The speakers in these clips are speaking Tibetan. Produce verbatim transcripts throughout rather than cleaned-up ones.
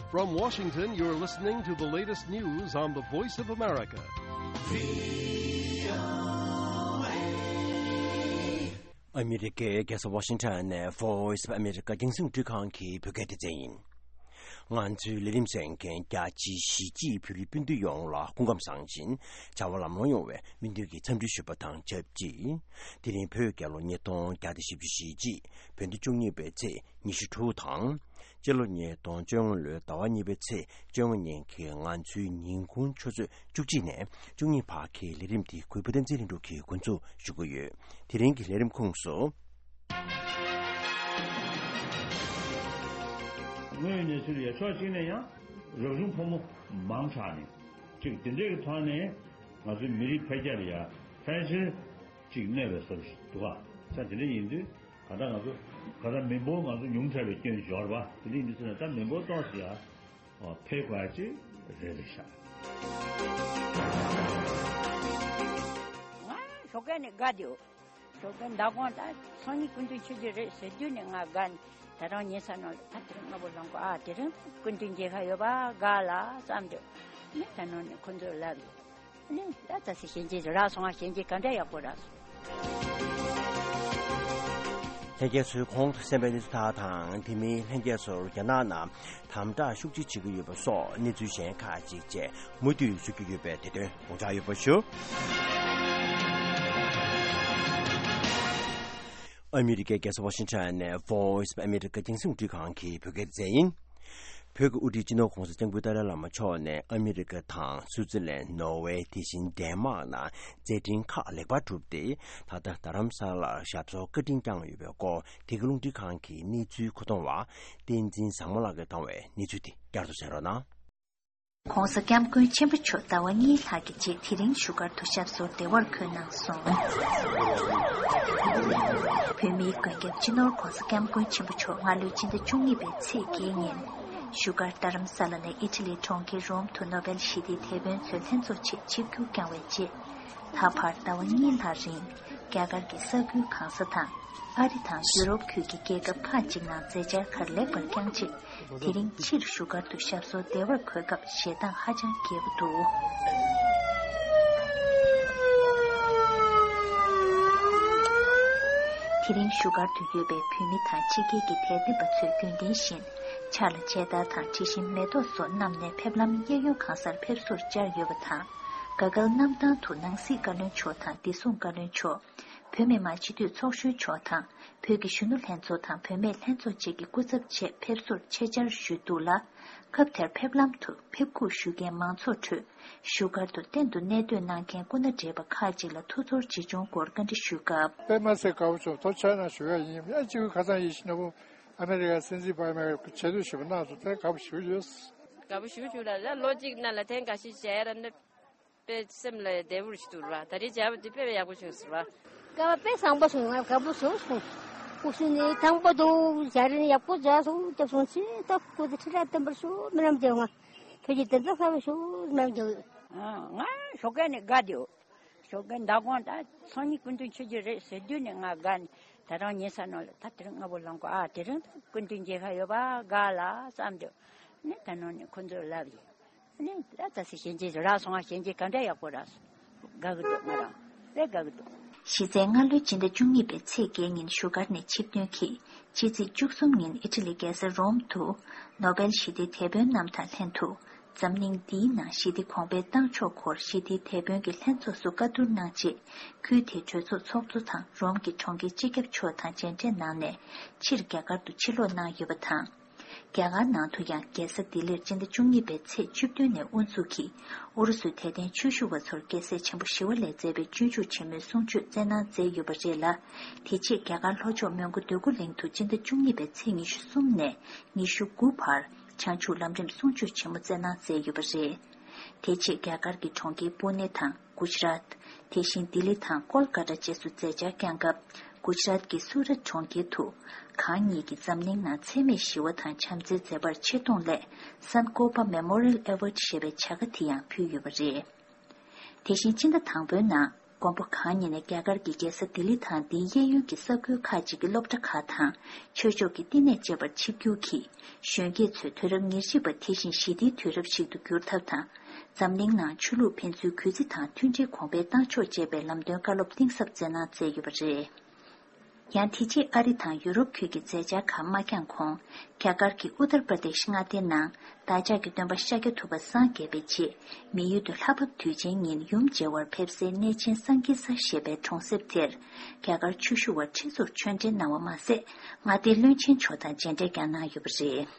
From Washington, you're listening to the latest news on the Voice of America. ཨ་མི་རི་ཀའི་རྒྱལ་ས་ཝ་ཤིང་ཊོན་ནས་Voice of America་རྒྱང་སྲིང་རླུང་འཕྲིན་ཁང་གི་བོད་སྐད་སྡེ་ཚན་ཡིན། ང་ཚོའི་ལས་རིམ་གསན་མཁན་རྒྱ་ཆེའི་གཞིས་བྱེས་བོད་རིགས་སྤུན་ཟླ་ཡོངས་ལ་སྐུ་ཁམས་བཟང་ཞིང་བྱ་བ་ལམ་ལྷོང་ཡོང་བའི་སྨོན་འདུན་གྱི་འཚམས་འདྲི་ཞུ་བ་དང་ཆབས་ཅིག་དེ་རིང་བོད་རྒྱལ་ལོ་ཉིས་སྟོང་བརྒྱ་དང་བཞི་བཅུ་ཞེ་གཅིག་བོད་ཟླ་བཅུ་གཉིས་པའི་ཚེས་ཉི་ཤུ་དྲུག་དང་། སྤྱི་ལོ་ཉིས་སྟོང་བཅོ་ལྔ་ལོའི་ཟླ་བ་གཉིས་པའི་ཚེས་བཅོ་ལྔ་ཉིན་གྱི་ང་ཚོའི་ཉིན་གུང་ཆུ་ཚོད་བཅུ་གཅིག་ནས་བཅུ་གཉིས་བར་གྱི་ལས་རིམ་འདི་གུས་པ་བསྟན་འཛིན་ལྷུན་གྲུབ་ཀྱིས་འགོ་འཛུགས་ཞུ་གི་ཡོད། དེ་རིང་གི་ལས་རིམ་ཁོངས་སུ། དངོས་ཡོད་གནས་ཚུལ་ཡ་ཕྱོགས་གཅིག་ནས་ཡང་རབ་བྱུང་ཕོ་མོ་མང་དྲགས་ནས་གཅིག་དེ་འདྲའི་གི་ཐོག་ནས་ང་ཚོའི་མི་རིགས་འཕེལ་རྒྱས་ལ་ཡ་ཕལ་ཆེར་གཅིག་གནོད་པའི་བཟོ་འདྲ་ཞིག་འདུག་ག་ས་དེ་འདྲ་ཡིན་དུས་ག་ད་ང་ཚོ་ག་ད་མི་འབོར་ང་ཚོ་ཉུང་དྲགས་པའི་སྐྱོན་ཞིག་ཡོད་རེད་པ། དེ་འདྲ་ཡིན་དུས་ཟེར་ན་ད་མི་འབོར་ཏོག་ཙམ་ཡ་འཕེལ་དགོས་ཡ་ཅིག་རེད་རེད་ཤག་ང་ཞོགས་ཀས་ནས་དགའ་བསྡད་ཡོད། ཞོགས་ཀས་མདང་དགོང་ད་སང་ཉིན་སྐུ་མདུན་ཆོས་རྒྱུན་རེད་ཟེར་དུས་ནས་ང་དགའ་ནས་ད་རང་ཉལ་ས་ནང་ལ་ད་དེ་རིང་སྔ་པོ་ལངས་གོ་ཨ་དེ་རིང་སྐུ་མདུན་མཇལ་ཁ་ཡོད་པ་དགའ་ལ་བསམ་དུས་ནས་ད་ནང་ནས་ཁོ་ཚོས་ལབ་ཡོད། ནས་ད་ད་སི་གཞན་གྱིས་རག་སོང་ཨ་གཞན་གྱིས་ག་འདྲ་ཡག་པོ་རག་སོང་། ལྷན་རྒྱས་ཚོས་གོང་དུ་གསན་པའི་གནས་ཚུལ་དག་དང་དེ་མིན་ལྷན་རྒྱས་ཚོར་རྒྱ་ནག་ནང་དམ་དྲག་ཤུགས་ཆེ་བྱེད་ཀྱི་ཡོད་པ་སོགས་གནས་ཚུལ་གཞན་ཁག་ཅིག་བཅས་མུ་མཐུད་ཞུ་རྒྱུ་ཡོད་པས་དེ་དོན་དགོངས་འཇགས་ཡོད་པ་ཞུ། ཨ་མི་རི་ཀའི་རྒྱལ་ས་ཝ་ཤིང་ཊོན་ནས་Voice of America་རྒྱང་སྲིང་རླུང་འཕྲིན་ཁང་གི་བོད་སྐད་སྡེ་ཚན་ཡིན། བོད་ཀྱི་དབུ་ཁྲིད་སྤྱི་ནོར་༸གོང་ས་༸སྐྱབས་མགོན་ཏཱ་ལའི་བླ་མ་མཆོག་ནས་ཨ་མི་རི་ཀ་དང་སུའུ་ཙི་ལན། ནོར་ཝེ། དེ་བཞིན་ཌེན་མཱག་ནང་མཛད་འཕྲིན་ཁག་ལེགས་པར་གྲུབ་སྟེ། ད་ལྟ་རྡ་རམ་ས་ལར་ཞབས་སོར་བཀའ་དྲིན་བསྐྱངས་ཡོད་པའི་སྐོར། དེ་གའི་རླུང་འཕྲིན་ཁང་གི་གནས་ཚུལ་མཁོ་གཏོང་བ་བསྟན་འཛིན་བཟང་མོ་ལགས་ཀྱིས་བཏང་བའི་གནས་ཚུལ་དེ་བསྐྱར་དུ་གསན་རོགས་གནང་། ༸གོང་ས་༸སྐྱབས་མགོན་ཆེན་པོ་མཆོག་ཟླ་བ་གཉིས་ལྷག་གི་རྗེས་དེ་རིང་བཞུགས་སྒར་དུ་ཞབས་སོར་བདེ་བར་འཁོད་གནང་སོང་། བོད་མིའི་མགོན་སྐྱབས་སྤྱི་ནོར་༸གོང་ས་༸སྐྱབས་མགོན་ཆེན་པོ་མཆོག་སྔ་ལོའི་སྤྱི་ཟླ་བཅུ་གཉིས་པའི་ཚེས་བརྒྱད་ཉིན་བཞུགས་སྒར་རྡ་རམ་ས་ལ་ནས་ཨི་ཊ་ལིའི་གྲོང་ཁྱེར་རོམ་དུ་ནོ་བེལ་ཞི་བདེའི་དེད་དཔོན་ཚོའི་ལྷན་ཚོགས་ཆེད་ཆིབས་བསྒྱུར་བསྐྱངས་པའི་རྗེས། ད་བར་ཟླ་བ་གཉིས་ལྷག་རིང་རྒྱ་གར་གྱི་ས་ཁུལ་གང་ས་དང་། ཨ་རི་དང་ཡུ་རོབ་ཁུལ་གྱི་རྒྱལ་ཁབ་ཁག་ཅིག་ནང་མཛད་འཆར་ཁག་ལེགས་པར་བསྐྱངས་རྗེས། དེ་རིང་ཕྱིར་བཞུགས་སྒར་དུ་ཞབས་སོར་བདེ་བར་འཁོད་སྐབས་ཞེ་སྡང་ཧ་ཅང་རྒྱས་པོ་འདུག་དེ་རིང་བཞུགས་སྒར་དུ་ཡོད་པའི་བོད་མི་དང་ཕྱི་རྒྱལ་གྱི་དད་ལྡན་པ་ཚོས་རྒྱུན་ལྡན་བཞིན་ཕྱག་ལ་མཇལ་དར་དང་དྲི་ཞིམ་མེ་ཏོག་སོགས་བསྣམས་ནས་ཕེབས་ལམ་གཡས་གཡོན་གང་སར་ཕེབས་བསུར་བཅར་ཡོད་པ་དང་། ག་གལ་གནམ་ཐང་དུ་ནང་སྲིད་བཀའ་བློན་མཆོག་དང་བདེ་སྲུང་བཀའ་བློན་མཆོག་བོད་མི་མང་སྤྱི་འཐུས་ཚོགས་གཞོན་མཆོག་དང་། བོད་ཀྱི་གཞོན་ནུ་ལྷན་ཚོགས་དང་བུད་མེད་ལྷན་ཚོགས་བཅས་ཀྱི་སྐུ་ཚབ་བཅས་ཕེབས་བསུར་ཆེད་བཅར་ཞུས་འདུག་ལ། སྐབས་དེར་ཕེབས་ལམ་དུ་ཕེབས་སྒུག་ཞུ་མཁན་མང་ཚོགས་ཁྲོད་བཞུགས་སྒར་དུ་གཏན་དུ་གནས་སྡོད་གནང་མཁན་སྐུ་ན་བགྲེས་པ་ཁག་ཅིག་ལ་ཐུགས་ཚོར་ཇི་བྱུང་སྐོར་བཀའ་འདྲི་ཞུས་སྐབས། དཔེ་མ་སྲིད་དགའ་པོ་བྱུང་། ཐུགས་རྗེ་ཆེ་གནང་ཞུ་ཡ་ཡིན། ཨ་ཅིག་ཁ་སང་ཡིན་ཞིག་ན་བུ་ཨ་མེ་རི་ཀ་སྲིད་འཛིན་འོ་བྷ་མ་ཆེད་དུ་ཞུ་བ་གནང་སོང་། དེ་དགའ་པོ་ཞུ་ཡོད། དགའ་པོ་ཞུ་བྱུང་ལ་ལ་ལོ་གཅིག་ནང་ལ་ཐེངས་འགའ་ཞིག་མཇལ་ཡ་ར་ནི། དཔེ་སེམས་ལ་བདེ་པོ་ཞིག་འདུག་ར། ད་རེས་མཇལ་བ་འདི་དཔེ་ཡག་པོ་བྱུང་ཟེར་བ། སྐལ་བ་དཔེ་བཟང་པོ་བྱུང་། ང་དགའ་པོ་བྱུང་སོང་། སྐུ་གཟུགས་ནི་ཐང་པོ་འདུག་ཇ་རི་ནི་ཡག་པོ་འཇགས་སོང་། སྐྱབས་སོང་ཆེ། ད་སྐུ་ཚེ་ཁྲི་ཕྲག་བརྟན་པར་ཤོག་སྨོན་ལམ་རྒྱག་ང་ཁྱོད་ཀྱི་བདེ་ཐང་གསར་པ་ཤོག་སྨོན་ལམ་རྒྱག་ང་ཞོགས་ཀས་ནས་དགའ་བསྡད་ཡོད། ཞོགས་ཀས་མདང་དགོང་ད་སང་ཉིན་སྐུ་མདུན་ཆོས་རྒྱུན་རེད་ཟེར་དུས་ནས་ང་དགའ་ནས་ད་རང་ཉལ་ས་ནང་ལ་ད་དེ་རིང་སྔ་པོ་ལངས་གོ་ཨ་དེ་རིང་ད་སྐུ་མདུན་མཇལ་ཁ་ཡོད་པ་དགའ་ལ་བསམ་དུས་ནས་ད་ནང་ནས་ཁོ་ཚོས་ལབ་ཡིན། ནི་ད་ལྟ་སི་གཞན་གྱིས་རག་སོང་ང་གཞན་གྱིས་ག་འདྲ་ཡག་པོ་རག་སོང་། དགའ་གི་འདུག་ང་རང་དཔེ་དགའ་གི་འདུག་གཞི་རྩའི་སྔ་ལོའི་སྤྱི་ཟླ་བཅུ་གཉིས་པའི་ཚེས་བརྒྱད་ཉིན་བཞུགས་སྒར་ནས་ཆིབས་ཐོན་གྱིས་ཕྱི་ཚེས་བཅུ་གསུམ་ཉིན་ཨི་ཊ་ལི་རྒྱལ་ས་རོམ་དུ་ནོ་བེལ་ཞི་བདེའི་དེད་དཔོན་རྣམས་དང་ལྷན་དུ་འཛམ་གླིང་འདིའི་ནང་ཞི་བདེ་གོང་འཕེལ་བཏང་ཕྱོགས་སྐོར་ཞི་བདེའི་དེད་དཔོན་གྱི་ལྷན་ཚོགས་སུ་བཀའ་བསྡུར་གནང་རྗེས། ཁུལ་དེའི་གྲོས་ཚོགས་ཚོགས་གཙོ་དང་རོམ་གྱི་གྲོང་ཁྱེར་སྤྱི་ཁྱབ་མཆོག་དང་མཇལ་འཕྲད་གནང་ནས་ཕྱིར་རྒྱ་གར་དུ་ཕྱིར་ལོག་གནང་ཡོད་པ་དང་། རྒྱ་གར་ནང་དུ་ཡང་རྒྱལ་ས་ལྡི་ལིར་སྤྱི་ཟླ་བཅུ་གཉིས་པའི་ཚེས་བཅུ་བདུན་ནས་དབུ་འཛུགས་ཀྱིས་ཨུ་རུ་སུའི་དད་ལྡན་ཆོས་ཞུ་བ་ཚོར་རྒྱལ་སྲས་ཆེན་པོ་ཞི་བ་ལྷས་མཛད་པའི་སྤྱོད་འཇུག་ཆེན་མོའི་གསུང་ཆོས་སྩལ་གནང་མཛད་ཡོད་པ་རེད་ལ། དེ་རྗེས་རྒྱ་གར་ལྷོ་ཕྱོགས་མོན་གྷོ་འདོད་རྒུ་གླིང་དུ་སྤྱི་ཟླ་བཅུ་གཉིས་པའི་ཚེས་ཉི་ཤུ་གསུམ་ནས་ཉི་ཤུ་དགུ་བར་བྱང་ཆུབ་ལམ་རིམ་གསུང་ཆོས་ཆེན་མོ་སྩལ་གནང་མཛད་ཡོད་པ་རེད། དེ་རྗེས་རྒྱ་གར་གྱི་གྲོང་ཁྱེར་པུ་ནེ་དང་། གུ་ཇ་རཱཏ། དེ་བཞིན་ལྡི་ལི་དང་ཀོལ་ཀ་ཏ་བཅས་སུ་མཛད་འཆར་བསྐྱངས་སྐབས། གུ་ཇ་རཱཏ་ཀྱི་སུ་རཏ་གྲོང་ཁྱེར་དུ། གང་ཉིད་ཀྱིས་འཛམ་གླིང་ནང་འཚེ་མེད་ཞི་བ་དང་བྱམས་བརྩེའི་མཛད་པར་ཆེ་མཐོང་སླད། སན་ཀོ་པ་མེ་མོ་རི་ཡལ་ཨེ་ཝརཌ་ཞེས་པའི་བྱ་དགའ་དེ་ཡང་ཕུལ་ཡོད་པ་རེད། དེ་བཞིན་སྤྱི་ཟླ་དང་པོའི་ནང་། མགོན་པོ་གང་ཉིད་ནས་རྒྱ་གར་གྱི་རྒྱལ་ས་ལྡི་ལི་དང་དེའི་གཡས་གཡོན་གྱི་ས་ཁུལ་ཁག་ཅིག་གི་སློབ་གྲྭ་ཁག་དང་ཆོས་ཕྱོགས་ཀྱི་བསྟི་གནས་བཅས་པར་ཆིབས་བསྒྱུར་གྱིས། གཞོན་སྐྱེས་ཚོས་དུས་རབས་ཉེར་གཅིག་པ་དེ་བཞིན་ཞི་བདེའི་དུས་རབས་ཤིག་ཏུ་འགྱུར་ཐབས་དང་། འཛམ་གླིང་ནང་ཆོས་ལུགས་ཕན་ཚུན་གུས་བརྩི་དང་མཐུན་སྒྲིལ་གོང་འཕེལ་གཏང་ཕྱོགས་བཅས་པའི་ལམ་སྟོན་བཀའ་སློབ་གཏིང་ཟབ་སྩལ་གནང་མཛད་ཡོད་པ་རེད། ཡང་དེ་རྗེས་ཨ་རི་དང་ཡུ་རོབ་ཁུལ་གྱི་མཛད་འཆར་ཁག་མ་འགྱངས་གོང་། རྒྱ་གར་གྱི་ཨུ་ཏར་པྲ་དེཤ་མངའ་སྡེའི་ནང་བདག་ཅག་གི་སྟོན་པ་ཤཱཀྱ་ཐུབ་པ་སངས་རྒྱས་པའི་རྗེས། མི་ཡུལ་དུ་ལྷ་བབས་དུས་ཆེན་ཉིན་ཡུམ་མཇལ་བར་ཕེབས་སའི་གནས་ཆེན་སཾ་ཀི་ས་ཞེས་པའི་གྲོང་གསེབ་དེར། རྒྱ་གར་ཆོས་ཞུ་བ་ཁྲི་ཚོར་ཆོས་འབྲེལ་གནང་བ་མ་ཟད། མངའ་སྡེའི་བློན་ཆེན་མཆོག་དང་མཇལ་འཕྲད་ཀྱང་གནང་ཡོད་པ་རེད།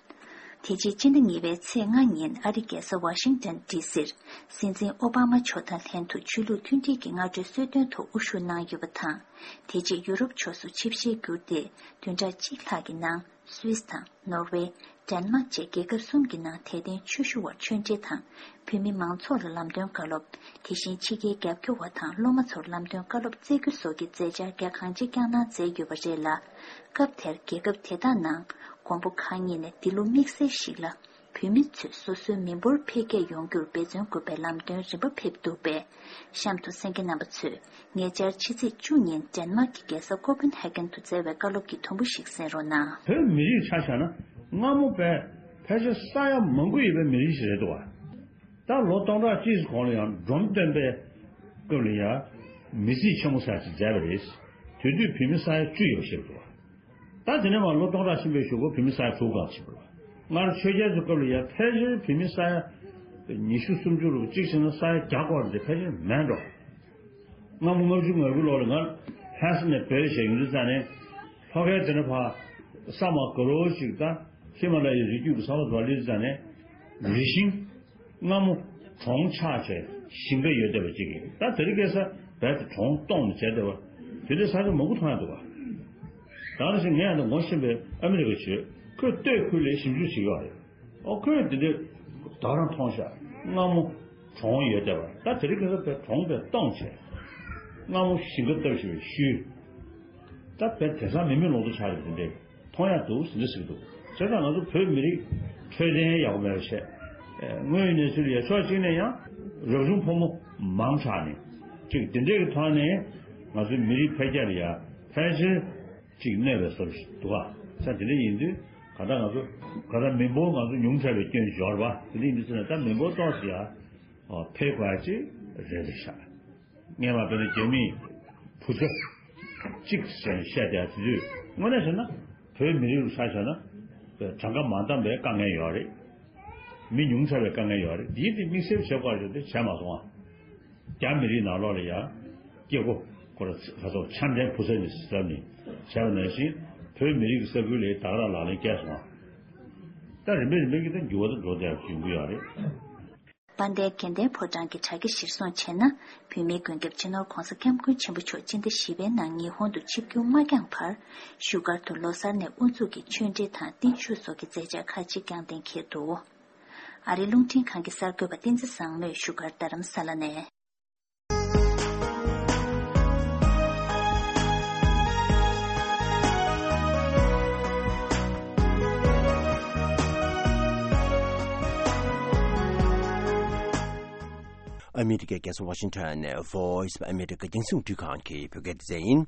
དེ་རྗེས་སྤྱི་ཟླ་གཉིས་པའི་ཚེས་ལྔ་ཉིན་ཨ་རིའི་རྒྱལ་ས་ཝ་ཤིང་ཊོན་ཌི་སིར། སྲིད་འཛིན་ཨོ་བྷ་མ་མཆོག་དང་ལྷན་དུ་ཆོས་ལུགས་མཐུན་སྒྲིལ་གྱི་སྔ་དྲོའི་གསོལ་སྟོན་ཐོག་དབུ་བཞུགས་གནང་ཡོད་པ་དང་། དེ་རྗེས་ཡུ་རོབ་ཕྱོགས་སུ་ཆིབས་ཞལ་བསྒྱུར་ཏེ། བདུན་ཕྲག་གཅིག་ལྷག་གི་ནང་སུད་སི་དང་ནོར་ཝེ། ཌེན་མཱག་བཅས་རྒྱལ་ཁབ་གསུམ་གྱི་ནང་དད་ལྡན་ཆོས་ཞུ་བར་ཆོས་འབྲེལ་དང་། བོད་མི་མང་ཚོགས་ལ་ལམ་སྟོན་བཀའ་སློབ། དེ་བཞིན་ཕྱི་རྒྱལ་རྒྱབ་སྐྱོར་བ་དང་སློབ་མ་ཚོར་ལམ་སྟོན་བཀའ་སློབ་སྩལ་རྒྱུ་སོགས་ཀྱི་མཛད་འཆར་རྒྱ་གང་ཆེ་བསྐྱངས་གནང་མཛད་ཡོད་པ་རེད་ལ། སྐབས་དེར་རྒྱལ་ཁབ་དེ་དག་ནང་མགོན་པོ་གང་ཉིད་ནས་འདི་ལོ་དམིགས་བསལ་ཞིག་ལ། བོད་མི་ཚོས་སོ་སོའི་མི་འབོར་འཕེལ་རྒྱས་ཡོང་རྒྱུར་འབད་བརྩོན་དགོས་པའི་ལམ་སྟོན་རིམ་པ་ཕེབས་འདུག་པས། གཤམ་དུ་གསན་མཁན་རྣམ་པ་ཚོས་ཉེ་ཆར་ཕྱི་ཚེས་བཅུ་ཉིན་ཌེན་མཱག་གི་རྒྱལ་ས་ཀོ་པན་ཧེ་གྷན་དུ་སྩལ་བའི་བཀའ་སློབ་ཀྱི་དུམ་བུ་ཞིག་གསན་རོགས་གནང་། བོད་མི་རིགས་ཆ་བཞག་ན་སྔ་མོ་པས་ཕལ་ཆེར་ས་ཡ་མང་པོ་ཡོད་པའི་མི་རིགས་ཤིག་རེད་འདུག་བ། ད་ལོ་སྟོང་ཕྲག་གཅིག་གོང་ལ་ཡང་འབྲོམ་སྟོན་པའི་སྐབས་ལ་ཡང་མི་རྩིས་ཆེན་མོ་ས་ཅིག་མཛད་པ་རེད། དེ་དུས་བོད་མི་ས་ཡ་བཅུ་ཡོད་ཤེས་འདུག་བ། ད་དེ་ནས་མར་ལོ་སྟོང་ཕྲག་ཕྱིན་པའི་གཞུག་གུ་བོད་མི་ས་ཡ་དྲུག་གང་ཕྱིན་པ་རེད། སྔར་ཆོས་རྒྱལ་ཚོའི་སྐབས་ལ་ཡང་ཕལ་ཆེར་བོད་མི་ས་ཡ་ཉི་ཤུ་སུམ་ཅུ་རུ་གཅིག་བྱས་ན་ས་ཡ་བརྒྱ་སྐོར་དེ་ཕལ་ཆེར་མེད་འགྲོ། སྔ་མོ་ལྔ་བཅུ་ང་དགུ་ལོ་ལ་ང་ལྷ་ས་ནས་བོད་ལ་བཞུགས་ཡོང་དུས་ཙང་ནས། ལྷོ་ཁའི་དེ་ནས་ཕར་ས་མ་ག་རོ་ཞིག་དང་ཧི་མ་ལ་ཡའི་རི་རྒྱུད་ཀྱི་ས་བབ་དུ་བ་སླེབས་དུས་ཙང་ནས། རི་ཤིང་སྔ་མོ་གྲོང་ཆགས་བྱས་ཞིང་ཁ་ཡོད་བསྡད་པ་ཅིག་ཡིན། ད་དེ་རིང་ཁ་སང་རྦད་དེ་གྲོང་སྟོངས་ནས་བྱས་བསྡད་པ། དེ་འདྲའི་ས་ཆ་མང་པོ་མཐོང་ཡ་འདུག་བ། ད་ནང་བཞིན་ངས་ཡང་ད་ངོ་ཤེས་པའི་ཨ་མི་རི་ཀའི་ཆོས་ཁོས་སྟོད་ཁུལ་ལ་ཞིབ་འཇུག་བྱེད་ཀྱི་ཡོད་རེད། ཨོ་ཁོས་དེ་འདྲའི་དོ་རང་མཐོང་ཤག་སྔ་མོ་གྲོང་ཡོད་བསྡད་པ། ད་དེ་རིང་ཁ་སང་བས་གྲོང་བས་སྟོངས་བྱས། སྔ་མོ་ཞིང་ཁ་བཏབ་བཞིན་པའི་ཤུལ། ད་བས་དེང་སང་མི་མེད་ལོང་དུ་ཆགས་རེད། དེ་འདྲའི་མཐོང་ཡག་འདུག་ཟེར་འདྲ་ཟེར་གྱི་འདུག་བྱས་ཙང་ང་ཚོ་བོད་མི་རིགས་འཕྲོད་བསྟེན་ཡག་པོ་མེད་པ་བྱས། དངོས་ཡོད་གནས་ཚུལ་ལ་ཡ་ཕྱོགས་གཅིག་ནས་ཡང་རབ་བྱུང་ཕོ་མོ་མང་དྲགས་ནས་ཅིག་དེ་འདྲའི་གི་ཐོག་ནས་ང་ཚོའི་མི་རིགས་འཕེལ་རྒྱས་ལ་ཡ་ཕལ་ཆེར་ཅིག་གནོད་པའི་བཟོ་འདྲ་ཞིག་འདུག་ག་ས་དེ་འདྲ་ཡིན་དུས་ག་ད་ང་ཚོ་ག་ད་མི་འབོར་ང་ཚོ་ཉུང་དྲགས་པའི་སྐྱོན་ཞིག་ཡོད་རེད་པ། དེ་འདྲ་ཡིན་དུས་ཙམ་ནས་ད་མི་འབོར་ཏོག་ཙམ་ཡ་འཕེལ་དགོས་ཡ་ཅིག་རེད་རེད་ཤག་སྔོན་མ་དཔེར་ན་རྒྱ་མིས་བུ་ཚ་གཅིག་ཟེར་ནས་བཤད་བསྡད་དེ་དུས་དངོས་གནས་བྱས་ན་བོད་མི་རིགས་ལ་ཆ་བཞག་ན་གྲངས་ཀ་མ་འདང་བའི་དཀའ་ངལ་ཡོད་རེད། མི་ཉུང་དྲགས་པའི་དཀའ་ངལ་ཡོད་རེད། འདིའི་དེ་དམིགས་བསལ་བྱེད་དགོས་རེད་དེ་བྱས་མ་སོང་ཨ། རྒྱ་མི་རིགས་ནང་ལོགས་ལ་ཡང་སྐྱེ་སྒོ་ཁོ་ར་ཁ་སོགས་ཆམ་ལྡན་བུ་ཚ་ནས་བཟབ་ནས་བྱས་པ་ནང་བཞིན་བོད་མི་རིགས་ཀྱི་ས་ཁུལ་ལ་ད་ག་རང་ལག་ལེན་བཀལ་སོང་ཨ། ད་རིམ་པས་རིམ་པས་ཀྱི་ད་འགྱུར་བ་ད་འགྲོ་བསྡད་ཡོང་གི་ཡོད་རེད། དཔལ་ལྡན་དགེ་ལྡན་ཕོ་བྲང་གི་དྲ་རྒྱ་གཞིར་བཟུང་བྱས་ན། བོད་མིའི་མགོན་སྐྱབས་སྤྱི་ནོར་༧གོང་ས་༧སྐྱབས་མགོན་ཆེན་པོ་མཆོག་སྤྱི་ཟླ་བཞི་པའི་ནང་ཉི་ཧོང་དུ་ཆིབས་བསྒྱུར་མ་བསྐྱངས་བར། བཞུགས་སྒར་དུ་ལོ་གསར་ནས་དབུ་འཛུགས་ཀྱི་ཆོས་འབྲེལ་དང་བརྟན་བཞུགས་སོགས་ཀྱི་མཛད་འཆར་ཁག་ཅིག་བསྐྱངས་གཏན་འཁེལ་འདུག་ཨ་རིའི་རླུང་འཕྲིན་ཁང་གི་གསར་འགོད་པ་བསྟན་འཛིན་བཟང་མོས་བཞུགས་སྒར་རྡ་རམ་ས་ལ་ནས། ཨ་མི་རི་ཀའི་རྒྱལ་ས་ཝ་ཤིང་ཊོན་ནས་Voice of America་རྒྱང་སྲིང་རླུང་འཕྲིན་ཁང་གི་བོད་སྐད་སྡེ་ཚན་ཡིན།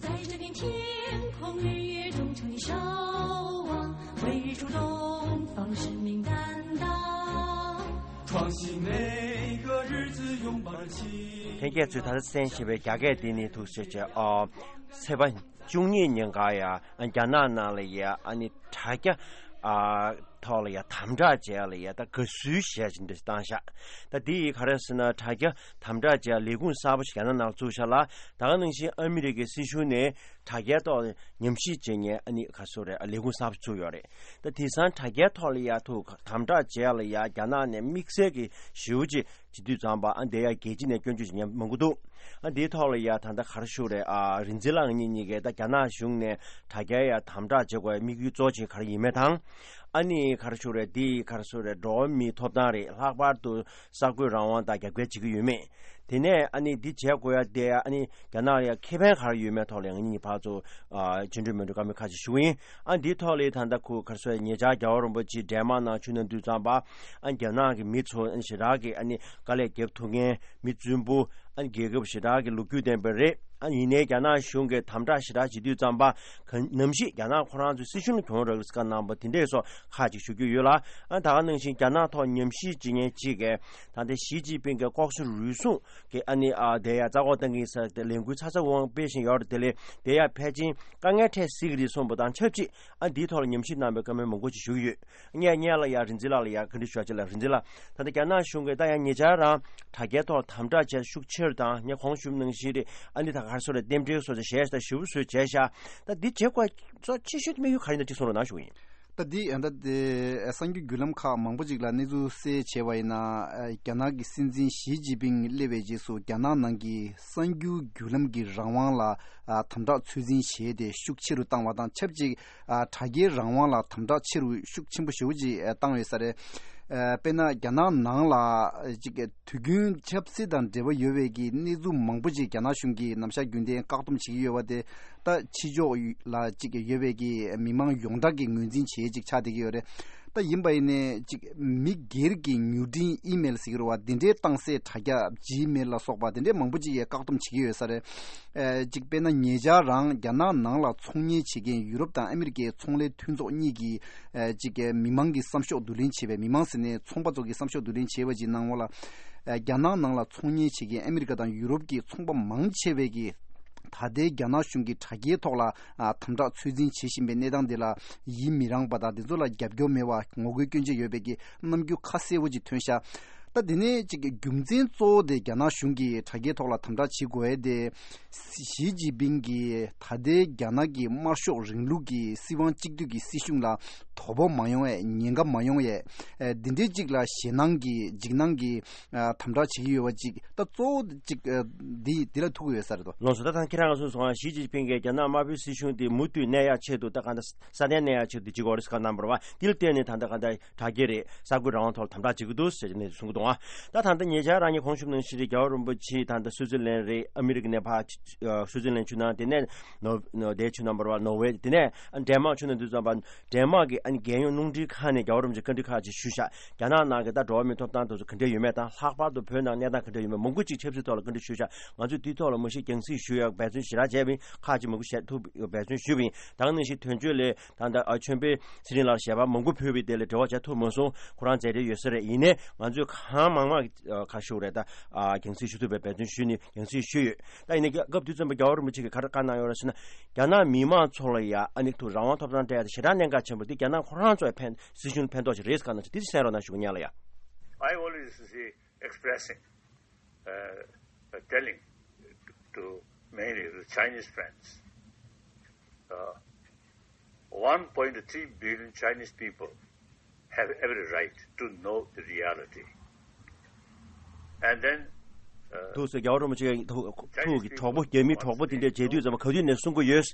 在这片天空日月中，求你守望，为日出东方，使命担当，创新每个日子，拥抱热情。 ལྷན་རྒྱས་ཚོས་ད་ལྟ་གསན་བཞིན་པའི་རྒྱ་སྐད་འདི་ནི་ཐུགས་རྗེ་ཆེ། ཨ། ཚེས་པ་བཅུ་གཉིས་ཉིན་ཀ་ཡ། ཨ་ནི་རྒྱ་ནག་ནང་ལ་ཡ། ཨ་ནི་དྲ་རྒྱ། ཨ། ཐོག་ལ་ཡ་དམ་དྲག་བྱས་ལ་ཡ། ད་དགའ་བསུའི་གཞས་ཅིག་འདྲ་བཏང་ཤག་ད་འདི་ཡི་ག་རེ་ཟེར་ན། དྲ་རྒྱ་དམ་དྲག་བྱས་ལས་ཁུངས་གསར་པ་ཞིག་རྒྱ་ནག་ནང་བཙུགས་ཤག་ལ། ད་ག་ནང་བཞིན་ཨ་མི་རི་ཀའི་སྲིད་གཞུང་ནས་དྲ་རྒྱའི་ཐོག་ཉམས་ཞིབ་བྱེད་མཁན་ཨ་ནི་ག་སོ་རེད། ལས་ཁུངས་གསར་པ་བཙུགས་ཡོད་རེད། ད་དེང་སང་དྲ་རྒྱའི་ཐོག་ལ་ཡ་ཐུག་དམ་དྲག་བྱས་ལ་ཡ། རྒྱ་ནག་ནས་དམིགས་བསལ་གྱི་ཞེ་པོ་ཅིག་བྱེད་དུས་ཙམ་པ། ཨ་འདི་ཡ་རྒྱལ་སྤྱི་ནས་སྐྱོན་བརྗོད་བྱེད་མཁན་མང་པོ་འདུག་ཨ་འདིའི་ཐོག་ལ་ཡ་ད་ལྟ་ག་རེ་ཞུ་རེད། ཨ་རིག་འཛིན་ལགས་ངེད་གཉིས་ཀས་ད་རྒྱ་ནག་གཞུང་ནས་དྲ་རྒྱའི་ཡ་དམ་དྲག་བྱེད་དགོས་དམིགས་ཡུལ་གཙོ་ཆེ་ག་རེ་ཡིན་མིན་དང་། ཨ་ནི་ག་རེ་ཞུ་རེད། འདི་ག་རེ་ཞུ་རེད། འགྲོ་བ་མིའི་ཐོབ་ཐང་རེད། ལྷག་པར་དུ་གསར་འགོད་རང་དབང་དང་རྒྱབ་འགལ་བྱེད་ཀྱི་ཡོད་མེད། དེ་ནས་ཨ་ནི་འདི་བྱེད་དགོས་ཡ་དེ་ཨ་ནི་རྒྱ་ནག་ལ་ཡ་ཁེ་ཕན་ག་རེ་ཡོད་མེད་ཐོག་ལ་ང་གཉིས་ཕར་ཚུར་ཨ་བརྗེ་འགྲོ་མི་འགྲོ་བཀའ་མོལ་ཁ་ཅིག་ཞུ་གི་ཡིན། ཨ་འདིའི་ཐོག་ལ་ད་ལྟ་ཁོ་ག་རེ་ཞུ་རེད། ཉེ་ཆར་རྒྱལ་བ་རིན་པོ་ཆེ་ཌེན་མཱག་ནང་བྱོན་གནང་དུས་ཙམ་པ་ཨ་རྒྱ་ནག་གི་མི་ཚོ་ཨ་ནི་ཞེ་དྲག་གི་ཨ་ནི་དཀའ་ལས་རྒྱབ་ཐུབ་མཁན་མི་རྫུན་པོ་ཨ་ནི་རྒྱལ་ཁབ་ཞེ་དྲག་གི་ལོ་རྒྱུས་ལྡན་པ་རེད། ཨ་ཡིན་ནའི་རྒྱ་ནག་གཞུང་གིས་དམ་དྲག་ཞེ་དྲག་བྱེད་དུས་ཙམ་པ་ག་ནམ་ཞིག་རྒྱ་ནག་ཁོ་རང་ཚོའི་སྲིད་གཞུང་ལ་གྱོང་རག་གི་རེད་ཟེར་བཀའ་གནང་པ་དེ་འདྲས་སོགས་ཁག་ཅིག་ཞུ་རྒྱུ་ཡོད་ལ། ཨ་ད་ག་ནང་བཞིན་རྒྱ་ནག་ཐོག་ཉམས་ཞིབ་བྱེད་མཁན་ཅིག་གིས་ད་ལྟ་ཞི་ཅིན་ཕིང་གི་ལྐོག་ཟ་རུལ་སུངས་ཀྱི་ཨ་ནི་ཨ་དེ་ཡ་རྩ་འགོག་བཏང་གི་ཡིན་ཟེར་ཏེ་ལས་འགུལ་ཚ་ཚ་འུར་འུར་སྤེལ་བཞིན་ཡོད་རེད། དེ་ལས་དེ་ཡ་ཕལ་ཆེར་དཀའ་ངལ་འཕྲད་སྲིད་ཀྱི་རེད་གསུངས་པ་དང་ཆབས་ཅིག་ཨ་འདིའི་ཐོག་ལ་ཉམས་ཞིབ་གནང་པའི་བཀའ་མོལ་མང་པོ་ཅིག་ཞུ་གི་ཡོད། སྔོན་སྔོན་ལ་ཡ་རིག་འཛིན་ལགས་ལ་ཡ་བཀའ་འདྲི་ཞུ་བ་ཅིག་ལ། རིག་འཛིན་ལགས། ད་ལྟ་རྒྱ་ནག་གཞུང་གིས་ད་ཡང་ཉེ་ཆར་རང་དྲ་རྒྱའི་ཐོག་དམ་དྲག་བྱས་ཤུགས་ཆེ་རུ་དང་། ངས་གོང་ཞུས་ནང་བཞིན་རེད། ཨ་ནི་ད་ག་རེ་ཟེར་རེད། རྟེན་འབྲེལ་སོགས་ཀྱི་ཞལ་ཞིག་ཞུ་བཟོས་བྱས་ཤག་ད་འདི་བྱེད་དགོས་གཙོ་ཆེ་ཤོས་དམིགས་ཡུལ་ག་རེ་ཡིན་ན་ཅིག་གསུང་རོགས་གནང་ཞུ་གི་ཡིན། ད་འདི་ད་ལྟ་གསར་འགྱུར་བརྒྱུད་ལམ་ཁག་མང་པོ་ཅིག་ལ་གནས་ཚུལ་གསལ་བྱས་པ་ཡིན་ན། རྒྱ་ནག་གི་སྲིད་འཛིན་ཞི་ཅིན་ཕིང་སླེབས་པའི་རྗེས་སུ་རྒྱ་ནག་ནང་གི་གསར་འགྱུར་བརྒྱུད་ལམ་གྱི་རང་དབང་ལ་དམ་དྲག་ཚོད་འཛིན་བྱས་ཏེ་ཤུགས་ཆེ་རུ་བཏང་བ་དང་ཆབས་ཅིག་ཨ་དྲ་རྒྱའི་རང་དབང་ལ་དམ་དྲག་ཆེ་རུ་ཤུགས་ཆེན་པོ་ཞེ་པོ་ཅིག་ཨ་བཏང་ཡོད་ས་རེད། ཨ་དཔེར་ན་རྒྱ་ནག་ནང་ལ་ཅིག་དུས་རྒྱུན་ཆབ་སྲིད་དང་འབྲེལ་བ་ཡོད་པའི་གི་གནས་ཚུལ་མང་པོ་ཅིག་རྒྱ་ནག་གཞུང་གིས་ནམ་ཞག་རྒྱུན་ལྡན་བཀག་སྡོམ་བྱེད་ཀྱི་ཡོད་པ་དེ། ད་ཕྱི་ཕྱོགས་ལ་ཅིག་ཡོད་པའི་གི་མི་མང་ཡོངས་གྲགས་ཀྱི་ངོས་འཛིན་བྱེད་ཅིག་ཆགས་བསྡད་ཀྱི་ཡོད་རེད། ད་ཡིན་པ་ཡིན་ནའི་ཅིག་མི་སྒེར་གྱི་མྱུར་འཕྲིན་ཨི་མེལ་ཟེར་གྱི་རེད་བ། དེ་འདྲའི་གཏོང་སའི་དྲ་རྒྱ་ཇི་མེལ་ལ་སོགས་པ་དེ་འདྲའི་མང་པོ་ཅིག་ཡང་བཀག་སྡོམ་བྱེད་ཀྱི་ཡོད་ས་རེད། ཨ་ཅིག་དཔེར་ན་ཉེ་ཆར་རང་རྒྱ་ནག་ནང་ལ་ཚོང་གཉེར་བྱེད་མཁན་ཡུ་རོབ་དང་ཨ་མི་རི་ཀའི་ཚོང་ལས་མཐུན་ཚོགས་གཉིས་ཀྱིས་ཨ་ཅིག་མི་མང་གི་བསམ་ཤོག་བསྡུ་ལེན་བྱས་པའི། མི་མང་ཟེར་ནས་ཚོང་པ་ཚོ་གི་བསམ་ཤོག་བསྡུ་ལེན་བྱས་པ་ཅིག་གནང་བ་ལ། ཨ་རྒྱ་ནག་ནང་ལ་ཚོང་གཉེར་བྱེད་མཁན་ཨ་མི་རི་ཀ་དང་ཡུ་རོབ་ཀྱི་ཚོང་པ་མང་ཆེ་བས་ཀྱིས་ད་ལྟའི་རྒྱ་ནག་གཞུང་གི་དྲ་རྒྱའི་ཐོག་ལ་ཨ་དམ་དྲག་ཚོད་འཛིན་བྱེད་བཞིན་པའི་གནས་སྟངས་འདི་ལ་ཡིད་མི་རངས་པ་དང་། དེ་ཚོ་ལ་རྒྱབ་སྐྱོར་མེད་པ་ངོ་རྒོལ་སྐྱོན་བརྗོད་ཡོད་པའི་གི་རྣམ་འགྱུར་ཁ་གསལ་པོ་ཅིག་ཐོན་ཤག་ད་དེ་ནས་ཅིག་རྒྱུ་མཚན་གཙོ་བོ་དེ་རྒྱ་ནག་གཞུང་གིས་དྲ་རྒྱའི་ཐོག་ལ་དམ་དྲག་བྱེད་དགོས་ཡས་དེ། ཞི་ཅིན་ཕིང་གིས་ད་ལྟའི་རྒྱ་ནག་གི་དམར་ཤོག་རིང་ལུགས་ཀྱི་སྲིད་དབང་གཅིག་སྡུད་ཀྱི་སྲིད་གཞུང་ལ་དོ་ཕོག་མ་ཡོང་བའི། ཉེན་ཁ་མ་ཡོང་བའི་ཨ་འདི་འདྲའི་ཅིག་ལ་ཞེད་སྣང་གི་འཇིགས་སྣང་གི་ཨ་དམ་དྲག་བྱེད་ཀྱི་ཡོད་པ་ཅིག་ད་གཙོ་བོ་ཅིག་ཨ་འདི་འདི་ལ་ཐུག་གི་ཡོད་ས་རེད་དོ། ལགས་སོ། ད་ཐང་ཁྱེད་རང་ག་གསུངས་སོང་། ཞི་ཅིན་ཕིང་གིས་རྒྱ་ནག་དམར་པོའི་སྲིད་གཞུང་དེ་མུ་མཐུད་གནས་ཡག་ཆེད་དུ་ད་གང་ལྟར་སྲ་བརྟན་གནས་ཡག་ཆེད་དུ་བྱེད་དགོས་རེད་ཟེར་བཀའ་གནང་བ་རེད་བ། དེ་ལ་བརྟེན་ནས་ད་ལྟ་གང་ལྟར་དྲ་རྒྱ་རེད། གསར་འགོད་རང་དབང་ཐོག་ལ་དམ་དྲག་བྱེད་ཀྱི་འདུག་ཟེར་ནས་གསུང་གི་འདུག་ཨ། ད་ད་ལྟ་ཉེ་ཆར་རང་ཉིད་གོང་ཞུས་ནང་བཞིན་རེད། རྒྱལ་བ་རིན་པོ་ཆེ་ད་ལྟ་སུའུ་ཙི་ལན་རེད། ཨ་མི་རི་ཀ་ནས་ཕར་སུའུ་ཙི་ལན་བྱོན་གནང་། དེ་ནས་ནོ་ནོ་དེ་བྱོན་གནང་བ་རེད་བ། ནོར་ཝེ། དེ་ནས་ཨ་ཌེན་མཱག་བྱོན་གནང་དུས་ཙམ་པ་ཌེན་མཱག་གི་ཨ་ནི་རྒྱལ་ཡོངས་རླུང་འཕྲིན་ཁང་ནས་རྒྱལ་བ་རིན་པོ་ཆེ་བཀའ་འདྲི་ཁག་ཅིག་ཞུས་ཤག་རྒྱ་ནག་ནང་གི་ད་འགྲོ་བ་མིའི་ཐོབ་ཐང་དེ་ཚོ་ག་འདྲ་ཡོད་མེད་དང་། ལྷག་པར་དུ་བོད་ནང་གནས་སྟངས་ག་འདྲ་ཡོད་མེད་མང་པོ་ཅིག་ཆབ་སྲིད་ཐོག་ལ་བཀའ་འདྲི་ཞུས་ཤག་ང་ཚོས་དེའི་ཐོག་ལ་མ་གཞི་རྒྱང་སྲིང་ཞུ་ཡག་འབད་བརྩོན་ཞེ་དྲག་བྱས་པ་ཡིན། ཁག་ཅིག་མང་པོ་ཞེ་ཐུག་འབད་བརྩོན་ཞུས་པ་ཡིན། ད་ག་ནང་བཞིན་དོན་གཅོད་ལས་ད་ལྟ་ཨ་ཆོས་འཕེལ་ཚེ་རིང་ལགས་ཞལ་པར་མང་པོ་ཕུལ་བའི་དེ་ལ་འབྲེལ་བ་བྱ་ཐུབ་མ་སོང་། ཁོ་རང་མཛད་བྲེལ་ཡོད་ས་རེད། ཡིན་ནའི་ང་ཚོས་གང་མང་མང་ག་ཞུ་རེད། ད་ཨ་རྒྱང་སྲིང་ཞུ་ཐུབ་པའི་འབད་བརྩོན་ཞུས་ནས་རྒྱང་སྲིང་ཞུས་ཡོད། ད་ཡིན་ནའི་སྐབས་དུས་ཙམ་པ་རྒྱལ་བ་རིན་པོ་ཆེ་གིས་ག་རེ་བཀའ་གནང་ཡོད་རེད་ཟེར་ན། རྒྱ་ནག་མི་མང་ཚོ་ལ་ཡ་ཨ་ནི་ཐུག་རང་དབང་ཐོབ་ཐང་སྤྲད་ཡ་དེ་ཞེ་དྲག་གནད་འགག་ཆེན་པོ་རེད། འདི་རྒྱ་ནག་ཁོ་རང་ཚོའི་ཕན་སྲིད་གཞུང་ལ་ཕན་ཐོགས་ཤིག་རེད་ཟེར་ག་གནང་ཞིག་འདི་གསན་རོགས་གནང་ཞུ་གི་ཡིན་ལགས། ཡ། I always see expressing, uh, uh, telling to mainly the Chinese friends, uh, one point three billion Chinese people have every right to know the reality. And then, uh, ཐུགས་སུ་རྒྱལ་བ་རིན་པོ་ཆེ་ཐུགས་ཀྱི་གྲོགས་པོ། རྒྱ་མིའི་གྲོགས་པོ་དེ་འདྲ་མཇལ་དུས་ཙམ་པ་ག་དུས་ནས་གསུང་གི་ཡོད།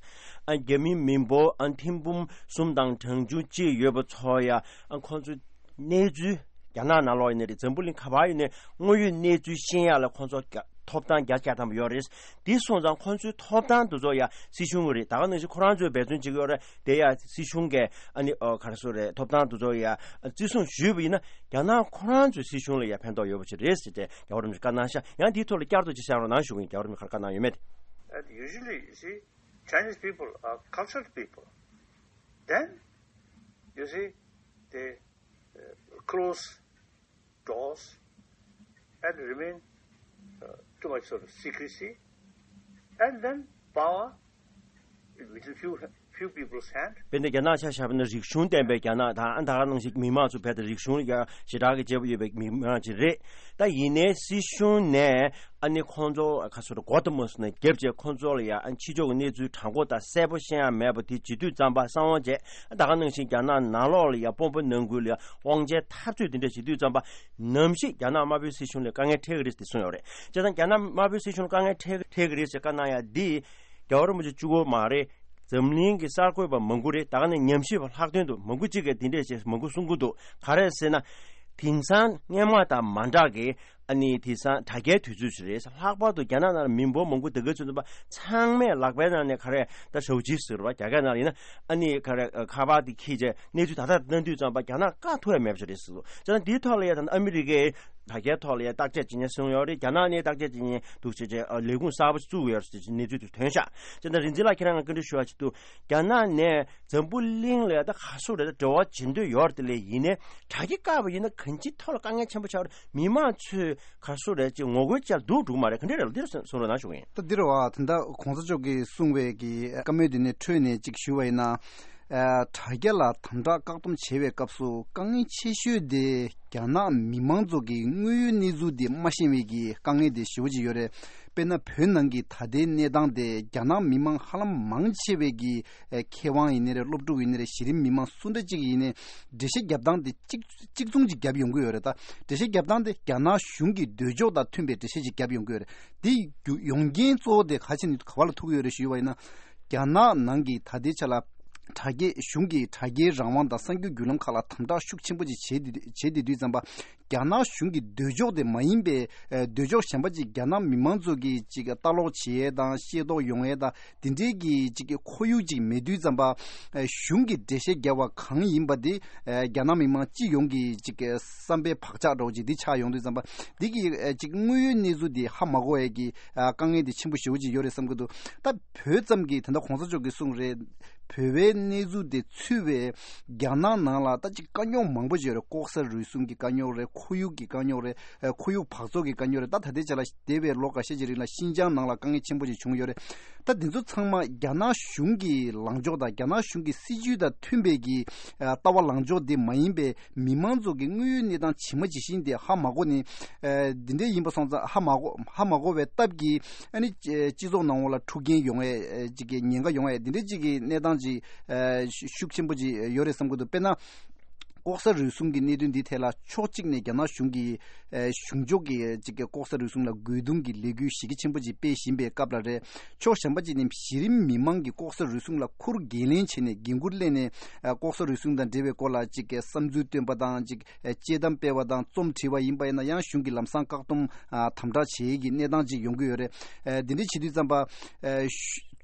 ཨ་རྒྱ་མི་མི་འབོར་ཨ་ཐེར་འབུམ་གསུམ་དང་གྲངས་ཆུང་གཅིག་ཡོད་པ་ཚོ་ཡ་ཨ་ཁོང་ཚོའི་གནས་ཚུལ། རྒྱ་ནག་ནང་ལོགས་ཡིན་ནའི་རེད། འཛམ་བུ་གླིང་ག་པར་ཡིན་ནའི་དངོས་ཡོད་གནས་ཚུལ་ཤེས་ཡག་ལ་ཁོང་ཚོ་རྒྱ་ཐོབ་ཐང་བརྒྱ་ཆ་བརྒྱ་ཐམ་པ་ཡོད་རེད། དེ་སོང་ཙང་ཁོང་ཚོའི་ཐོབ་ཐང་དེ་ཚོ་ཡ་སྲིད་གཞུང་གི་རེད། ད་ག་ནང་བཞིན་ཁོ་རང་ཚོས་འབད་བརྩོན་བྱེད་ཀྱི་ཡོད་རེད། དེ་ཡ་སྲིད་གཞུང་གིས་ཨ་ནི་ཨོ་ག་རེ་ཟེར་རེད། ཐོབ་ཐང་དེ་ཚོ་ཡ་བརྩི་སྲུང་ཞུས་པ་ཡིན་ན་རྒྱ་ནག་ཁོ་རང་ཚོའི་སྲིད་གཞུང་ལ་ཡ་ཕན་ཐོགས་ཡོད་པ་ཞིག་རེད་ཟེར་ཏེ་རྒྱལ་བ་རིན་པོ་ཆེས་བཀའ་གནང་ཤག་ཡང་དེའི་ཐོག་ལ་བསྐྱར་དུ་ཅིག་གསན་རོགས་གནང་ཞུ་གི་ཡིན། རྒྱལ་བ་རིན་པོ་ཆེས་ག་རེ་བཀའ་གནང་ཡོད་མེད་དེ། And usually, you see, Chinese people are cultured people. Then, you see, they uh, close doors and remain uh, too much sort of secrecy, and then power within few few people's hand. དཔེར་ན་རྒྱ་ནག་ཆ་བཞག་པ་ན་རིག་གཞུང་ལྡན་པའི་རྒྱ་ནག་དང་། ཨ་ད་ག་ནང་བཞིན་མི་མང་ཚོ་བལ་དང་རིག་གཞུང་ལ་ཞེ་དྲག་གི་བྱེད་པོ་ཡོད་པའི་མི་མང་ཅིག་རེད། ད་ཡིན་ནའི་སྲིད་གཞུང་ནས་ཨ་ནི་ཁོང་ཚོ་ག་ཚོད་མགོ་དང་མ་སོང་ན་རྒྱབ་བྱས་ཁོང་ཚོ་ལ་ཡ་ཨ་ཕྱི་ཕྱོགས་ཀྱི་གནས་ཚུལ་དྲང་པོ་དང་གསལ་པོ་ཤེས་ཡ་མེད་པ་དེ་བྱེད་དུས་ཙམ་པ་གསང་བ་བྱས། ད་ག་ནང་བཞིན་རྒྱ་ནག་ནང་ལོགས་ལ་ཡ་དཔོན་པོ་ནང་ཁུལ་ལ་ཡ་དབང་ཆའི་འཐབ་རྩོད་དེ་འདྲ་བྱེད་དུས་ཙམ་པ་ནམ་ཞིག་རྒྱ་ནག་དམར་པོའི་སྲིད་གཞུང་ལ་དཀའ་ངལ་འཕྲད་ཀྱི་རེད་ཟེར་གསུངས་ཡོད་རེད། བྱས་ཙང་རྒྱ་ནག་དམར་པོའི་སྲིད་གཞུང་ལ་དཀའ་ངལ་འཕྲད་འཕྲད་ཀྱི་རེད་ཟེར་བཀའ་གནང་ཡ་འདི་རྒྱལ་བ་རིན་པོ་ཆེ་གཅིག་པོ་མ་རེད། འཛམ་གླིང་གི་གསར་འགོད་པ་མང་པོ་རེད། ད་ག་ནས་ཉམས་ཞིབ་པ་ལྷག་དོན་དུ་མང་པོ་གཅིག་གིས་དེ་འདྲས་བྱས་མང་པོ་གསུང་གི་འདུག་ག་རེ་ཟེར་ན། དེང་སང་སྔོན་མ་དང་མ་འདྲ་གི་ཨ་ནི་དེང་སང་དྲ་རྒྱའི་དུས་ཚོད་ཞིག་རེད། ལྷག་པར་དུ་རྒྱ་ནག་ནང་ལ་མི་འབོར་མང་པོ་སྡོད་མཁན་ཚོ་ཚང་མས་ལག་པའི་ནང་ནས་ག་རེ་ད་ཞའོ་ཅི་ཟེར་བ་རྒྱ་སྐད་ནང་ལ་ཡིན་ན། ཨ་ནི་ག་རེ་ཁ་པར་དེ་འཁྱེར་བྱས་གནས་ཚུལ་ད་ལྟ་བཏང་དུས་ཙམ་པ་རྒྱ་ནག་བཀག་ཐུབ་ཡ་མེད་པ་ཞིག་རེད་ཟེར་འདུག་བྱས་ཙང་འདིའི་ཐོག་ལ་ཡ་ད་ཨ་མི་རི་ཀའི་དྲ་རྒྱའི་ཐོག་ལ་ཡ་བརྟག་དཔྱད་བྱེད་མཁན་སོང་ཡོད་རེད། རྒྱ་ནག་ནས་བརྟག་དཔྱད་བྱེད་མཁན་འདུག་བྱས་བྱས་ལས་ཁུངས་གསར་པ་བཙུགས་ཡོད་ཟེར་གྱི་གནས་ཚུལ་དེ་ཐོན་ཤག་བྱས་ཙང་རིག་འཛིན་ལགས་ཁྱེད་རང་ང་བཀའ་འདྲི་ཞུ་བ་ཞིག་འདུག་རྒྱ་ནག་ནས་འཛམ་བུ་གླིང་ལ་ད་ག་སོ་རེད་ད་འབྲེལ་བ་བྱེད་འདོད་ཡོད་རེད། དེ་ལས་ཡིན་ནའི་དྲ་རྒྱ་བཀག་པ་ཡིན་ན་གང་ཅིའི་ཐོག་ལ་དཀའ་ངལ་ཆེན་པོ་ཆགས་རེད། མི་མང་ཚོས་ག་སོ་རེད་ཅིག་ངོ་རྒོལ་བྱས་འདུག་འགྲོ་གི་མ་རེད། ག་འདྲ་རེད་ལ་འདིར་གསུང་རོགས་གནང་ཞུ་གི་ཡིན། ད་འདིར་བ་ད་ལྟ་གོང་ས་མཆོག་གིས་གསུངས་པའི་གི་བཀའ་མོལ་འདི་ནས་འཕྲོས་ནས་ཅིག་ཞུ་བ་ཡིན་ན། ཨ་དྲ་རྒྱ་ལ་དམ་དྲག་བཀག་སྡོམ་བྱེད་པའི་སྐབས་སུ་དཀའ་ངལ་ཆེ་ཤོས་དེ་རྒྱ་ནག་མི་མང་ཚོ་གི་དངོས་ཡོད་གནས་ཚུལ་དེ་མ་ཤེས་པའི་གི་དཀའ་ངལ་དེ་ཞེ་པོ་ཅིག་ཡོད་རེད། དཔེར་ན་བོད་ནང་གི་ད་ལྟའི་གནས་སྟངས་དེ་རྒྱ་ནག་མི་མང་ཧ་ལམ་མང་ཆེ་བའི་གི་ཨེ་མཁས་དབང་ཡིན་ནའི་རེད། སློབ་ཕྲུག་ཡིན་ནའི་རེད། གཞི་རིམ་མི་མང་སུ་འདྲ་ཅིག་ཡིན་ནའི་འགྲེལ་བཤད་རྒྱབ་སྟངས་དེ་གཅིག་གཅིག་མཚུངས་ཅིག་རྒྱབ་ཡོང་གི་ཡོད་རེད། ད་འགྲེལ་བཤད་རྒྱབ་སྟངས་དེ་རྒྱ་ནག་གཞུང་གི་འདོད་ཕྱོགས་དང་མཐུན་པའི་འགྲེལ་བཤད་ཅིག་རྒྱབ་ཡོང་གི་ཡོད་རེད། དེ་རྒྱུ་ཡོང་རྐྱེན་གཙོ་བོ་དེ་ག་ཅི་ནས་ག་བ་ལ་ཐུག་གི་ཡོད་རེད་ཞུས་པ་ཡིན་ན། རྒྱ་ནག་ནང་གི་ད་ལྟའི་ཆ་ལ་དྲ་རྒྱའི་གཞུང་གིས་དྲ་རྒྱའི་རང་དབང་དང་གསར་འགྱུར་བརྒྱུད་ལམ་ཁག་ལ་དམ་དྲག་ཤུགས་ཆེན་པོ་ཅིག་བྱེད་བསྡད་བྱེད་བསྡད་དུས་ཙམ་པ། རྒྱ་ནག་གཞུང་གི་འདོད་ཕྱོགས་དེ་མ་ཡིན་པའི་ཨ་འདོད་ཕྱོགས་གཞན་པ་ཅིག་རྒྱ་ནག་མི་མང་ཚོ་གིས་ཅིག་ལྟ་ཀློག་བྱེད་ཡས་དང་ཤེས་རྟོགས་ཡོང་ཡས་དང་དེ་འདྲའི་གི་ཅིག་ཁོར་ཡུག་ཅིག་མེད་དུས་ཙམ་པ། ཨ་གཞུང་གི་འགྲེལ་བཤད་རྒྱབ་པ་གང་ཡིན་པ་དེ་ཨ་རྒྱ་ནག་མི་མང་སྤྱི་ཡོངས་ཀྱི་ཅིག་བསམ་པའི་བག་ཆགས་འདྲ་བོ་ཅིག་འདི་ཆགས་ཡོང་དུས་ཙམ་པ། འདི་གི་ཨ་ཅིག་དངོས་ཡོད་གནས་ཚུལ་འདི་ཧ་མ་གོ་ཡས་ཀྱི་ཨ་དཀའ་ངལ་འདི་ཆེན་པོ་ཞེ་པོ་ཅིག་ཡོད་རེད་བསམ་གྱི་འདུག་ད་བོད་ཙམ་གྱི་ད་ལྟ་གོང་ས་མཆོག་གིས་གསུངས་རེད། བོད་པའི་གནས་ཚུལ་དེ་ཚུད་པའི་རྒྱ་ནག་ནང་ལ་ད་ཅིག་དཀའ་རྙོག་མང་པོ་ཅིག་ཡོད་རེད། ལྐོག་ཟ་རུལ་སུངས་ཀྱི་དཀའ་རྙོག་རེད། ཁོར་ཡུག་གི་དཀའ་རྙོག་རེད། ཨ་ཁོར་ཡུག་འབག་བཙོག་གི་དཀའ་རྙོག་རེད། ད་ད་ལྟའི་ཆ་ལ་འདས་པའི་ལོ་འགའ་ཤས་ཀྱི་རིང་ལ་ཤིན་ཅང་ནང་ལ་དཀའ་ངལ་ཆེན་པོ་ཅིག་བྱུང་ཡོད་རེད། ད་འདི་ཚོ་ཚང་མ་རྒྱ་ནག་གཞུང་གི་ལངས་ཕྱོགས་དང་རྒྱ་ནག་གཞུང་གི་སྲིད་ཇུས་དང་མཐུན་པའི་གི་ཨ་ལྟ་བ་ལངས་ཕྱོགས་དེ་མ་ཡིན་པའི་མི་མང་ཚོ་གི་དངོས་ཡོད་གནས་སྟངས་ཇི་མ་ཇི་བཞིན་དེ་ཧ་མ་གོ་ནས། ཨ་འདི་འདྲའི་ཡིན་པ་སོང་ཙང་ཧ་མ་གོ་ཧ་མ་གོ་བའི་སྟབས་ཀྱིས་ཨ་ནི་སྤྱི་ཚོགས་ནང་ལ་འཁྲུག་རྐྱེན་ཡོང་ཡས་ཅིག་གི་ཉེན་ཁ་ཡོང་ཡས་འདི་འདྲའི་ཅིག་གི་གནས་སྟངས་ཅིག་ཨ་ཤུགས་ཆེན་པོ་ཅིག་ཡོད་རེད་བསམ་གྱི་འདུག་དཔེར་ན། ལྐོག་ཟ་རུལ་སུངས་ཀྱི་གནད་དོན་འདིའི་ཐད་ལ་ཕྱོགས་གཅིག་ནས་རྒྱ་ནག་གཞུང་གིས་ཨ་གཞུང་ཕྱོགས་ཀྱི་ཅིག་གི་ལྐོག་ཟ་རུལ་སུངས་ལ་རྒོལ་རྡུང་གི་ལས་འགུལ་གཞི་རྒྱ་ཆེན་པོ་ཅིག་སྤེལ་བཞིན་པའི་སྐབས་ལ་རེད། ཕྱོགས་གཞན་པ་ཅིག་ནས་གཞི་རིམ་མི་མང་གི་ལྐོག་ཟ་རུལ་སུངས་ལ་ཁུར་འགན་ལེན་བྱས་ནས་འགན་འཁུར་ལེན་ནས་ཨ་ལྐོག་ཟ་རུལ་སུངས་དང་འབྲེལ་བའི་སྐོར་ལ་ཅིག་གི་བསམ་ཚུལ་བཏོན་པ་དང་ཅིག་ཨ་དཔྱད་གཏམ་སྤེལ་བ་དང་རྩོམ་བྲིས་པ་ཡིན་པ་ཡིན་ན་ཡང་གཞུང་གིས་ལམ་སང་བཀག་སྡོམ་ཨ་དམ་དྲག་བྱེད་ཡས་ཀྱི་གནས་སྟངས་ཅིག་ཡོང་གི་ཡོད་རེད། ཨ་འདི་འདྲ་བྱེད་དུས་ཙམ་པ་ཨ་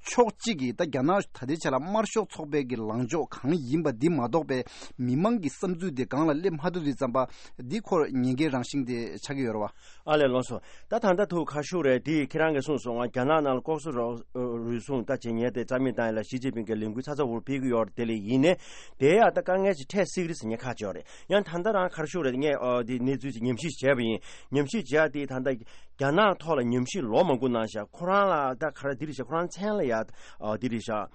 ཕྱོགས་གཅིག་གིས་ད་རྒྱ་ནག་ད་ལྟའི་ཆ་ལ་དམར་ཤོག་ཚོགས་པའི་གི་ལངས་ཕྱོགས་གང་ཡིན་པ་འདི་མ་གཏོགས་པའི་མི་མང་གི་བསམ་ཚུལ་དེ་སྒང་ལ་སླེབས་མ་ཐུབ་དུས་ཙམ་པ་འདི་ཁོར་ཉེན་ཁའི་རང་བཞིན་དེ་ཆགས་ཀྱི་ཡོད་རེད་བ། ཨ་ལས་ལགས་སོ། ད་ད་ལྟ་ཐུག་ཁ་ཤུགས་རེད་དེ་ཁྱེད་རང་གིས་གསུངས་སོང་ང་རྒྱ་ནག་ནང་ལ་ལྐོག་ཟ་རུལ་སུངས་ད་བྱེད་མཁན་དེ་རྩ་མེད་བཏང་ཡ་ལ་ཞི་ཅིན་ཕིང་གི་ལས་འགུལ་ཚ་ཚ་འུར་འུར་སྤེལ་གྱི་ཡོད་རེད། དེ་ལས་ཡིན་ནའི་དེ་ཡ་ད་དཀའ་ངལ་ཅིག་འཕྲད་སྲིད་ཀྱི་རེད་ཟེར་ངས་ཁ་ཕྱོགས་རེད། ཡང་ད་ལྟ་རང་ཁ་ཤུགས་རེད་ངས་ཨ་དེ་གནས་ཚུལ་ཅིག་ཉམས་ཞིབ་བྱས་པ་ཡིན། ཉམས་ཞིབ་བྱས་དེ་ད་ལྟ་རྒྱ་ནག་ཐོག་ལ་ཉམས་ཞིབ་ལོ་མང་པོ་གནང་ཤག་ཁོ་རང་ལ་ད་ག་རེ་འདི་རེད་ཤག་ཁོ་རང་མཚན་ལ་ཡ་ཨ་འདི་རེད་ཤག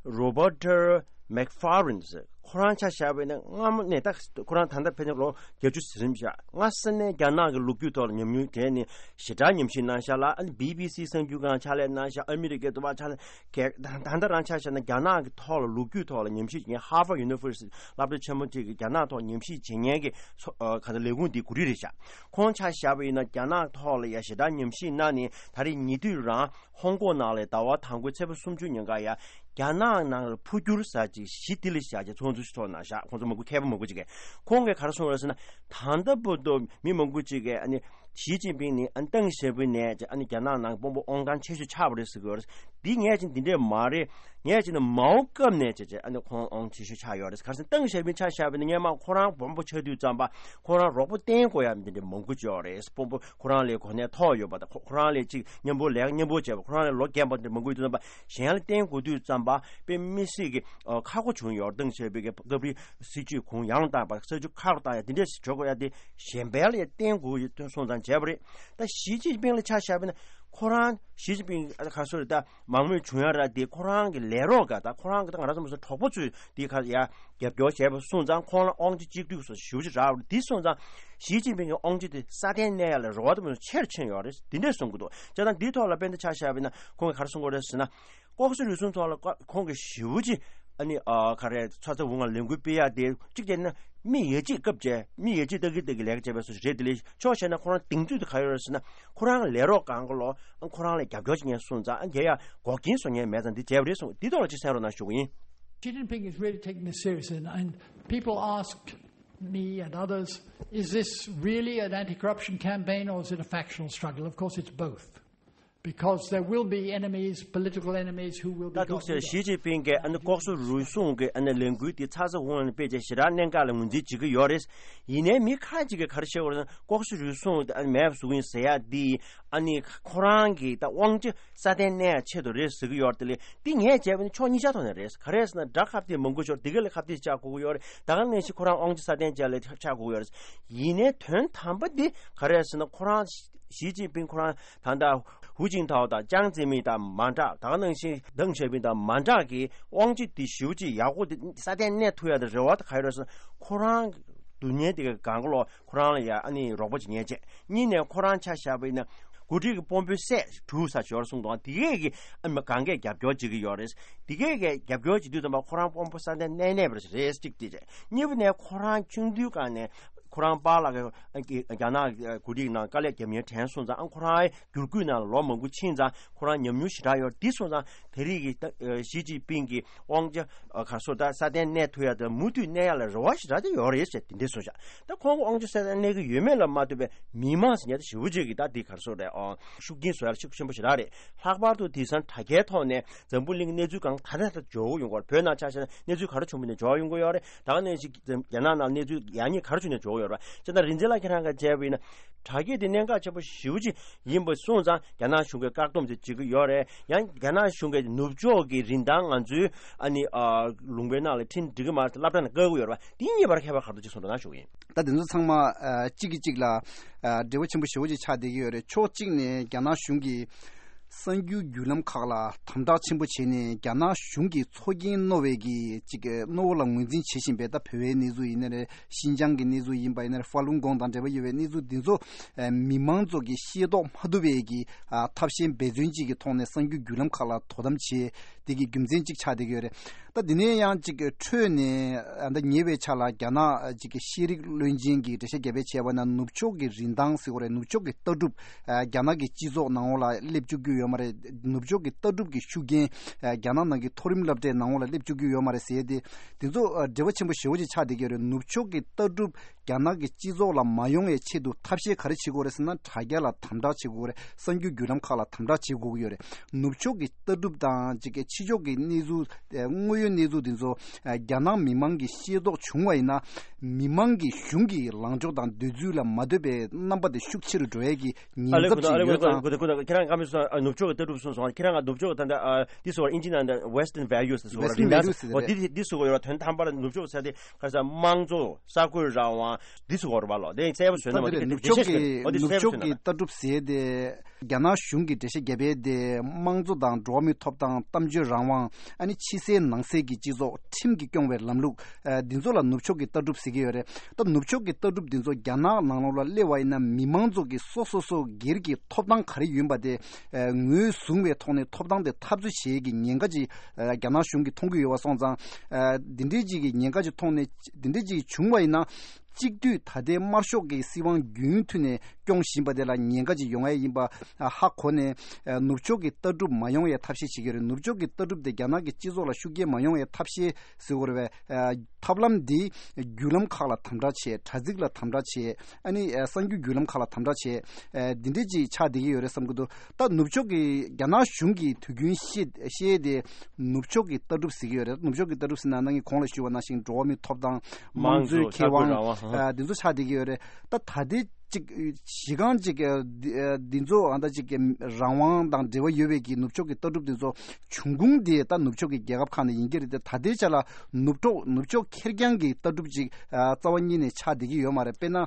Roberta McFarlane ཟེར་ཁོ་རང་ཆ་བཞག་པ་ཡིན་ན་སྔ་མོ་ནས་ད་ཁོ་རང་ད་ལྟ་ཕལ་ཆེར་ལོ་བརྒྱད་ཅུ་ཟིན་ཤག་སྔ་ས་ནས་རྒྱ་ནག་གི་ལོ་རྒྱུས་ཐོག་ལ་ཉམས་མྱོང་དྲན་ནས་ཞེ་དྲག་ཉམས་ཞིབ་གནང་ཤག་ལ། ཨ་ནི་བྷི་བྷི་སི་གསར་འགྱུར་ཁང་ཕྱག་ལས་གནང་ཤག་ཨ་མི་རི་ཀའི་དུ་བ་ཕྱག་ལས་གལ་ད་ད་ལྟ་རང་ཆ་བཞག་ན་རྒྱ་ནག་གི་ཐོག་ལ་ལོ་རྒྱུས་ཐོག་ལ་ཉམས་ཞིབ་བྱེད་མཁན་Harvard University སློབ་གྲྭ་ཆེན་མོ་དེ་གི་རྒྱ་ནག་ཐོག་ཉམས་ཞིབ་བྱེད་མཁན་གྱི་ཚོ་ཨ་ག་ཚོད་ལས་ཁུངས་དེ་གོ་སྒྲིག་རེད་ཤག་ཁོང་ཆ་བཞག་པ་ཡིན་ན་རྒྱ་ནག་ཐོག་ལ་ཡ་ཞེ་དྲག་ཉམས་ཞིབ་གནང་ནས་ད་རེས་ཉེ་དུས་རང་ཧོང་ཀོང་ནང་ལ་ཟླ་བ་དང་པོའི་ཚེས་པ་སུམ་ཅུ་ཉིན་ཀ་ཡ་རྒྱ་ནག་ནང་ལ་འཕོ་འགྱུར་ཟེར་ཅིག་གཞི་དེ་ལ་བཞག་ཅིག་ཚོགས་འདུ་ཞིག་ཚོགས་གནང་ཤག་ཁོང་ཚོ་མང་པོ་མཁས་པ་མང་པོ་ཅིག་གིས་ཁོང་གིས་ག་རེ་གསུངས་རེད་ཟེར་ན། ད་ལྟ་བར་དུ་མི་མང་པོ་ཅིག་གིས་ཨ་ནི་ཞི་ཅིན་ཕིང་ནི་ཨ་ནི་ཏང་ཞེ་པོའི་ནས་ཅིག་ཨ་ནི་རྒྱ་ནག་ནང་དཔོན་པོ་དབང་ཐང་ཆེ་ཤོས་ཆགས་པ་རེད་ཟེར་གི་ཡོད་རེད། འདི་ངས་ཅིག་འདི་འདྲས་མ་རེད། ངས་ཅིག་ནི་མའོ་སྐབས་ནས་ཅིག་ཅིག་ཨ་ནི་ཁོང་དབང་ཆེ་ཤོས་ཆགས་ཡོད་རེད། ག་རེ་ཟེར་ན་ཏང་ཞེ་པིན་ཆ་བཞག་པ་ཡིན་ན་སྔོན་མ་ཁོ་རང་དཔོན་པོ་ཆགས་དུས་ཙམ་པ་ཁོ་རང་རོགས་པ་བསྟེན་དགོས་ཡ་འདི་འདྲས་མང་པོ་ཅིག་ཡོད་རེད། དཔོན་པོ་ཁོ་རང་ལས་གོ་གནས་མཐོ་ཡོད་པ་དང་ཁོ་ཁོ་རང་ལས་ཅིག་མཉམ་པོ་ལས་ཀ་མཉམ་པོ་བྱས་པ་ཁོ་རང་ལས་ལོ་རྒན་པ་འདི་མང་པོ་ཡོད་དུས་ཙམ་པ་གཞན་ལ་བསྟེན་དགོས་དུས་ཙམ་པ་དཔེ་མི་སྲིད་ཀྱི་ཨ་ཁག་པོ་བྱུང་ཡོད་རེད། ཏང་ཞེ་པིན་གྱི་སྐབས་རེ་སྲིད་ཇུས་གུང་ཡང་བཏང་པ་སྲིད་ཇུས་ཁག་པོ་བཏང་ཡ་འདི་འདྲས་ཞིག་འཇོག་དགོས་ཡ་དེ་གཞན་པའི་ལ་ཡ་བསྟེན་དགོས་ཡོད་དོན་སོང་ཙང་བྱས་པ་རེད། ད་ཞི་ཅིན་ཕིང་ལ་ཆ་བཞག་པ་ཡིན་ན་ཁོ་རང་ཞི་ཅིན་ཕིང་ཨ་ག་རེ་ཟེར་ད། མང་མོས་བྱུང་ཡ་ར་དེ་ཁོ་རང་གི་ལས་རོགས་ག་ད་ཁོ་རང་གི་ད་ང་རང་ཚོ་མི་ཚོ་གྲོགས་པོ་ཚོས་དེ་ཁ་ཡ་རྒྱབ་སྐྱོར་བྱས་པ་སོང་ཙང་ཁོང་ལ་དབང་ཆ་གཅིག་སྡུད་སོགས་ཞེ་པོ་ཅིག་རག་པ་རེད། དེ་སོང་ཙང་ཞི་ཅིན་ཕིང་གི་དབང་ཆ་དེ་སྲ་བརྟན་གནས་ཡ་ལ་རེ་བ་དེ་མི་ཚོ་ཆེ་རུ་ཕྱིན་ཡོད་རེད། དེ་འདྲས་གསུང་གི་འདུག་བྱས་ཙང་འདིའི་ཐོག་ལ་དཔེར་ན་ཆ་བཞག་པ་ཡིན་ན་ཁོང་གིས་ག་རེ་གསུང་གི་རེད་ཟེར་ན། ལྐོག་ཟ་རུལ་སུངས་ཐོག་ལ་ཁོང་གིས་ཞེ་པོ་ཅིག་ ཨ་ནི་ཨ་ག་རེ་ཚ་ཚ་འུར་འུར་ལས་འགུལ་སྤེལ་ཡག་དེ་གཅིག་བྱས་ན་མི་ཡ་གཅིག་སྐབས་བྱས་མི་ཡ་གཅིག་ལྟ་གི་ལྟ་གི་ལས་ཀ་བྱས་པའི་བཟོ་ཞིག་རེད། དེ་ལས་ཕྱོགས་བཤད་ན་ཁོ་རང་གདེང་ཚོད་དེ་ག་ཡོད་རེད་ཟེར་ན། ཁོ་རང་ལས་རོགས་གང་ག་ལོ་ཁོ་རང་ལ་རྒྱབ་སྐྱོར་བྱེད་མཁན་སོང་ཙང་ཨ་རྒྱ་ཡ་འགོག་རྐྱེན་བཟོ་མཁན་མེད་ཙང་འདི་བྱས་པ་རེད་གསུངས། འདི་ཐོག་ལ་ཅིག་གསན་རོགས་གནང་ཞུ་གི་ཡིན། Xi Jinping is really taking this seriously, and, and people asked me and others, is this really an anti-corruption campaign or is it a factional struggle? Of course, it's both. Because there will be enemies, political enemies, who will be ད་འདུག་ཟེར། ཞི་ཅིན་ཕིང་གིས་ཨ་ནི་ལྐོག་ཟ་རུལ་སུངས་ཀྱི་ཨ་ནི་ལས་འགུལ་འདི་ཚ་ཚ་འུར་འུར་སྤེལ་བྱས་ཞེ་དྲག་གནད་འགག་ལ་ངོས་འཛིན་བྱེད་ཀྱི་ཡོད་རེད། ཡིན་ནའི་མི་ཁ་ཅིག་གིས་ག་རེ་བཤད་ཡོད་རེད་ཟེར་ན། ལྐོག་ཟ་རུལ་སུངས་དེ་ཨ་ནི་མེད་པ་བཟོ་གི་ཡིན་ཟེར་ཡག་འདི་ཨ་ནི་ཁོ་རང་གི་ད་དབང་ཆ་སྲ་བརྟན་གནས་ཡག་ཆེད་དུ་རེད་ཟེར་གྱི་ཡོད་རེད། དེ་ལས་འདི་ངས་བྱས་པ་ནི་ཕྱོགས་གཉིས་ཆ་ཐོག་ནས་རེད། ག་རེ་ཟེར་ན་དགྲ་ཁ་གཏད་མང་པོ་ཤོར། དེ་ག་ལ་ཁ་གཏད་ཆགས་དགོས་ཀྱི་ཡོད་རེད། ད་ག་ནང་བཞིན་ཁོ་རང་དབང་ཆ་སྲ་བརྟན་བྱས་ལ་ཆགས་དགོས་ཀྱི་ཡོད་རེད། ཡིན་ནའི་དོན་དམ་པ་འདི་ག་རེ་ཟེར་ན། ཁོ་རང་ཞི་ཅིན་ཕིང་ཁོ་རང་ད་ལྟ་ཧུའུ་ཅིན་ཐའོ་དང་ཅང་ཙེ་མིན་དང་མ་འདྲ། ད་ག་ནང་བཞིན་ཏེང་ཞའོ་ཕིང་དང་མ་འདྲ་གི་དབང་ཆ་དེ་ཞེ་པོ་ཅིག་ཡག་པོ་དེ་སྲ་བརྟན་གནས་ཐུབ་ཡག་དེ་རེ་བ་དེ་ག་ཡོད་རེད་ཟེར་ན། ཁོ་རང་སྡུག་བསྔལ་དེ་ག་གང་ག་ལོ་ཁོ་རང་ལ་ཡ་ཨ་ནི་རོགས་པ་བྱེད་མཁན་བྱས། གཉིས་ནས་ཁོ་རང་ཆ་བཞག་པ་ཡིན་ན་འགོ་ཁྲིད་ཀྱི་དཔོན་པོའི་སྲས་དྲུག་ས་ཞོར་གསུངས་དང་དེ་གས་ཀྱི་ཨ་ནི་གང་གས་རྒྱབ་སྐྱོར་བྱེད་ཀྱི་ཡོད་རེད། དེ་གས་ཀྱི་རྒྱབ་སྐྱོར་བྱེད་དུས་ཙམ་པ་ཁོ་རང་དཔོན་པོ་སྲ་བརྟན་གནས་གནས་པ་རེད། གཅིག་དེ་རེད། གཉིས་པ་ནས་ཁོ་རང་ཆུང་དུས་སྒང་ནས་ཁོ་རང་པཱ་ལགས་ཀྱི་རྒྱ་ནག་འགོ་ཁྲིད་ནང་དཀའ་ལས་རྒྱབ་མཁན་དྲན་སོང་ཙང་། ཨ་ཁོ་རང་བསྒྱུར་བཀོད་ནང་ལ་ལོ་མང་པོ་ཕྱིན་ཙང་ཁོ་རང་ཉམས་མྱོང་ཞེ་དྲག་ཡོད། དེ་སོང་ཙང་དེ་རིང་གི་ཞི་ཅིན་ཕིང་གི་དབང་ཆ་ག་སོ་ད་སྲ་བརྟན་གནས་ཐུབ་ཡག་དང་མུ་མཐུད་གནས་ཡག་ལ་རེ་བ་ཞེ་དྲག་དེ་ཡོད་རེད་ཟེར་དེ་འདྲ་གསུངས་ཤག་ད་ཁོང་གི་དབང་ཆ་སྲ་བརྟན་གནས་ཀྱི་ཡོད་མེད་ལ་མ་ལྟོས་པའི་མི་མང་ཟེར་མཁན་དེ་ཞེ་པོ་ཅིག་གིས་ད་དེ་ག་སོ་རེད། ཨང་ཤུགས་རྐྱེན་བཟོ་ཡག་ཤུགས་ཆེན་པོ་ཞེ་དྲག་རེད། ལྷག་པར་དུ་དེང་སང་དྲ་རྒྱའི་ཐོག་ནས་འཛམ་བུ་གླིང་གི་གནས་ཚུལ་གང་ག་ད་ལྟ་འབྱོར་ཡོང་གི་ཡོད་རེད། བོད་ནང་ཆ་བཞག་ན་གནས་ཚུལ་ག་རེ་བྱུང་བ་ནས་འབྱོར་ཡོང་གི་ཡོད་རེད། ད་ག་ནང་བཞིན་རྒྱ་ནག་ནང་གནས་ཚུལ་ཡག་ཉེས་ག་རེ་བྱུང་ནས་འབྱོར་ཡོད་རེད། བྱས་ན་རིག་འཛིན་ལགས་ཁྱེད་རང་གིས་བྱས་པ་ཡིན་ན་དྲ་རྒྱ་དེ་གནད་འགག་ཆེན་པོ་ཞེ་པོ་ཅིག་ཡིན་པ་སོང་ཙང་རྒྱ་ནག་གཞུང་གིས་བཀག་སྡོམ་དེ་བྱེད་ཀྱི་ཡོད་རེད། ཡང་རྒྱ་ནག་གཞུང་གིས་ནུབ་ཕྱོགས་ཀྱི་རིན་ཐང་ང་ཚོའི་ཨ་ནི་ཨ་ལུང་པའི་ནང་ལ་ཁྲིམས་འགྲིག་གི་མ་རེད་སློབ་གྲྭ་ནང་བཀག་གི་ཡོད་རེད་པ། དེ་གཉིས་བར་ཁྱད་པར་ག་རེ་འདུག་ཅིག་གསུང་རོགས་གནང་ཞུ་གི་ཡིན། ད་དེ་ཚོ་ཚང་མ་ཨ་གཅིག་གིས་གཅིག་ལ་ཨ་འབྲེལ་བ་ཆེན་པོ་ཞེ་པོ་ཅིག་ཆགས་བསྡད་ཀྱི་ཡོད་རེད། ཕྱོགས་གཅིག་ནས་རྒྱ་ནག་གཞུང་གིས་གསར་འགྱུར་བརྒྱུད་ལམ་ཁག་ལ་དམ་དྲག་ཆེན་པོ་བྱས་ནས་རྒྱ་ནག་གཞུང་གིས་ཚོགས་རྒྱན་རྣོ་བའི་གི་ཅིག་རྣོ་བོ་ལ་ངོས་འཛིན་བྱེད་བཞིན་པའི་ད་བོད་པའི་གནས་ཚུལ་ཡིན་ན་རེད། ཤིན་ཅང་གི་གནས་ཚུལ་ཡིན་པ་ཡིན་ན་རེད། ཧྥ་ལུན་གོང་དང་འབྲེལ་བ་ཡོད་པའི་གནས་ཚུལ་འདི་ཚོ་མི་མང་ཚོ་གིས་ཤེས་རྟོགས་མ་ཐུབ་པའི་གི་ཐབས་ཤེས་འབད་བརྩོན་ཅིག་གི་ཐོག་ནས་གསར་འགྱུར་བརྒྱུད་ལམ་ཁག་ལ་དོ་དམ་བྱས། དེ་གི་རྒྱུ་མཚན་གཅིག་ཆགས་བསྡད་ཀྱི་ཡོད་རེད། ད་དེ་ནས་ཡང་གཅིག་འཕྲོས་ནས་ཨ་ད་ཉེ་བའི་ཆར་ལ་རྒྱ་ནག་གཅིག་གི་ཤེས་རིག་བློན་ཆེན་གྱིས་འགྲེལ་བཤད་རྒྱབ་པའི་བྱས་པ་ན་ནུབ་ཕྱོགས་ཀྱི་རིན་ཐང་ཟེར་དགོས་རེད། ནུབ་ཕྱོགས་ཀྱི་ལྟ་གྲུབ་ཨ་རྒྱ་ནག་གི་སྤྱི་ཚོགས་ནང་ལོགས་ལ་སླེབས་བཅུག་རྒྱུ་ཡོད་མ་རེད། ནུབ་ཕྱོགས་ཀྱི་ལྟ་གྲུབ་ཀྱི་ཤུགས་རྐྱེན་ཨ་རྒྱ་ནག་ནང་གི་མཐོ་རིམ་སློབ་གྲྭའི་ནང་ལོགས་ལ་སླེབས་བཅུག་རྒྱུ་ཡོད་མ་རེད་ཟེར་ཏེ་དེ་ཚོ་ཨ་འབྲེལ་བ་ཆེན་པོ་ཞེ་པོ་ཅིག་ཆགས་བསྡད་ཀྱི་ཡོད་རེད། ནུབ་ཕྱོགས་ཀྱི་ལྟ་གྲུབ་རྒྱ་ནག་གི་སྤྱི་ཚོགས་ལ་མ་ཡོང་བའི་ཆེད་དུ་ཐབས་ཤེས་ག་རེ་བྱེད་དགོས་རེད་ཟེར་ན་དྲ་རྒྱ་ལ་དམ་དྲག་བྱེད་དགོས་རེད། གསར་འགྱུར་བརྒྱུད་ལམ་ཁག་ལ་དམ་དྲག་བྱེད་དགོས་ཀྱི་ཡོད་རེད། ནུབ་ཕྱོགས་ཀྱི་ལྟ་གྲུབ་དང་ཅིག་གི་ཕྱི་ཕྱོགས་ཀྱི་གནས་ཚུལ་དངོས་ཡོད་གནས་ཚུལ་དེ་ཚོ་རྒྱ་ནག་མི་མང་གིས་ཤེས་རྟོགས་བྱུང་བ་ཡིན་ན་མི་མང་གི་གཞུང་གི་ལངས་ཕྱོགས་དང་འདོད་ཚུལ་ལ་མ་ལྟོས་པའི་རྣམ་པ་དེ་ཤུགས་ཆེ་རུ་འགྲོ་ཡས་ཀྱི་ཨ་ཉེན་ལེ་ཚབས་ཁུ་ཨ་ཤིག་ལེ་ཡོད་ཁུ་ཙང་། ཁུ་ཁུ་ཁྱེད་རང་ཀ་མི་སོང་ནུབ་ཕྱོགས་ཀྱི་ལྟ་གྲུབ་སོང་སོང་ཁྱེད་རང་ང་ནུབ་ཕྱོགས་ཀྱི་ད་ལྟ་འདི་སོགས་ཨིན་ཇི་ནང་ད་Western values་སོགས་Western values་ཟེར་འོ་འདི་འདི་སོགས་ཡོད་ར། དོན་དམ་པར་ནུབ་ཕྱོགས་ཟེར་དེ་ཁ་སང་དམངས་གཙོ་ས་ཁུལ་རང་དབང་འདི་སོགས་ཡོད་ར་བ་ལོ། དེ་གསལ་པོ་བཟོས་ན་མ་འདི་ནུབ་ཕྱོགས་ཀྱི་ནུབ་ཕྱོགས་ཀྱི་ལྟ་གྲུབ་ཟེར་དེ་རྒྱ་ནག་གཞུང་གི་འགྲེལ་བཤད་བརྒྱབ་པའི་དེ་དམངས་གཙོ་དང་འགྲོ་བ་མིའི་ཐོབ་ཐང་གཏམ་བརྗོད་རང་དབང་ཨ་ནི་ཕྱི་གསལ་ནང་གསལ་གྱི་སྤྱི་ཚོགས་ཁྲིམས་ཀྱིས་སྐྱོང་བའི་ལམ་ལུགས་འདི་ཚོ་ལ་ནུབ་ཕྱོགས་ཀྱི་ལྟ་གྲུབ་ཟེར་གྱི་ཡོད་རེད། ད་ནུབ་ཕྱོགས་ཀྱི་ལྟ་གྲུབ་འདི་ཚོ་རྒྱ་ནག་ནང་ལོགས་ལ་སླེབས་པ་ཡིན་ན་མི་མང་ཚོ་གི་སོ་སོ་སོ་སྒེར་གྱི་ཐོབ་ཐང་ག་རེ་ཡིན་པ་དེ་ངོས་བཟུང་བའི་ཐོག་ནས་ཐོབ་ཐང་དེ་འཐབ་རྩོད་བྱེད་ཀྱི་ཉེན་ཁ་ཅིག་རྒྱ་ནག་གཞུང་གིས་མཐོང་གི་ཡོད་པ་སོང་ཙང་འདི་འདྲའི་ཅིག་གི་ཉེན་ཁ་ཅིག་མཐོང་ནས་འདི་འདྲའི་ཅིག་བྱུང་བ་ཡིན་ན་གཅིག་སྡུད་ད་ལྟའི་དམར་ཤོག་གི་སྲིད་དབང་རྒྱུན་མཐུད་ནས་སྐྱོང་བཞིན་པ་དེ་ལ་ཉེན་ཁ་ཅིག་ཡོང་ཡ་ཡིན་པ་ཧ་གོ་ནས་ནུབ་ཕྱོགས་ཀྱི་ལྟ་གྲུབ་མ་ཡོང་ཡའི་ཐབས་ཤེས་བྱེད་ཀྱི་རེད། ནུབ་ཕྱོགས་ཀྱི་ལྟ་གྲུབ་དེ་རྒྱ་ནག་གི་སྤྱི་ཚོགས་ལ་ཤུགས་རྐྱེན་མ་ཡོང་ཡའི་ཐབས་ཤེས་ཟེར་དགོས་རེད་པས། ཐབས་ལམ་འདི་བརྒྱུད་ལམ་ཁག་ལ་དམ་དྲག་བྱས། དྲ་ཚིགས་ལ་དམ་དྲག་བྱས། ཨ་ནི་གསར་འགྱུར་བརྒྱུད་ལམ་ཁག་ལ་དམ་དྲག་བྱས། འདི་འདྲས་ཅིག་ཆགས་བསྡད་ཀྱི་ཡོད་རེད་བསམ་གྱི་འདུག་ད་ནུབ་ཕྱོགས་ཀྱི་རྒྱ་ནག་གཞུང་གིས་དུས་རྒྱུན་བཤད་བཤད་དེ་ནུབ་ཕྱོགས་ཀྱི་ལྟ་གྲུབ་ཟེར་གྱི་ཡོད་རེད། ནུབ་ཕྱོགས་ཀྱི་ལྟ་གྲུབ་ཟེར་ན་ནང་གི་གོང་ལ་ཞུས་པ་ནང་བཞིན་འགྲོ་བ་མིའི་ཐོབ་ཐང་། དམངས་གཙོའི་ཁེ་དབང་། ཨ་འདི་ཚོ་ཆགས་བསྡད་ཀྱི་ཡོད་རེད། ད་ད་ལྟའི་ཅིག་གཞི་རྐང་ཅིག་འདི་འདི་ཚོ་ཨ་ད་ཅིག་རང་དབང་དང་འབྲེལ་བ་ཡོད་པའི་གི་ནུབ་ཕྱོགས་ཀྱི་ལྟ་གྲུབ་འདི་ཚོ་འབྱུང་ཁུངས་དེ་ད་ནུབ་ཕྱོགས་ཀྱི་རྒྱལ་ཁབ་ཁག་ནས་ཡིན་གྱི་རེད་དེ། ད་ལྟའི་ཆ་ལ་ནུབ་ཕྱོགས་ནུབ་ཕྱོགས་ཁེར་རྐྱང་གི་ལྟ་གྲུབ་ཅིག་རྩ་བ་ཉིད་ནས་ཆགས་བསྡད་ཀྱི་ཡོད་མ་རེད། དཔེར་ན།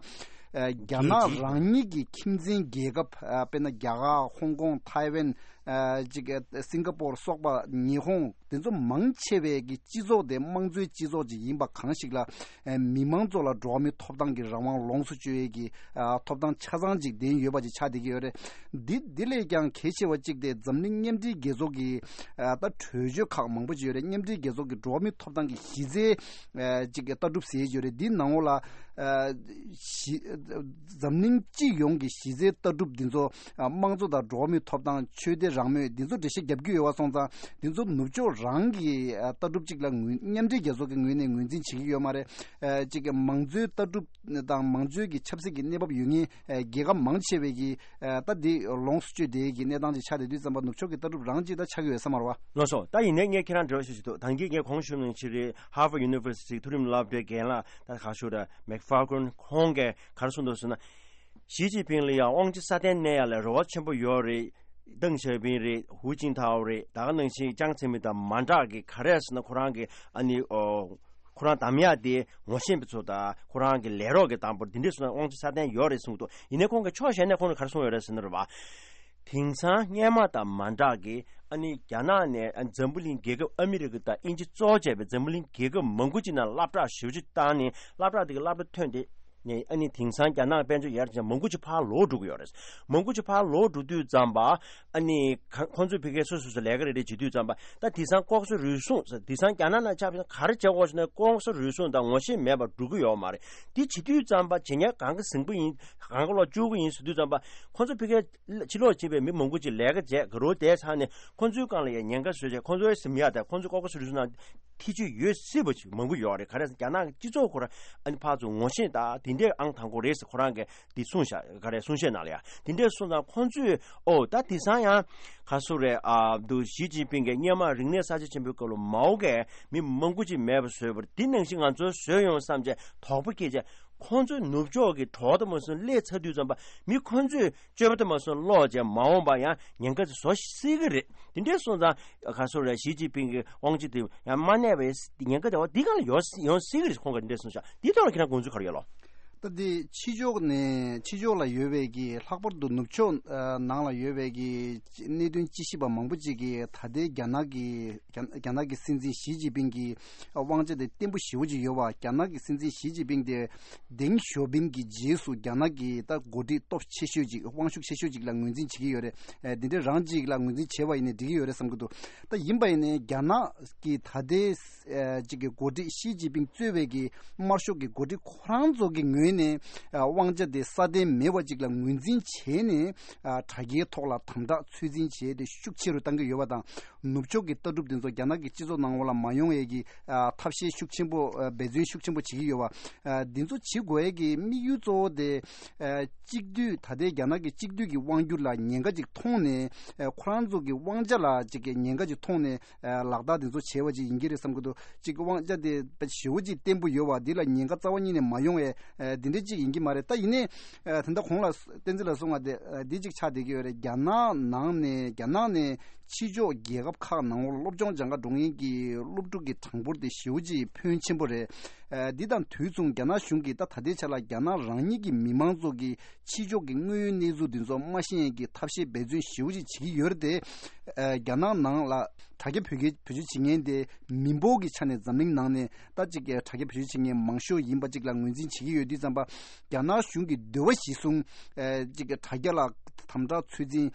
ཨ་རྒྱ་ནག་རང་ཉིད་ཀྱི་ཁྱིམ་མཚེས་རྒྱལ་ཁབ། ཨ་དཔེར་ན་རྒྱ་གར། ཧོང་ཀོང་། ཐའེ་ཝན། ཨ་ཅིག་ཨ་སིང་ག་པོར་སོགས་པ། ཉི་ཧོང་། དེ་ཚོ་མང་ཆེ་བའི་གི་སྤྱི་ཚོགས་དེ་དམངས་གཙོའི་སྤྱི་ཚོགས་ཅིག་ཡིན་པ་གང་ཞིག་ལ། ཨ་མི་མང་ཚོ་ལ་འགྲོ་བ་མིའི་ཐོབ་ཐང་གི་རང་དབང་ལོངས་སུ་སྤྱོད་ཡས་ཀྱི་ཨ་ཐོབ་ཐང་ཆ་ཚང་ཅིག་ལྡན་ཡོད་པ་ཅིག་ཆགས་བསྡད་ཀྱི་ཡོད་རེད། འདི་འདི་ལས་ཀྱང་གལ་ཆེ་བ་གཅིག་དེ་འཛམ་གླིང་མཉམ་འབྲེལ་རྒྱལ་ཚོགས་ཀྱི་ཨ་ད་གྲོས་ཆོད་ཁག་མང་པོ་ཅིག་ཡོད་རེད། མཉམ་འབྲེལ་རྒྱལ་ཚོགས་ཀྱི་འགྲོ་བ་མིའི་ཐོབ་ཐང་གི་གཞི་རྩའི་ཨ་ཅིག་ལྟ་གྲུབ་ཟེར་ཡོད་རེད། འདིའི་ནང་ལོགས་ལ་ཨ་གཞི་འཛམ་གླིང་སྤྱི་ཡོངས་ཀྱི་གཞི་རྩའི་ལྟ་གྲུབ་འདི་ཚོ། ཨ་དམངས་གཙོ་དང་འགྲོ་བ་མིའི་ཐོབ་ཐང་། ཆོས་དད་རང་མོས། འདི་ཚོ་འགྲེལ་བཤད་རྒྱབ་ཀྱི་ཡོད་པ་སོང་ཙང་། འདི་ཚོ་ནུབ་ཕྱོགས་རང་གི་ཨ་ལྟ་གྲུབ་ཅིག་ལ་ངོས། མཉམ་འབྲེལ་རྒྱལ་ཚོགས་ཀྱི་ངོས་ནས་ངོས་འཛིན་བྱེད་ཀྱི་ཡོད་མ་རེད། ཨ་ཅིག་མང་གཙོའི་ལྟ་གྲུབ་དང་མང་གཙོའི་གི་ཆབ་སྲིད་ཀྱི་གནས་བབ་ཡོད་མཁན་ཨ་རྒྱལ་ཁབ་མང་ཆེ་བའི་གི་ཨ་ད་འདི་ལོངས་སུ་སྤྱོད་བསྡད་ཀྱི་གནས་སྟངས་ཅིག་ཆགས་བསྡད་དུས་ཙམ་པ། ནུབ་ཕྱོགས་ཀྱི་ལྟ་གྲུབ་རང་ཅིག་ད་ཆགས་ཀྱི་ཡོད་ས་མ་རེད་བ། ལགས་སོ། ད་ཡིན་ནའི་ངས་ཁྱེད་རང་འབྲེལ་བ་ཞུ་ཞུ་འདུག་ད་གིན་ངས་གོང་ཞུས་ནང་བཞིན་རེད། Harvard University མཐོ་རིམ་སློབ་གྲྭའི་རྒན་ལགས། ད་ག་ཞུ་ར་མེག་ཕཱལ་ཀོན་ཁོང་གིས་ག་རེ་གསུངས་འདུག་ཟེར་ན། ཞི་ཅིན་ཕིང་ལ་ཡང་དབང་ཆ་སྲ་བརྟན་གནས་ཡ་ལ་རེ་བ་ཆེན་པོ་ཡོད་རེད། ཏེང་ཞའོ་ཕིང་རེད། ཧུའུ་ཅིན་ཐའོ་རེད། ད་ག་ནང་བཞིན་ཅང་ཙེ་མིན་དང་མ་འདྲ་གི། ག་རེ་ཟེར་ན་ཁོ་རང་གི་ཨ་ནི་ཨོ་ཁོ་རང་གདམ་ཡ་དེ་ངོ་ཤེས་པ་ཚོ་དང་ཁོ་རང་གི་ལས་རོགས་ཀྱི་དང་པོར་འདི་འདྲས་སོང་ན་དབང་ཆ་སྲ་བརྟན་ཡོད་རེད་གསུངས་འདུག་ཡིན་ནའི་ཁོང་གི་ཕྱོགས་གཞན་ནས་ཁོང་ནས་ག་རེ་གསུངས་ཡོད་རེད་ཟེར་ན་རེད་བ། དེང་སང་སྔོན་མ་དང་མ་འདྲ་གི། ཨ་ནི་རྒྱ་ནག་ནས་ཨ་འཛམ་བུ་གླིང་རྒྱལ་ཁབ་ཨ་མི་རི་ཀ་དང་དབྱིན་ཇི་གཙོ་བྱས་པའི་འཛམ་བུ་གླིང་རྒྱལ་ཁབ་མང་པོ་ཅིག་ནང་སློབ་གྲྭ་ཞེ་པོ་ཅིག་བཏང་ནས། སློབ་གྲྭ་དེ་གི་སློབ་གྲྭ་ཐོན་ཏེ་ནས། ཨ་ནི་དེང་སང་རྒྱ་ནག་དཔལ་འབྱོར་ཡར་ཕྱིན། མང་པོ་ཅིག་ཕར་ལོག་འགྲོ་གི་ཡོད་རེད། མང་པོ་ཅིག་ཕར་ལོག་འགྲོ་དུས་ཙམ་པ། ཨ་ནི་ཁ་ཁོང་ཚོས་ཕ་གིར་སོ་སོ་སོ་ལས་ཀ་རེ་རེ་བྱེད་དུས་ཙམ་པ། ད་དེང་སང་ལྐོག་ཟ་རུལ་སུངས་ཟེར། དེང་སང་རྒྱ་ནག་ནང་ཆ་བཞག་ན་ག་རེ་བྱེད་དགོས་ཟེར་ན། ལྐོག་ཟ་རུལ་སུངས་དང་ངོ་ཤེས་མེད་པར་འགྲོ་གི་ཡོད་མ་རེད། དེ་བྱེད་དུས་ཙམ་པ་བྱེད་མཁན་གང་ག་ཟིང་པོ་ཡིན། གང་ག་ལོག་སྐྱོ་གི་ཡིན་ཟེར་དུས་ཙམ་པ། ཁོང་ཚོ་ཕ་གིར་ཕྱི་ལོགས་ཕྱིན་པའི་མི་མང་པོ་ཅིག་ལས་ཀ་བྱས། དགའ་རོགས་བསྡད་ཚར་ནས་ཁོང་ཚོའི་སྒང་ལ་ཡང་ཉེན་ཁ་བཟོས་བྱས། ཁོང་ཚོའི་སེམས་ཡག་དང་ཁོང་ཚོའི་ལྐོག་ཟ་རུལ་སུངས་ནང་ཐེ་བྱུས་ཡོད་སྲིད་པ་ཅིག་མང་པོ་ཡོད་རེད། ག་རེ་ཟེར་ན་རྒྱ་ནག་གི་སྤྱི་ཚོགས་ཁོ་རང་ཨ་ནི་ཕར་ཚུར་ངོ་ཤེས་དང་དེ་འདྲས་ཨང་དང་པོ་རེད་ཟེར་ཁོ་རང་གིས་འདི་གསུངས་ཤག་ག་རེ་གསུང་བཤད་ནང་ལ་ཡང་དེ་འདྲས་གསུངས་ཙང་། ཁོང་ཚོས་ཨོ་ད་དེང་སང་ཡང་ག་སུ་རེད། ཨ་འདུག་ཞི་ཅིན་ཕིང་གིས་སྔོན་མ་རིག་གནས་གསར་བརྗེ་ཆེན་པོའི་སྐབས་ལ་མའོ་གིས་མི་མང་པོ་ཅིག་མེད་པ་བཟོས་པ་རེད། འདི་ནང་བཞིན་ང་ཚོས་བཟོས་ཡོང་བསམ་བྱས་དོགས་པ་སྐྱེས་བྱས། ཁོང་ཚོས་ནུབ་ཕྱོགས་ཀྱི་གྲོགས་དང་མ་སོང་སླེབས་ཚར་དུས་ཙམ་པ། མི་ཁོང་ཚོས་སྤྱོད་པ་དང་མ་སོང་ཀློག་བྱས། མ་འོངས་པ་ཡང་ཉེན་ཁ་ཅིག་བཟོ་སྲིད་ཀྱི་རེད། དེ་འདྲས་སོང་ཙང་ག་སོ་རེད། ཞི་ཅིན་ཕིང་གི་དབང་ཆ་དེ་ཡང་མ་གནས་པའི་ཉེན་ཁ་དེ་བ་འདི་གང་ལ་ཡོང་ཡོང་སྲིད་ཀྱི་རེད། ཁོང་གིས་འདི་འདྲས་གསུངས་ཤག་འདི་ཐོག་ལ་ཁྱེད་རང་དགོངས་ཚུལ་ག་རེ་ཡོད་ལོ། ད་འདི་ཕྱི་ཕྱོགས་ནས་ཕྱི་ཕྱོགས་ལ་ཡོད་པའི་གི། ལྷག་པར་དུ་ནུབ་ཕྱོགས་ཨ་ནང་ལ་ཡོད་པའི་གི་གནད་དོན་དཔྱད་ཞིབ་པ་མང་པོ་ཅིག་གིས་ད་ལྟའི་རྒྱ་ནག་གི་རྒྱ་རྒྱ་ནག་གི་སྲིད་འཛིན་ཞི་ཅིན་ཕིང་གི་དབང་ཆ་དེ་བརྟན་པོ་ཞེ་པོ་ཅིག་ཡོད་པ། རྒྱ་ནག་གི་སྲིད་འཛིན་ཞི་ཅིན་ཕིང་དེ་ཏེང་ཞའོ་ཕིང་གི་རྗེས་སུ་རྒྱ་ནག་གི་ད་འགོ་ཁྲིད་སྟོབས་ཆེ་ཤོས་ཅིག། དབང་ཤུགས་ཆེ་ཤོས་ཅིག་ལ་ངོས་འཛིན་བྱེད་ཀྱི་ཡོད་རེད། ཨ་འདི་འདྲ་རང་ཅིག་ལ་ངོས་འཛིན་བྱས་པ་ཡིན་ནའི་འགྲིག་གི་ཡོད་རེད་བསམ་གྱི་འདུག་ད་ཡིན་པ་ཡིན་ནའི་རྒྱ་ནག་གི་ད་ལྟའི་ཨ་ཅིག་གི་འགོ་ཁྲིད་ཞི་ཅིན་ཕིང་གཙོས་པའི་གི་དམར་ཤོག་གི་འགོ་ཁྲིད་ཁོ་རང་ཚོ་གི་ངོས་ནས་ཨ་དབང་ཆ་དེ་སྲ་བརྟན་མེད་པ་ཅིག་ལ་ངོས་འཛིན་བྱས་ནས། ཨ་དྲ་རྒྱའི་ཐོག་ལ་དམ་དྲག་ཚོད་འཛིན་བྱས་ཏེ་ཤུགས་ཆེ་རུ་གཏང་གི་ཡོད་པ་དང་། ནུབ་ཕྱོགས་ཀྱི་ལྟ་གྲུབ་དེ་ཚོ་རྒྱ་ནག་གི་སྤྱི་ཚོགས་ནང་ལོགས་ལ་མ་ཡོང་ཡས་ཀྱི་ཨ་ཐབས་ཤེས་ཤུགས་ཆེན་པོ། ཨ་འབད་བརྩོན་ཤུགས་ཆེན་པོ་བྱེད་ཀྱི་ཡོད་པ། ཨ་འདི་ཚོ་བྱེད་དགོས་ཡས་ཀྱི་དམིགས་ཡུལ་གཙོ་བོ་དེ། ཨ་གཅིག་སྡུད། ད་ལྟའི་རྒྱ་ནག་གི་གཅིག་སྡུད་ཀྱི་དབང་སྒྱུར་ལ་ཉེན་ཁ་ཅིག་མཐོང་ནས། ཨ་ཁོ་རང་ཚོ་གི་དབང་ཆ་ལ་ཅིག་གི་ཉེན་ཁ་ཅིག་མཐོང་ནས། ཨ་ལག་བསྟར་དེ་ཚོ་བྱས་པ་ཅིག་ཡིན་གྱི་རེད་བསམ་གྱི་འདུག་ཅིག་དབང་ཆ་དེ་ཞེ་པོ་ཅིག་བརྟན་པོ་ཡོད་པ་འདི་ལ་ཉེན་ཁ་རྩ་བ་ཉིད་ནས་མ་ཡོང་བའི་ཨ་འདི་འདྲ་ཅིག་ཡིན་གྱི་མ་རེད། ད་ཡིན་ནའི་ཨ་ད་ལྟ་གོང་ལ་བསྟན་འཛིན་ལགས་གསུངས་པ་དེ་ཨ་འདི་ཅིག་ཆགས་བསྡད་ཀྱི་ཡོད་རེད། རྒྱ་ནག་ནང་ནས་རྒྱ་ནག་ནས་ཕྱི་ཕྱོགས་རྒྱལ་ཁབ་ཁག་ནང་ལོགས་སློབ་སྦྱོང་སྦྱང་ག་འགྲོ་མཁན་གྱི་སློབ་ཕྲུག་གི་གྲངས་འབོར་དེ་ཞེ་པོ་ཅིག་ཕོན་ཆེན་པོ་རེད། ཨ་འདི་དང་དུས་མཚུངས་རྒྱ་ནག་གཞུང་གིས་ད་ད་ལྟའི་ཆ་ལ་རྒྱ་ནག་རང་ཉིད་ཀྱི་མི་མང་ཚོ་གི་ཕྱི་ཕྱོགས་ཀྱི་དངོས་ཡོད་གནས་ཚུལ་འདི་ཚོ་མ་ཤེས་ཡས་ཀྱི་ཐབས་ཤེས་འབད་བརྩོན་ཞེ་པོ་ཅིག་བྱེད་ཀྱི་ཡོད་རེད་དེ། ཨ་རྒྱ་ནག་ནང་ལ་དྲ་རྒྱ་བེད་སྤྱོད་བེད་སྤྱོད་བྱེད་མཁན་དེ་མི་འབོར་གྱི་ཆ་ནས་འཛམ་གླིང་ནང་ནས་ད་ཅིག་གི་དྲ་རྒྱ་བེད་སྤྱོད་བྱེད་མཁན་མང་ཤོས་ཡིན་པ་ཅིག་ལ་ངོས་འཛིན་བྱེད་ཀྱི་ཡོད་དུས་ཙམ་པ། རྒྱ་ནག་གཞུང་གི་འདོད་པ་གཞིར་བཟུང་ཨ་ཅིག་གི་དྲ་རྒྱ་ལ་དམ་དྲག་ཚོད་འཛིན་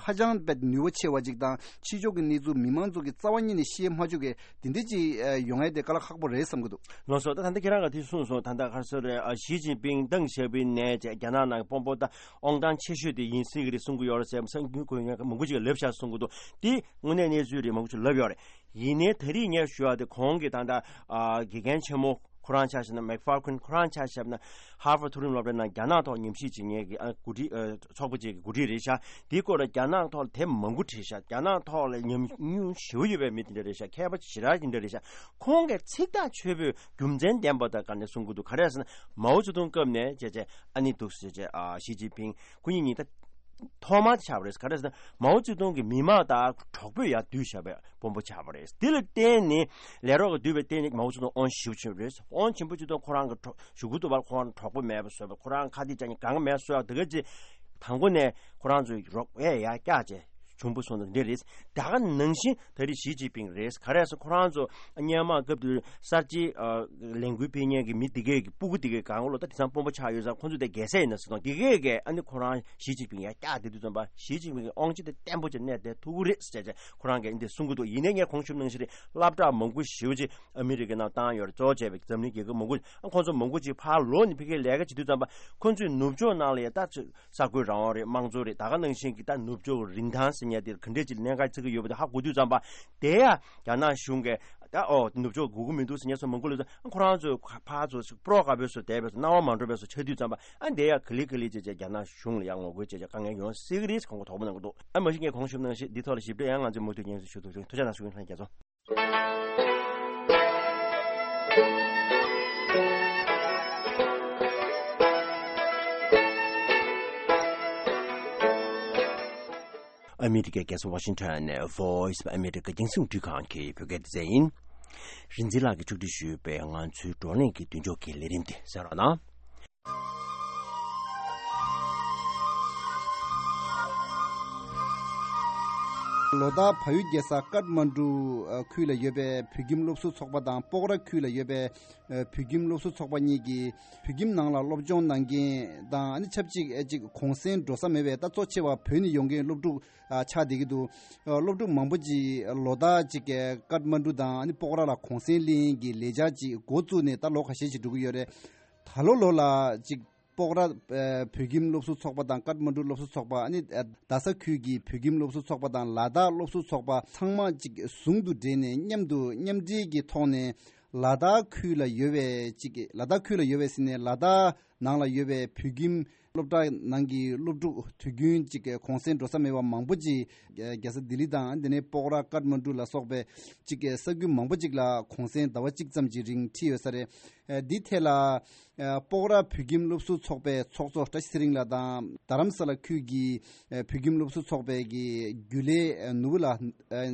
ཧ་ཅང་དཔེ་ནུས་པ་ཆེ་བ་ཅིག་དང་། ཕྱི་ཕྱོགས་ཀྱི་གནས་ཚུལ་མི་མང་ཚོ་གིས་རྩ་བ་ཉིད་ནས་ཤེས་མ་བཅུག་གི་དེ་འདྲ་ཅིག་ཨ་ཡོང་ཡས་དེ་དཀའ་ལས་ཁག་པོ་རེད་བསམ་གྱི་འདུག་ལགས་སོ། ད་ད་ལྟ་ཁྱེད་རང་གིས་དེ་གསུངས་སོང་། ད་ལྟ་ག་རེ་ཟེར་རེད། ཨ་ཞི་ཅིན་ཕིང་ཏེང་ཞའོ་ཕིང་ནས་བྱས་རྒྱ་ནག་ནང་གི་དཔོན་པོ་ད་དབང་ཐང་ཆེ་ཤོས་དེ་ཡིན་སྲིད་ཀྱི་རེད་གསུང་གི་ཡོད་རེད་ཟེར། གསར་འགྱུར་འགོད་མཁན་མང་པོ་ཅིག་ལབ་ཤག་གསུང་གི་འདུག་དེ་དངོས་གནས་གནས་ཚུལ་རེད། མང་པོ་ཅིག་ལབ་ཡོད་རེད། ཡིན་ནའི་ད་རེས་ངས་ཞུ་བ་དེ་གོང་གི་ད་ལྟ་ཨ་དགེ་རྒན་ཆེན་མོ་ཁོ་རང་ཆ་བཞག་ན། མེག་ཕཱལ་ཀོན་ཁོ་རང་ཆ་བཞག་ན། ཧར་ཝརཌ་མཐོ་རིམ་སློབ་གྲྭའི་ནང་རྒྱ་ནག་ཐོག་ཉམས་ཞིབ་བྱེད་མཁན་གྱི་ཨ་འགོ་ཁྲིད་ཨ་ཚོགས་པ་ཅིག་གི་འགོ་ཁྲིད་རེད་ཤག་དེའི་སྐོར་ལ་རྒྱ་ནག་ཐོག་ལ་དེབ་མང་པོ་བྲིས་ཤག་རྒྱ་ནག་ཐོག་ལ་ཉམས་མྱོང་ཞེ་པོ་ཡོད་པའི་མི་དེ་འདྲ་རེད་ཤག་མཁས་པ་ཞེ་དྲག་དེ་འདྲ་རེད་ཤག་ཁོང་གིས་ཚིག་ཐག་ཆོད་པོས་རྒྱུ་མཚན་ལྡན་པ་དང་ག་ནས་གསུང་གི་འདུག་ག་རེ་ཟེར་ན། མའོ་ཙེ་ཏུང་སྐབས་ནས་བྱས་བྱས་ཨ་ནི་འདུག་ཟེར་བྱས་ཨ་ཞི་ཅིན་ཕིང་སྐུ་ཉིད་ཉིད་ད། ཐོག་མ་དེ་ཆགས་པ་རེད། ག་རེ་ཟེར་ན་མའོ་ཙེ་ཏུང་གི་མི་མང་དང་གྲོགས་པོས་ཡར་བསྡུས་བཞག་པའི་དཔོན་པོ་ཆགས་པ་རེད། དེ་ལ་བརྟེན་ནས་ལས་རོགས་ཀྱིས་བསྡུས་པའི་བརྟེན་ནས་མའོ་ཙེ་ཏུང་དབང་ཞེ་པོ་ཆེ་རེད། དབང་ཆེན་པོ་ཅིག་ཏུ་ཁོ་རང་གི་གྲོགས་ཞུ་གུ་དུ་བར་ཁོ་རང་གྲོགས་པོ་མེད་པ་བཟོས་པ། ཁོ་རང་ཁ་གཏད་གཅོག་མཁན་གང་ག་མེད་བཟོས་པ། དེ་ག་ཅིག་དང་པོ་ནས་ཁོ་རང་ཚོའི་རོགས་ཨེ་ཡར་བཀྱག་བྱས་བྱུང་བུ་སོང་དང་འདི་རེད། ད་ག་ནང་བཞིན་ད་རེས་ཞི་ཅིན་ཕིང་རེད། ག་རེ་ཟེར་ཁོ་རང་ཚོ་སྔོན་མ་སྐབས་དེར་གསར་བརྗེ་ལས་འགུལ་སྤེལ་མཁན་གྱི་མི་དེ་གས་ཀྱི་སྤུ་གུ་དེ་གས་གང་ལོ་ད་དེང་སང་དཔོན་པོ་ཆགས་ཡོད་ཙང་ཁོ་ཚོ་དེ་རྒྱལ་སྲས་ཡིན་ན་ཟེར་དང་དེ་གས་ཀྱིས་ཨ་ནི་ཁོ་རང་ཞི་ཅིན་ཕིང་ཡར་བཀྱག་བསྡད་དུས་ཙམ་པ་ཞི་ཅིན་ཕིང་གི་དབང་ཆ་དེ་བརྟན་པོ་ཅིག་གནས་བསྡད་ཐུབ་ཀྱི་རེད་ཟེར་བྱས་ཁོ་རང་གིས་འདི་གསུང་གི་འདུག་ཡིན་ནའི་ངས་གོང་ཞུས་ནང་བཞིན་རེད། སློབ་གྲྭ་མང་པོ་ཞེ་པོ་ཅིག་ཨ་མི་རི་ཀའི་ནང་བཏང་ཡོད་རེད། གཙོ་བོ་བྱས་པའི་འཛམ་གླིང་རྒྱལ་ཁབ་མང་པོ་ཨ་ཁོང་ཚོ་མང་པོ་ཅིག་ཕར་ལོག་ནས་ཕ་གིར་ལས་ཀ་བྱེད་དུས་ཙམ་པ་ཁོང་ཚོའི་ནུབ་ཕྱོགས་ནང་ལ་ཡ་ད་གསར་འགོད་རང་དབང་རེད། དམངས་གཙོ་རེད། ད་ག་ནང་བཞིན་གྱི་ད་ནུབ་ཕྱོགས་རིན་ཐང་ཟེར་མཁན་དེ་ག་འདྲས་ཅིག་གནད་འགག་ཆགས་ཀྱི་ཡོད་པ་དེ་ཧ་གོ་དུས་ཙམ་པ་དེ་ཡ་རྒྱ་ནག་གཞུང་གིས་ད་ཨོ་ནུབ་ཕྱོགས་དགོས་ཀྱི་མི་འདུག་ཟེར་མཁན་ཚོ་མང་པོ་སླེབས་ཙང་ཁོ་རང་ཚོས་ཕར་ཚུར་སྤྲོ་དགའ་པོས་སུ་བསྡད་པས་སུ་སྣང་བ་མ་འགྲོ་བས་སུ་ཆགས་དུས་ཙམ་པ་ཨ་དེ་ཡ་ག་ལེ་ག་ལེ་བྱས་བྱས་རྒྱ་ནག་གཞུང་ལ་ཡ་ངོ་རྒོལ་བྱས་བྱས་དཀའ་ངལ་ཡོང་སྲིད་ཀྱི་རེད་ཟེར་ཁོང་གིས་དོགས་པ་གནང་གི་འདུག་ཨ་མ་གཞི་ངས་གོང་ཞུས་ནང་བཞིན་འདི་ཐོག་ལ་ཞིབ་ཕྲ་ཡང་ང་ཚོས་མུ་མཐུད་སྙན་སེང་ཞུ་ཐུབ་ཚུལ་ཐུགས་རྗེ་གནང་ཞུ་གི་ཡིན། ལྷན་རྒྱས་ཚོ། ཨ་མི་རི་ཀའི་རྒྱལ་ས་ཝ་ཤིང་ཊོན་ནས་Voice of America རྒྱང་སྲིང་འཕྲིན་ཁང་གི་བོད་སྐད་སྡེ་ཚན་ཡིན། རིག་འཛིན་ལགས་ཀྱིས་ཕྱོགས་སྒྲིག་ཞུས་པའི་ང་ཚོའི་བགྲོ་གླེང་གི་མདུན་ལྕོག་གི་ལས་རིམ་དེ་གསན་རོགས་གནང་། ལོ་ལྟར་བལ་ཡུལ་རྒྱལ་ས་ཀཏ་མན་ཌུ་ཁུལ་ལ་ཡོད་པའི་བོད་ཁྱིམ་སློབ་ཟུར་ཚོགས་པ་དང་སྤོག་ར་ཁུལ་ལ་ཡོད་པའི་བོད་ཁྱིམ་སློབ་ཟུར་ཚོགས་པ་གཉིས་ཀྱིས་བོད་ཁྱིམ་ནང་ལ་སློབ་སྦྱོང་གནང་མཁན་དང་ཨ་ནི་ཆབས་ཅིག་ཨེ་ཅིག་གུང་སེང་འགྲོ་ས་མེད་པའི་ད་གཙོ་ཆེ་བ་བོད་ནས་ཡོང་མཁན་སློབ་ཕྲུག་ཆགས་བསྡད་ཀྱི་འདུག་སློབ་ཕྲུག་མང་པོ་ཅིག་ལོ་ལྟར་ཅིག་ཀཏ་མན་ཌུ་དང་ཨ་ནི་སྤོག་ར་ལ་གུང་སེང་ལེན་གྱི་ལས་འཆར་ཅིག་འགོ་བཙུགས་ནས་ད་ལོ་ཁ་ཤས་ཅིག་འགྲོ་གི་ཡོད་རེད། ད་ལོ་ལོ་ལ་ཅིག་སྤོག་ར་བོད་ཁྱིམ་སློབ་ཟུར་ཚོགས་པ་དང་ཀཏ་མན་ཌུ་སློབ་ཟུར་ཚོགས་པ་ཨ་ནི་རྡ་ས་ཁུལ་གྱི་བོད་ཁྱིམ་སློབ་ཟུར་ཚོགས་པ་དང་ལ་དྭགས་སློབ་ཟུར་ཚོགས་པ་ཚང་མ་ཅིག་ཟུང་དུ་འབྲེལ་ནས་མཉམ་དུ་མཉམ་འབྲེལ་གྱི་ཐོག་ནས་ལ་དྭགས་ཁུལ་ལ་ཡོད་པའི་ཅིག་ལ་དྭགས་ཁུལ་ལ་ཡོད་པའི་ཟེར་ནས་ལ་དྭགས་ནང་ལ་ཡོད་པའི་བོད་ཁྱིམ་སློབ་གྲྭ་ནང་གི་སློབ་ཕྲུག་དུས་རྒྱུན་ཅིག་གུང་སེང་འགྲོ་ས་མེད་པ་མང་པོ་ཅིག་རྒྱལ་ས་ལྡི་ལི་དང་དེ་ནས་སྤོག་ར་ཀཏ་མན་ཌུ་ལ་སོགས་པའི་ཅིག་ས་ཁུལ་མང་པོ་ཅིག་ལ་གུང་སེང་ཟླ་བ་གཅིག་ཙམ་གྱི་རིང་ཁྲིད་ཡོད་ས་རེད། འདི་ཐད་ལ་སྤོག་ར་བོད་ཁྱིམ་སློབ་ཟུར་ཚོགས་པའི་ཚོགས་གཙོ་བཀྲ་ཤིས་ཚེ་རིང་ལགས་དང་རྡ་རམ་ས་ལ་ཁུལ་གྱི་བོད་ཁྱིམ་སློབ་ཟུར་ཚོགས་པའི་གི་རྒྱུན་ལས་ནོར་བུ་ལགས་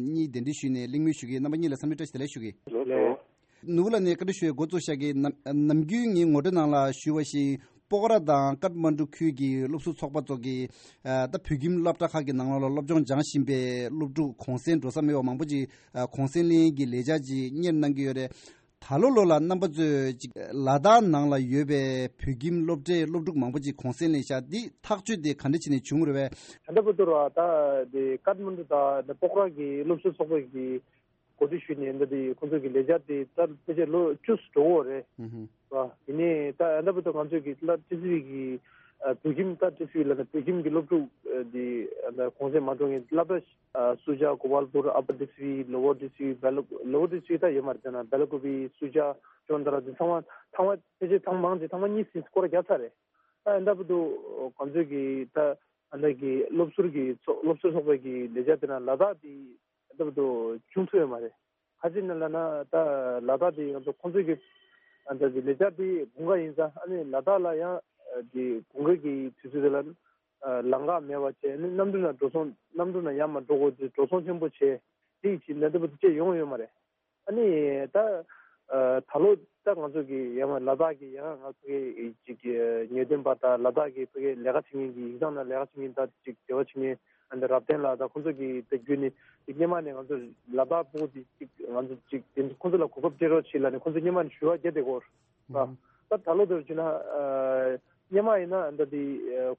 གཉིས་གདན་འདྲེན་ཞུས་ནས་གླེང་མོལ་ཞུ་གི་རྣམ་པ་གཉིས་ལ་འཚམས་འདྲི་བཀྲ་ཤིས་བདེ་ལེགས་ཞུ་གི། ལགས་སོ། ནོར་བུ་ལགས་ནས་བཀའ་འདྲི་ཞུ་ཡས་འགོ་བཙུགས་བཞག་གི། ནམ་ནམ་རྒྱུན་ངའི་ངོ་སྤྲོད་ནང་ལ་ཞུས་པ་བཞིན་སྤོག་ར་དང་ཀཏ་མན་ཌུ་ཁུལ་གྱི་སློབ་ཟུར་ཚོགས་པ་ཚོ་གིས་ད་བོད་ཁྱིམ་སློབ་གྲྭ་ཁག་གི་ནང་ལོགས་ལ་སློབ་སྦྱོང་སྦྱངས་བཞིན་པའི་སློབ་ཕྲུག་གུང་སེང་འགྲོ་ས་མེད་པ་མང་པོ་ཅིག་གུང་སེང་ལེན་གྱི་ལས་འཆར་ཅིག་གཉེར་གནང་གི་ཡོད་རེད། ད་ལོ་ལོ་ལ་རྣམ་པ་ཚོས་ཅིག་ལ་དྭགས་ནང་ལ་ཡོད་པའི་བོད་ཁྱིམ་སློབ་གྲྭའི་སློབ་ཕྲུག་མང་པོ་ཅིག་གུང་སེང་ལེན་ཤག་འདི་ཐག་གཅོད་དེ་ག་འདྲ་བྱས་ནས་བྱུང་རེད་པས། ད་ལྟ་བར་དུ་ར་ད་དེ་ཀཏ་མན་ཌུ་དང་སྤོག་ར་གི་སློབ་ཟུར་ཚོགས་པ་གི་གོ་སྒྲིག་ཞུས་ནས་འདི་དེ་ཁོང་ཚོ་གི་ལས་འཆར་དེ་ད་ཕལ་ཆེར་ལོ་བཅུ་ཙམ་འགྲོ་གི་ཡོད་རེད། ཧུམ་ཧུམ། ར་ཡིན་ནའི་ད་ཨ་ད་བར་དུ་ང་ཚོས་ཀྱི་ལ་ཏི་སི་ཝི་གི་བོད་ཁྱིམ་ད་ཏི་སི་ཝི་ལ་ན་བོད་ཁྱིམ་གྱི་སློབ་ཕྲུག་དེ་གུང་སེང་མ་འགྲོ་མཁན་སློབ་གྲྭ་སུ་ཇཱ་གོ་པལ་པུར་ཨ་པར་ཏི་སི་ཝི་ལོ་ཝར་ཏི་སི་ཝི་བེ་ལ་ལོ་ཝར་ཏི་སི་ཝི་ད་ཡོད་མ་རེད། ད་ན་བེ་ལ་ཀུ་པི་སུ་ཇཱ་ཅོན་ཏ་ར་དེ་ཚང་མ་ཚང་མ་ཕལ་ཆེར་ཚང་མ་མང་ཆེ་ཚང་མ་གཉིས་སུ་སྐོར་ར་བརྒྱབ་ཚར་རེད། ད་ཨ་ད་བར་དུ་ང་ཚོས་ཀྱི་ད་ཨ་ད་གི་སློབ་ཟུར་གྱི་ཚོགས་སློབ་ཟུར་ཚོགས་པའི་གི་ལས་འཆར་དེ་ན་ལ་དྭགས་དེ་ད་བར་དུ་བྱུང་ཐུབ་ཡོད་མ་རེད། ག་ཅི་ནས་ལབ་ན་ད་ལ་དྭགས་དེ་ང་ཚོ་ཁོང་ཚོའི་གི་ཨ་ད་གི་ལས་འཆར་དེ་དགུན་ཁ་ཡིན་ཙང་ཨ་ནི་ལ་དྭགས་ལ་ཡང་དེ་དགུན་ཁ་གི་དུས་ཚོད་དེ་ལ་ལམ་ཁ་མེད་པ་བྱས་ཨ་ནི་གནམ་གྲུ་ནང་འགྲོ་སོང་གནམ་གྲུ་ནང་ཡར་མར་འགྲོ་དགོས་དུས་འགྲོ་སོང་ཆེན་པོ་བྱས་དེ་ཡིན་ཕྱིན་ད་ལྟ་བར་དུ་ཅི་ཡོང་ཡོད་མ་རེད། ཨ་ནི་ད་ད་ལོ་ད་ང་ཚོ་གི་ཡང་ལ་དྭགས་ཀྱི་ཡང་ང་ཚོ་གི་ཅིག་ཉེ་དོན་པ་དང་ལ་དྭགས་ཀྱི་ཕ་གི་ལས་ཀ་བྱེད་མཁན་གྱི་ཡིག་ཚང་ནང་ལས་ཀ་བྱེད་མཁན་དང་ཅིག་འབྲེལ་བ་བྱེད་མཁན་ཨ་ནི་རབ་བརྟན་ལགས་དང་ཁོང་ཚོ་གི་ད་བརྒྱུད་ནས་ཅིག་སྔོན་མ་ནས་ང་ཚོ་ལ་དྭགས་ཕྲུ་གུ་དེ་ཅིག་ང་ཚོ་ཅིག་དེ་ཁོང་ཚོ་ལ་གོ་སྐབས་སྤྲད་རོགས་བྱེད་ལབ་ནས་ཁོང་ཚོ་སྔོན་མ་ནས་ཞུ་བ་བརྒྱབ་བསྡད་ཀྱི་ཡོད་རེད། ད་ད་ལོ་དེར་བྱས་ན་སྔོན་མ་ཡིན་ན་ད་དེ་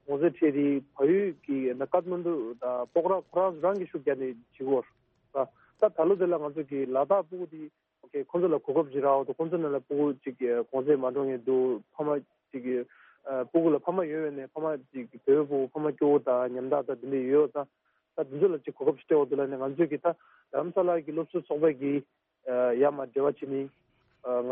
གུང་སེང་འཕྲད་དེ་བལ་ཡུལ་གྱི་ཀཏ་མན་ཌུ་དང་སྤོག་ར་ཁོ་རང་རང་གི་ཤུགས་རྒྱག་ནས་བྱེད་ཀྱི་ཡོད་རེད། ད་ད་ལོ་དེ་ལ་ང་ཚོ་གི་ལ་དྭགས་ཕྲུ་གུ་དེ་ཨོ་ཁེ་ཁོང་ཚོ་ལ་གོ་སྐབས་ཅིག་རག་འོ་དོ་ཁོང་ཚོ་ནང་ལ་ཕྲུ་གུ་ཅིག་གུང་སེང་མ་འགྲོ་མཁན་འདུག་ཕ་མ་ཅིག་ཕྲུ་གུ་ལ་ཕ་མ་ཡོད་པས་ནས་ཕ་མ་ཅིག་བོད་ཕྲུ་གུ་ཕ་མ་སྐྱོ་བོ་དང་ཉམ་ཐག་དང་དེ་འདྲ་ཡོད་ཙང་ད་དེ་ཚོ་ལ་ཅིག་གོ་སྐབས་ཅིག་སྤྲད་འོ་དོ་ལ་ནས་ང་ཚོས་ཀྱི་ད་རྡ་རམ་ས་ལ་གི་སློབ་གསོ་ཚོགས་པ་གི་ཡར་མར་འབྲེལ་བ་བྱས་ནས་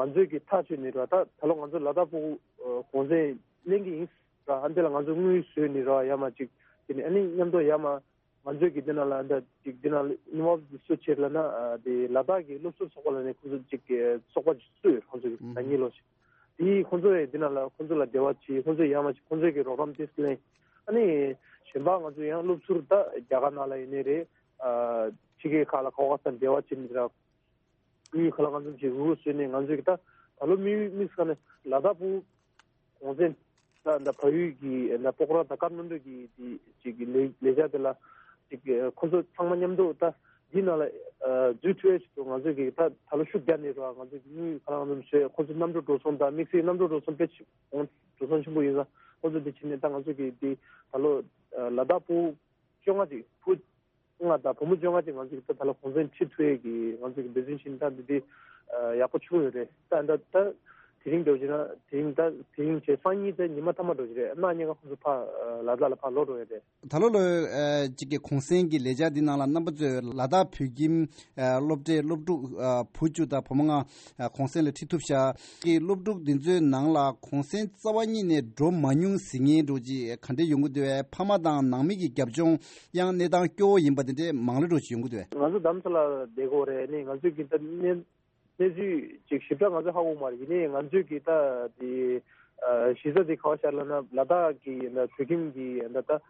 ང་ཚོས་ཀྱི་ཐག་གཅོད་ནས་ར་ད་ད་ལོ་ང་ཚོ་ལ་དྭགས་ཕྲུ་གུ་གུང་སེང་ལེན་གྱི་ཡིན་ར་ཨ་འདི་ལ་ང་ཚོ་དངུལ་བཟོས་ནས་ར་ཡར་མར་ཅིག་དེ་ནས་ཨ་ནི་མཉམ་དུ་ཡར་མར་ང་ཚོས་ཀྱི་འདི་ནང་ལ་འདི་ཅིག་འདི་ནང་ལ་ཨིན་ཝོལབ་སུ་བྱེད་ལབ་ན་དེ་ལ་དྭགས་ཀྱི་སློབ་གསོ་ཚོགས་པ་ལ་ནས་ཁོང་ཚོ་ཅིག་ཚོགས་པ་ཅིག་བཙུགས་ཡོད་ཁོང་ཚོ་གི་ཟླ་ཉིན་ལོ་ཞིག་དེ་ཁོང་ཚོ་ཡི་འདི་ནང་ལ་ཁོང་ཚོ་ལ་འབྲེལ་བ་བྱེད་ཁོང་ཚོ་ཡར་མར་ཅིག་ཁོང་ཚོས་ཀྱི་རོགས་རམ་ཏིས་ལེན་ཨ་ནི་ གཞན་པ་ང་ཚོ་ཡང་སློབ་ཟུར་ད་རྒྱ་གར་ནང་ལ་ཡིན་ནའི་རེད། ཕྱི་རྒྱལ་ཁག་ལ་ག་བ་སར་འབྲེལ་བ་བྱེད་ནི་ར། དངུལ་ཁ་ལག་ང་ཚོ་ཅིག་རུ་བཟོས་ནས་ང་ཚོས་ཀྱི་ད་ད་ལོ་མི་མི་ས་ནས་ལ་དྭགས་བོད་གོང་གསལ་ད་ད་བལ་ཡུལ་གྱི་ད་པོག་ར་དང་ཀཏ་མན་ཌུ་གི་དེ་ཅིག་གི་ལས་ལས་བྱ་དེ་ལ་ཅིག་ཁོ་ཚོ་ཚང་མ་མཉམ་དུ་ད་འདི་ནང་ལ་འཛུལ་ཐུབ་ཡ་ཞིག་ཏུ་ང་ཚོས་ཀྱི་ད་ད་ལོ་ཤུགས་རྒྱག་ནས་ར། ང་ཚོས་ཀྱི་དངུལ་ཁ་ལག་ང་ཚོ་བཟོས། ཁོ་ཚོ་གནམ་གྲུ་འགྲོ་སོང་དང་དམིགས་བསལ་གནམ་གྲུ་འགྲོ་སོང་དཔེ་ཆེ་འགྲོ་སོང་ཆེན་པོ་ཡིན་ཙང་ཁོ་ཚོ་དེ་བྱས་ནས་ད་ང་ཚོས་ཀྱི་དེ་ད་ལོ་ལ་དྭགས་བོད་བཅོ་ལྔ་ཅིག་བོད་ལྔ་དང་བུ་མོ་བཅོ་ལྔ་ཅིག་ང་ཚོས་ད་ད་ལོ་གོང་ཚད་ཁྲི་ཐུག་ཡས་ཀྱི་ང་ཚོས་ཀྱི་འབད་བརྩོན་བྱས་ནས་ད་འདི་འདི་ཡག་པོ་བྱུང་ཡོད་རེད། ད་ད་ད་དེ་རིང་འགྲོ་བྱས་ན་དེ་རིང་ད་དེ་རིང་བྱས་སང་ཉིན་ད་ཉི་མ་མཐའ་མ་འགྲོ་གི་རེད། གནངས་ཉིན་ཁ་ཁོ་ཚོ་ཕར་ལ་དྭགས་ལ་ཕར་ལོག་འགྲོ་ཡས་རེད། ད་ལོ་ལོ་གཅིག་གི་གུང་སེང་གི་ལས་འཆར་འདི་ནང་ལ་རྣམ་པ་ཚོས་ལ་དྭགས་བོད་ཁྱིམ་སློབ་གྲྭའི་སློབ་ཕྲུག་བུ་བཅུ་དང་བུ་མོ་ལྔ་གུང་སེང་ལ་ཁྲིད་ཐུབ་ཤག་གི་སློབ་ཕྲུག་འདི་ཚོའི་ནང་ལ་གུང་སེང་རྩ་བ་ཉིད་ནས་འགྲོ་མ་མྱོང་ཟེར་མཁན་འདྲ་ཅིག་ག་འདྲ་ཡོང་གི་འདུག་བས། ཕ་མ་དང་ནང་མི་གི་རྒྱབ་ལྗོངས་ཡང་གནས་སྟངས་སྐྱོ་བོ་ཡིན་པ་དེ་འདྲའི་མང་ལོས་འདྲ་ཅིག་ཡོང་གི་འདུག་བས། ང་ཚོ་རྡ་རམ་ས་ལ་བསྡད་ཀྱི་ཡོད་རེད། ནི་ང་ཚོས་ཀྱི་ད་གནས་གནས་ཚུལ་ཅིག་ཞིབ་ཕྲ་ང་ཚོ་ཧ་གོ་མ་རེད། ཡིན་ནའི་ང་ཚོས་ཀྱི་ད་དེ་གཞི་རྩ་དེ་ག་བ་ཤར་ལབ་ན་ལ་དྭགས་ཀྱི་ད་བོད་ཁྱིམ་གྱི་ད་ད་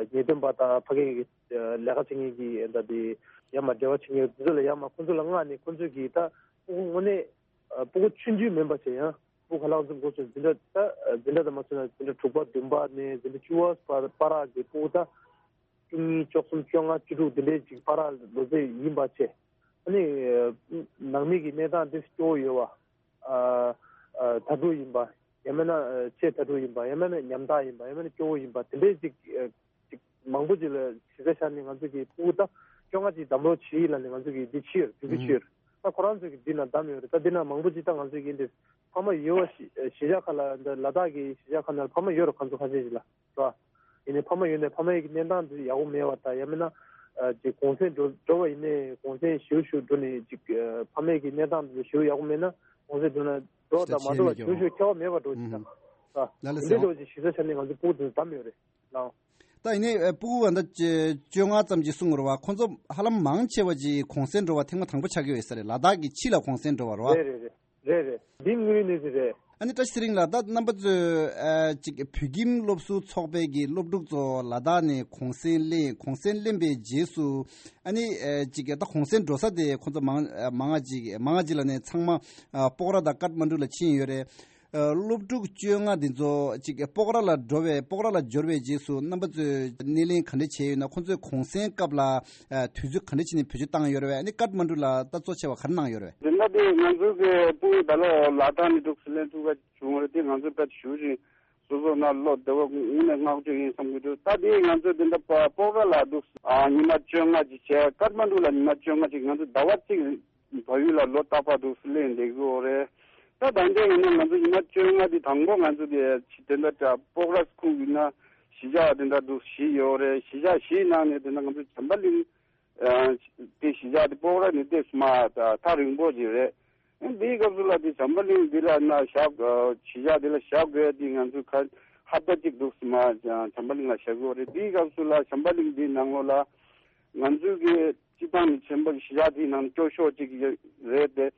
ཉེས་དོན་པ་དང་ཕ་གི་ལས་ཀ་བྱེད་མཁན་གྱི་ད་དེ་ཡར་མར་འབྲེལ་བ་བྱེད་མཁན་དེ་ཚོ་ལ་ཡར་མར་ཁོང་ཚོ་ལ་མངགས་ནས་ཁོང་ཚོས་ཀྱི་ད་དངོས་གནས་ཨ། སྤུ་གུ་ཆུང་ཆུང་མིན་པ་བྱས་ཡང་སྤུ་གུ་ཁ་ལག་འཛོམས་འགོ་ཚུགས་འཛིན་གྲྭ་ད་འཛིན་གྲྭ་དང་མ་ཚུགས་ན་འཛིན་གྲྭ་དྲུག་པ་བདུན་པ་ནས་འཛིན་གྲྭ་བཅུ་པ་བར་བར་གྱི་སྤུ་གུ་ད་བཅུ་གཉིས་བཅུ་གསུམ་བཅོ་ལྔ་བཅུ་དྲུག་འདི་འདྲའི་ཅིག་བར་ལོ་ཚད་ཡིན་པ་བྱས། ཨ་ནི་ནང་མི་གི་གནས་སྟངས་འདི་སྐྱོ་བོ་ཡོད་པ། ཨ་ཨ་དྭ་ཕྲུག་ཡིན་པ། ཡང་མིན་ན་ཨ་ཆེས་དྭ་ཕྲུག་ཡིན་པ། ཡང་མིན་ན་ཉམ་ཐག་ཡིན་པ། ཡང་མིན་ན་སྐྱོ་བོ་ཡིན་པ། དེ་འདྲའི་ཅིག་ཨ་ཅིག་མང་པོ་ཅིག་ལ་གཞི་རྩ་བཞག་ནས་ང་ཚོ་གི་སྤུ་གུ་ད་བཅོ་ལྔ་ཅིག་བདམས་རོགས་བྱེད་ལབ་ནས་ང་ཚོ་གི་འདི་ཕྱིར་དུས་ཚོད་ཕྱིར་ད་ཁོ་རང་ཚོ་གི་འདི་ན་བདམས་ཡོད་རེད། ད་འདི་ན་མང་པོ་ཅིག་ད་ང་ཚོ་གི་འདི་ཕ་མ་ཡོད་པ་གཞིས་ཆགས་ཁག་ལ་འདི་ལ་དྭགས་ཀྱི་གཞིས་ཆགས་ཁག་ནང་ཕ་མ་ཡོད་རེད། ཁོང་ཚོ་ཁ་ཤས་ཤིག་ལ་རེད། ཡིན་ནའི་ཕ་མ་ཡོད་ནའི་ཕ་མའི་གི་གནས་སྟངས་འདི་ཡག་པོ་མེད་པ་དང་ཡང་མིན་ན་ཅིག་གུང་སེང་འགྲོ་འགྲོ་བ་ཡིན་ནའི་གུང་སེང་ཞེ་པོ་ཞེ་པོ་འགྲོ་ནས་ཅིག་ཕ་མའི་གི་གནས་སྟངས་འདི་ཞེ་པོ་ཡག་པོ་མེད་ན་གུང་སེང་འགྲོ་ན་འགྲོ་བ་དང་མ་འགྲོ་བ་ཞེ་པོ་ཞེ་པོ་ཁྱད་པར་མེད་པ་འགྲོ་ཅིག་ད་ལ་ལ་འདི་ཟེར་འགྲོ་ཅིག་གཞིས་ཆགས་ནས་ང་ཚོ་སྤུ་གུ་འདི་བདམས་ཡོད་རེད་ལགས། ད་ཡིན་ནའི་ཨ་སྤུ་གུ་ཨ་ད་བཅོ་ལྔ་ཙམ་ཅིག་གསུང་དགོས་རེད་བ། ཁོང་ཚོ་ཧ་ལམ་མང་ཆེ་བ་ཅིག་གུང་སེང་འགྲོ་བ་ཐེངས་མ་དང་པོ་ཆགས་ཀྱི་ཡོད་ས་རེད། ལ་དྭགས་ཀྱི་ཕྱི་ལ་གུང་སེང་འགྲོ་བ་རེད་བ། རེད་རེད་རེད་རེད་རེད། འདི་དངོས་ཡོད་གནས་ཚུལ་རེད། ཨ་ནི་བཀྲ་ཤིས་ཚེ་རིང་ལགས། ད་རྣམ་པ་ཚོས་ཨ་ཅིག་བོད་ཁྱིམ་སློབ་ཟུར་ཚོགས་པའི་གི་སློབ་ཕྲུག་ཚོ་ལ་དྭགས་ནས་གུང་སེང་ལེན་གུང་སེང་ལེན་པའི་རྗེས་སུ་ཨ་ནི་ཨ་ཅིག་ད་གུང་སེང་འགྲོ་ས་དེ་ཁོང་ཚོ་མང་མང་ང་ཅིག་མང་ང་ཅིག་ལ་ནས་ཚང་མ་ཨ་སྤོག་ར་དང་ཀཏ་མན་ཌུ་ལ་ཕྱིན་ཡོད་རེད། ཨ་སློབ་ཕྲུག་བཅོ་ལྔ་འདི་ཚོ་ཅིག་སྤོག་ར་ལ་འགྲོ་བའི་སྤོག་ར་ལ་འབྱོར་བའི་རྗེས་སུ་རྣམ་པ་ཚོས་སྣེ་ལེན་ག་འདྲ་བྱས་ཡོད་ན། ཁོང་ཚོས་གུང་སེང་སྐབས་ལ་ཨ་དུས་ཚོད་ག་འདྲ་བྱས་ནས་བེད་སྤྱོད་བཏང་ཡོད་རེད་བས། ཨ་ནི་ཀཏ་མན་ཌུ་ལ་ད་གཙོ་ཆེ་བ་ག་རེ་གནང་ཡོད་རེད་བས། དེ་འདྲ་དེ་ང་ཚོའི་གི་སྤུ་གུ་ད་ལོ་ལ་དྭགས་ནས་འདུག་སེ་ལེན་ཐུབ་པ་བྱུང་བ་རེད། དེ་ང་ཚོས་དཔེ་ཞུ་བཞིན་སོ་སོ་ན་བློ་བདེ་བོ་དངོས་གནས་བསྔགས་བརྗོད་ཡིན་བསམ་གྱི་འདུག་ད་དེ་ང་ཚོས་དེ་འདྲ་སྤོག་ར་ལ་འདུག་ཨ་ཉི་མ་བཅོ་ལྔ་ཅིག་བྱས། ཀཏ་མན་ཌུ་ལ་ཉི་མ་བཅོ་ལྔ་ཅིག་ང་ཚོ་ཟླ་བ་གཅིག་བལ་ཡུལ་ལ་ལོ་རྟག་པར་འདུག་སེ་ལེན་བསྡད་ཀྱི་ཡོད་རེད། ད་ད་ལྟའི་ཡིན་ན་ང་ཚོ་ཉི་མ་བཅོ་ལྔ་དེ་དང་པོ་ང་ཚོ་དེ་དེ་འདྲ་སྤོག་ར་ཁུལ་ཡིན་ན་གཞིས་ཆགས་དེ་འདྲ་འདུག་བཞི་ཡོད་རེད། གཞིས་ཆགས་བཞིའི་ནང་ནས་དེ་འདྲ་ང་ཚོ་བྱམས་པ་གླིང་དེ་གཞིས་ཆགས་དེ་སྤོག་ར་ནས་ཏོག་ཙམ་ཐག་རིང་པོ་ཅིག་རེད། འདིའི་སྐབས་སུ་ལ་དེ་བྱམས་པ་གླིང་འདི་ལ་ན་བཞག་གཞིས་ཆགས་འདི་ལ་བཞག་དགོས་དེ་ང་ཚོ་ཁ་ཧབ་ཏ་གཅིག་འདུག་སེ་བྱམས་པ་གླིང་ལ་བཞག་གི་ཡོད་རེད། དེའི་སྐབས་སུ་ལ་བྱམས་པ་གླིང་འདིའི་ནང་ལོགས་ལ་ང་ཚོའི་གི་སྤྱི་བཏང་ནས་ཆེན་པོ་གཞིས་ཆགས་དེའི་ནང་སྐྱོ་ཤོས་གཅིག་རེད་དེ།